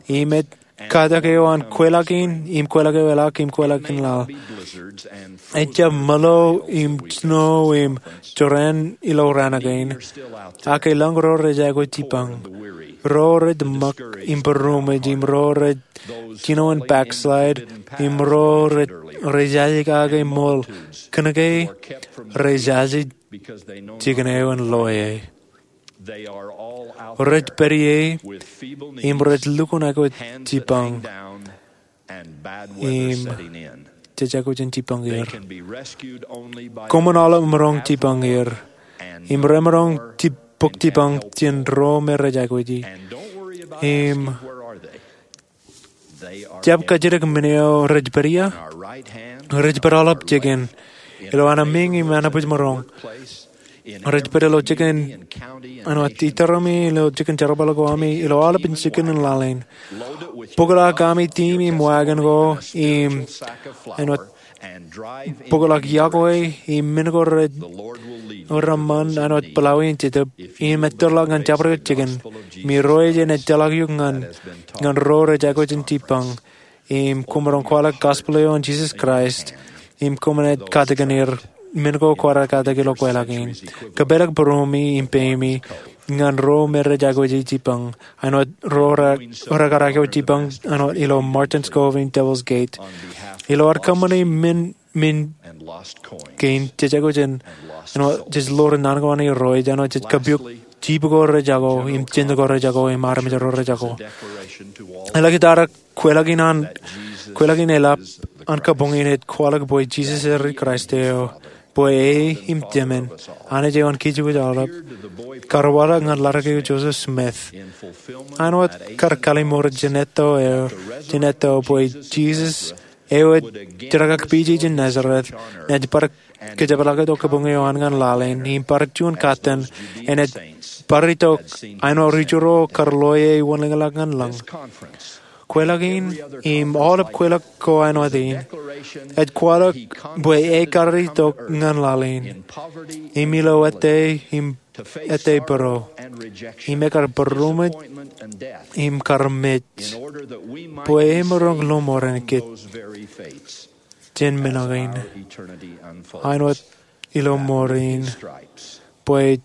Im ej katak eo an kweilọk in, im kweilọk eo eḷak, im kweilọk in laḷ. Ejjab ṃōḷo im snow im jorrāān ilo raan kein. Ak elōñ ro rej aikuj jibboñ. Ro rej ṃōk im būroṃōj, im ro rej jino in backslide, im ro rej, rej jaje kake ṃool kōnke rej jaje jikin eo en loe. Rej pād ie im rej lukkuun aikuj jibboñ im jej aikuj in jibboñ er. Koṃwin aolep maroñ jibboñ er, im remaroñ jib-, bōk jibboñ jān ro me rej aikuji. Im jab kajjitōk men eo rej pād ia. Rej pād aolep jikin ilo anaemeiñ im anabwijmaroñ. Rej pād ilo jikin, āinwōt iteremi, ilo jikin jerbal ko ami, ilo aolepān jikin in laḷ in. Bōkḷọk ami team im wagon ko, im āinwōt bōkḷọk yokwe, im men ko rej, reṃṃan āinwōt pilawin jetōb, im etōrḷọk ñan jabdewōt jikin. Im Irooj en etōrḷọk eok ñan, ñan ro rej aikuj in jibboñ. Im koṃ maroñ kwaḷọk gospel eo an Jesus Christ, im koṃ naaj katakin er men ko kwaar katakin ilo kweilọk in. Kōpeḷḷọk būroṃōj im peimi ñan ro me rej aikuji jibboñ, āinwōt ro re-, rekar aikuj jibboñ āinwōt ilo Martin's Cove im Devil's Gate. Ilo ad kōṃṃani men, men kein, jej aikuj in, āinwōt jej ḷoor naan ko an Irooj, āinwōt jej kōpuk jiip ko rejako, im jen ko rejako, im armej ro rejako. Eḷak etarak kweilọk in an, kweilọk in eḷap an kabuñ in ej kwaḷọk bwe Jisōs ej Kraist eo, bwe e im Jemān, Anij eo an kōj aolep, kar waḷọk ñan ḷadik eo Joseph Smith. Āinwōt kar kallimur jān etto eo, jān etto bwe Jisōs eo ej tōre kak pije jān Nazareth, naaj bar kōjepḷaaktok kabuñ eo an ñan laḷ in, im bar juon katten, enaaj bar itok āinwōt ri Ju ro kar loe e wōnḷōñḷọk ñan lōñ. Kweilọk in, im aolep kweilọk ko āinwōt in, ej kwaḷọk bwe e kar itok ñan laḷ in, im ilo ettā, im ettā būro, im e kar būroṃōj, im kar mej, bwe e maroñ lọmọọren kōj jān men kein, āinwōt ilo ṃoor in, bwe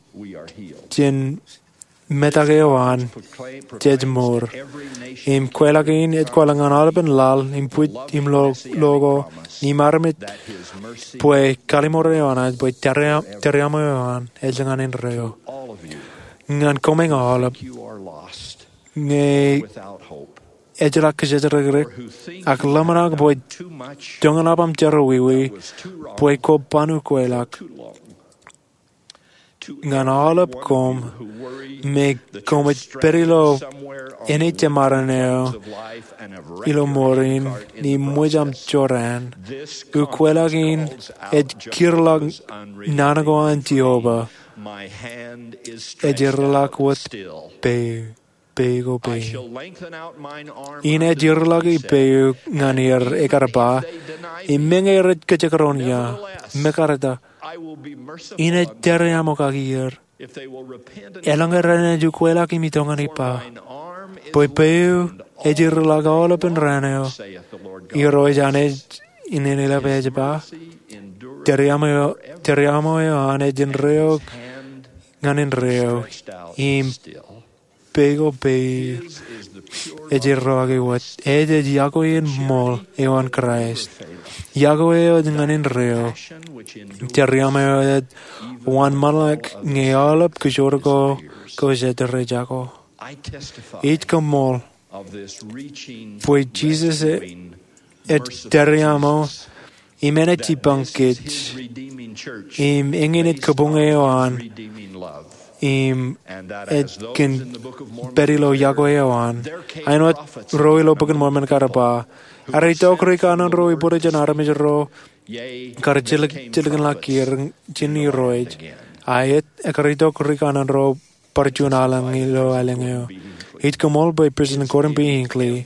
jān metak eo an jej mour. Im kweilọk in ej kwaḷọk ñan aolepān laḷ, im bwij, im lo-, loko, im armej, bwe kallimur eo an Anij, bwe tariaṃo, tariaṃo eo an, ej ñan indeeo. Ñan koṃeañ aolep, ñe ejjeḷọk kōjatdikdik, ak ḷōmṇak bwe joñan aṃ jerọwiwi bwe kwō ban ukwelọk. Ñan aolep koṃ me koṃij pād ilo āne jemaroñ eo ilo mour in im ṃōj aṃ jorrāān, ukwelọk in ej kūrḷọk naan ko an Jeova, ej erḷọk wōt peiū, peiū ko peiū. Inaaj erḷọk peiū ñan er, ekar ba, im meñe rej kajekdọọn ia, mekaretak, inaaj tariaṃo kaki er. Eḷaññe renaaj ukwelọk im itok ñan ippa, bwe peiū ej erḷọk aolepān raan eo, Irooj an Anij in enaaj ba, tariaṃo eo an ej indeeo ñan indeeo, im peiū ko peiū ej erḷọk wōt. Ej, ej yokwe in ṃool eo an Kraist. Yokwe eo ej ñan indeeo. Tariaṃo eo ej wōnṃaanḷọk ñe aolep kōjro ko kōjatdikdik jako. Ij koṃṃool bwe Jisōs ej tariaṃo im enaaj jipañ kōj, im eñin ej kabuñ eo an, im ej kōn pād ilo yokwe eo an. Āinwōt ro ilo Bok in Mormon kar ba, ear itok ri kanaan ro ibwiljin armej ro kar jilkinḷọk er jān Irooj, ak ekar itok ri kanaan ro bar juon aelōñ ilo aelōñ eo. Ij koṃṃool bwe President Gordon B. Hinckley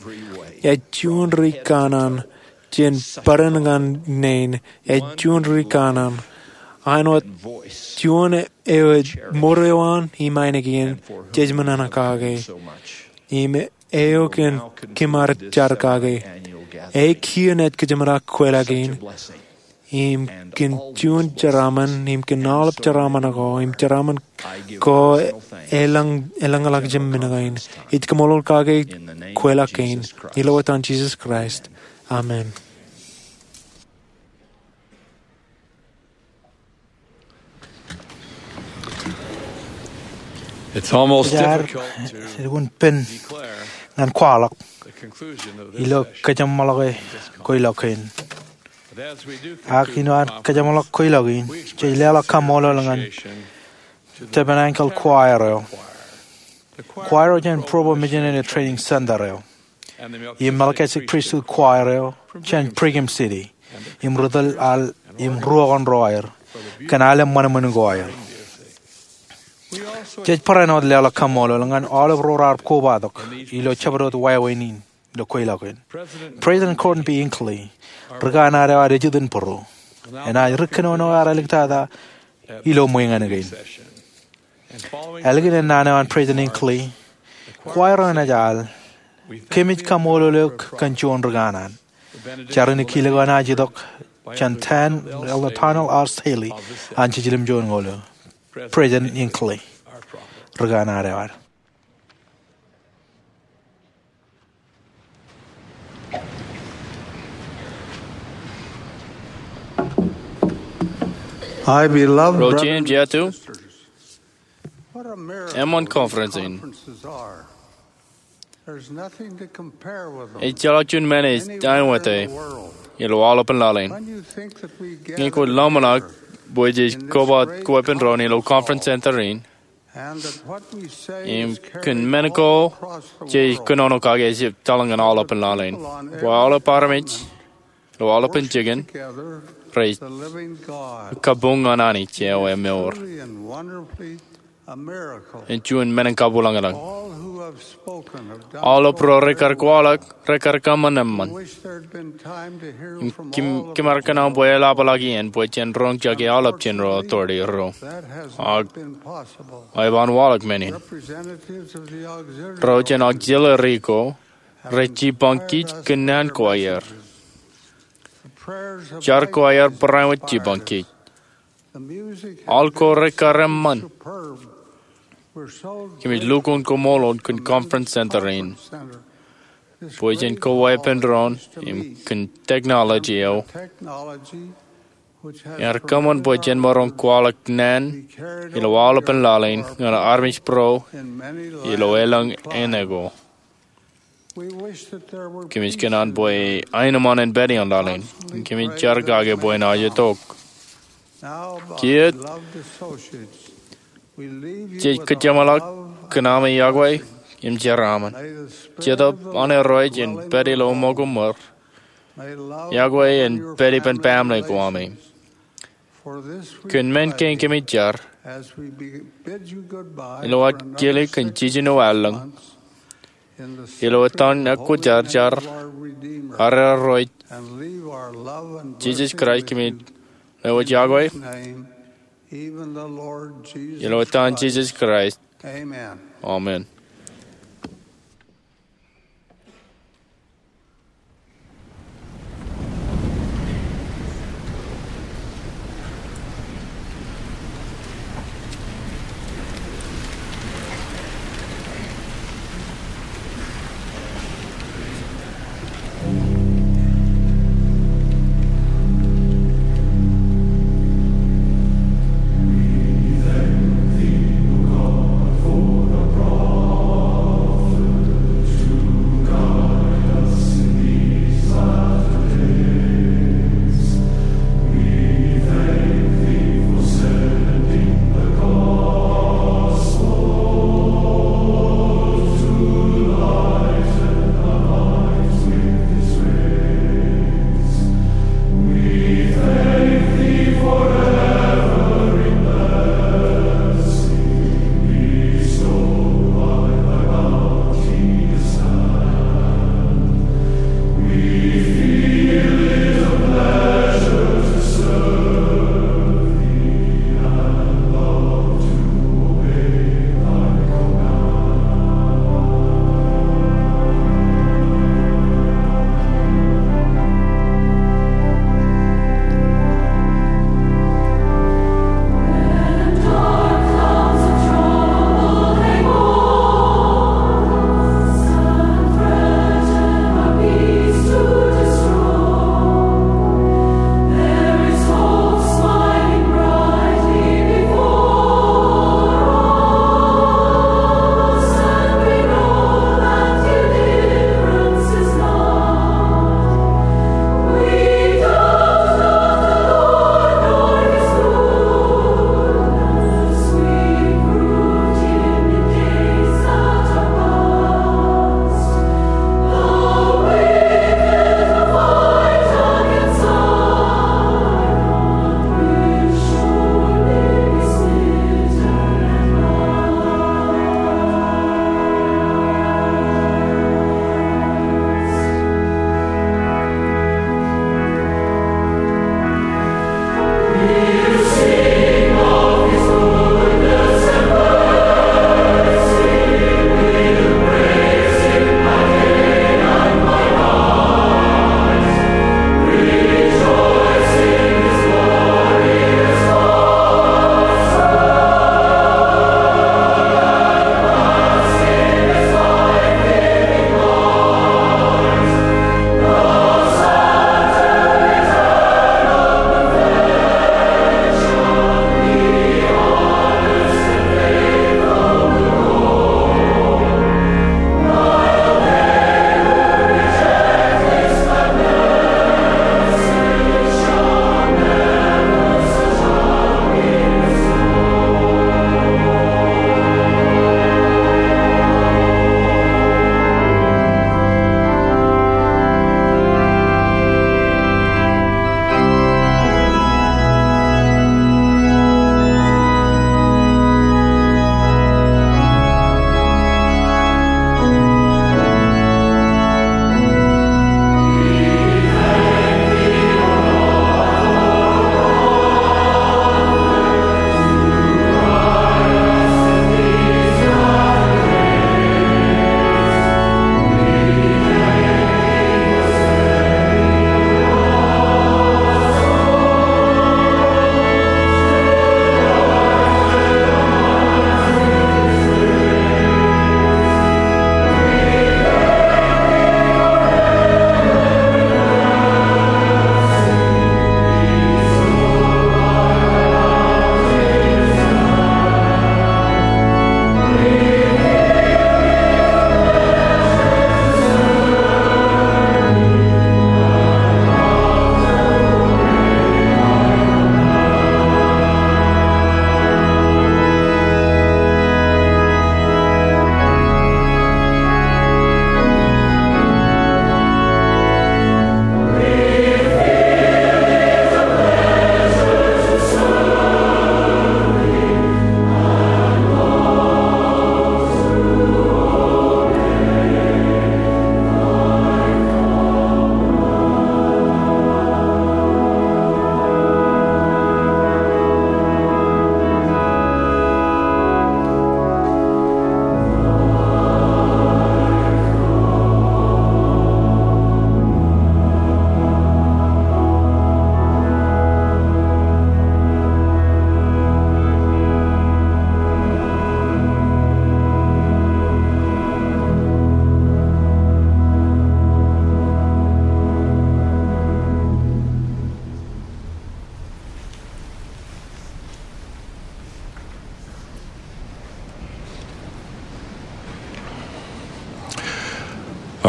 ej juon ri kanaan jān bōran ñan nein, ej juon ri kanaan. Āinwōt juon eo ej mour eo an im ainikien jej men in kake. Im eo kōn kōm ar jar kake. E kiiō naaj kōjeṃḷọk kwelọk in im kōn juon jeraaṃṃan, im kōn aolep jeraaṃṃan ko, im jeraaṃṃan ko elōñ, elōñḷọk jemān men kein. Ij kaṃṃoolol kake kwelọk kein. Ilo etan Jisōs Kraist, amen. It's almost Jaar difficult to lukkuun pen declare ñan kwaḷọk the conclusion of this ilo session. Kōjeṃḷọke kweilọk kein. Ak ilo ad kōjeṃḷọk kweilọk in, jej leḷọk kaṃṃoolol ñan Tabernacle Choir eo. Choir eo jān Provo Missionary Training Center eo. Im Melchizedek Priesthood Choir eo jān Brigham City. Im ri tōl al im ruo kaṇ ro aer kōn aolep ṃanṃan ko aer. Jej barāinwōt leḷọk kaṃṃoolol ñan aolep ro raar kobatok ilo jabdewōt wāween in ilo kweilọk in. President Gordon B. Hinckley, ri kanaan eo ad ej itok in būruō, enaaj ri kōnono eo ad āliktata ilo ṃweeṇ kein. Ālikin ennaan eo an President Hinckley, choir eo enaaj al, Kōmij Kaṃṃoolol Eok kōn Juon Ri Kanaan. Jar in kilōk eo enaaj itok jān Elder Donald R. Staley an Jiljilimjuon Ñoul eo, President Hinckley, ri kanaan eo ad. Ro jeiū im jeiū, eṃṃan conference in. Ejjeḷọk juon men ej aiwōte ilo aolepān laḷ in. Ñe kwōj ḷōmṇak bwe jej koba kwe pen doon ilo conference center in, im kōn men ko jej kōnono kake ejjab etal ñan aolepān laḷ in, bwe aolep armej ilo aolepān jikin rej kabuñ ñan Anij eo emour. Ej juon men in kabwilōñlōñ. Aolep ro rekar kwaḷọk rekar kōṃṃan eṃṃan. Im kōm, kōm ar kōṇaan bwe eḷapḷọk iien bwe jen roñjake aolep jān ro authority ro. Ak eban waḷọk men in. Ro jān auxiliary ko rej jipañ kij kōn naan ko aer. Jar ko aer barāinwōt jipañ kij. Aḷ ko rekar eṃṃan. Kōmij lukkuun koṃṃool kōn conference center in bwe jen koba kwe pen doon im kōn technology eo ear kōṃṃan bwe jen maroñ kwaḷọk naan ilo aolepān laḷ in ñan armej būruo ilo elōñ āne ko. Kōmij kōṇaan bwe aenōṃṃan en pād ioon laḷ in. Kōmij jar kake bwe en aje tok. Kiiō, jej kōjeṃḷọk kōn ami yokwe im jeraaṃṃan. Jetōb an Irooj en pād ilo ṃōko ṃōr. Yokwe en pād ippān baaṃle ko ami. Kōn men kein kōmij jar, ilo ad kile kōn jiljino allōñ, ilo etan ekwōjarjar ad Irooj Jisōs Kraist, kōmij lewōj yokwe ilo etan Jisōs Kraist. Amen.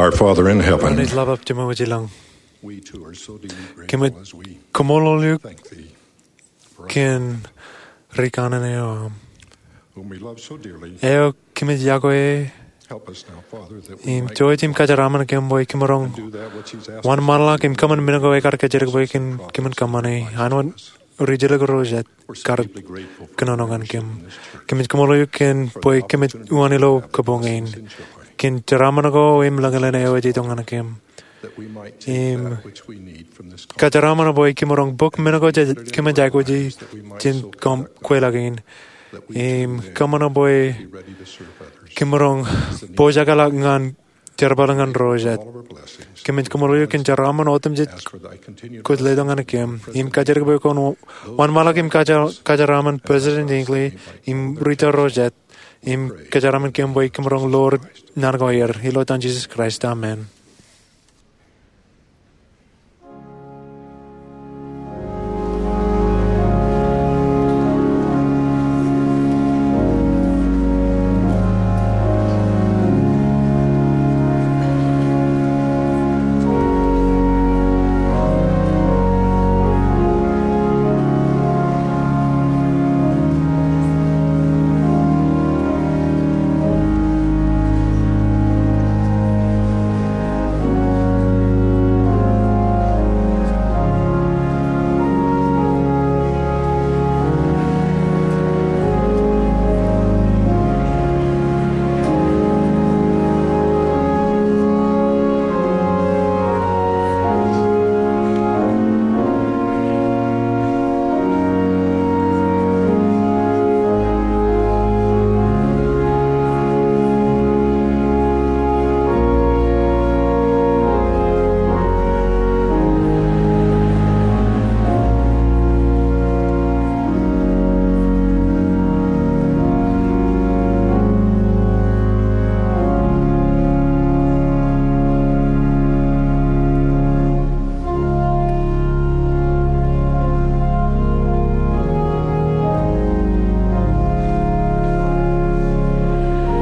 Our Father in heaven, Āne ḷapḷap Jemem eo ej ilañ, we too are so deeply grateful kōmij as we koṃṃool eok thank thee for kōn ri kanaan eo aṃ. Whom we love so dearly. Eo kōmij yokwe. Help us now, Father, that we im might jouj im kōjeraaṃṃan kōm bwe kōm roñ do that which he's asked us to do. Wōnṃaanḷọk im kōṃṃan men ko ekar kajjitōk bwe kōm, kōmin kōṃṃane. An wōt ri jilkinḷọk ro jet kar kōnono ñan kōm. Kōmij koṃṃool eok kōn bwe kōmij uwaan ilo kabuñ in. Kōn jeraaṃṃan ko im lañlōñ eo ej itok ñan kōm. Im kōjeraaṃṃan bwe kōm roñ bōk men ko jej kōmij aikuji jān kweilọk in. Im kōṃṃan bwe kōm roñ pojak ḷọk ñan jerbal ñan ro jet. Kōmij koṃṃool eok kōn jeraaṃṃan otemjej kwōj letok ñan kōm. Im kajjitōk bwe kwōn wōnṃaanḷọk im kōjeraaṃṃan President Hinckley im ri tōl ro jet. Im kōjeraaṃṃan kōm bwe kōm roñ ḷoor naan ko aer. Ilo etan Jisōs Kraist, amen.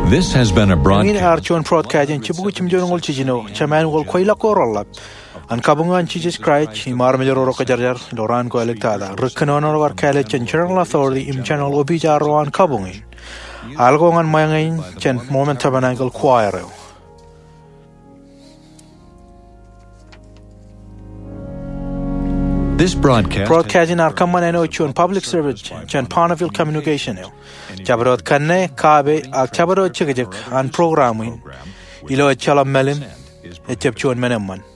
This has been a broadcast. Eñin ear juon broadcast in jibukwi jimjuonñoul jiljino, Jemānuel Kweilọk ko Reḷḷap, an kabuñ an Jisōs Kraist im armej ro ro kwōjarjar ilo raan ko āliktata. Ri kōnono ro kar kāālōt jān General Authority im General Opiij ro an kabuñ in. Al ko ñan ṃōñā in jān Mormon Tabernacle Choir eo. This broadcast. Broadcast in ear kōṃṃan āinwōt juon public service jān Bonneville Communication eo. Jabdewōt kanne, kaabe, ak jabdewōt jekjek an program in, ilo ejjeḷọk mālim, ejjab juon men eṃṃan.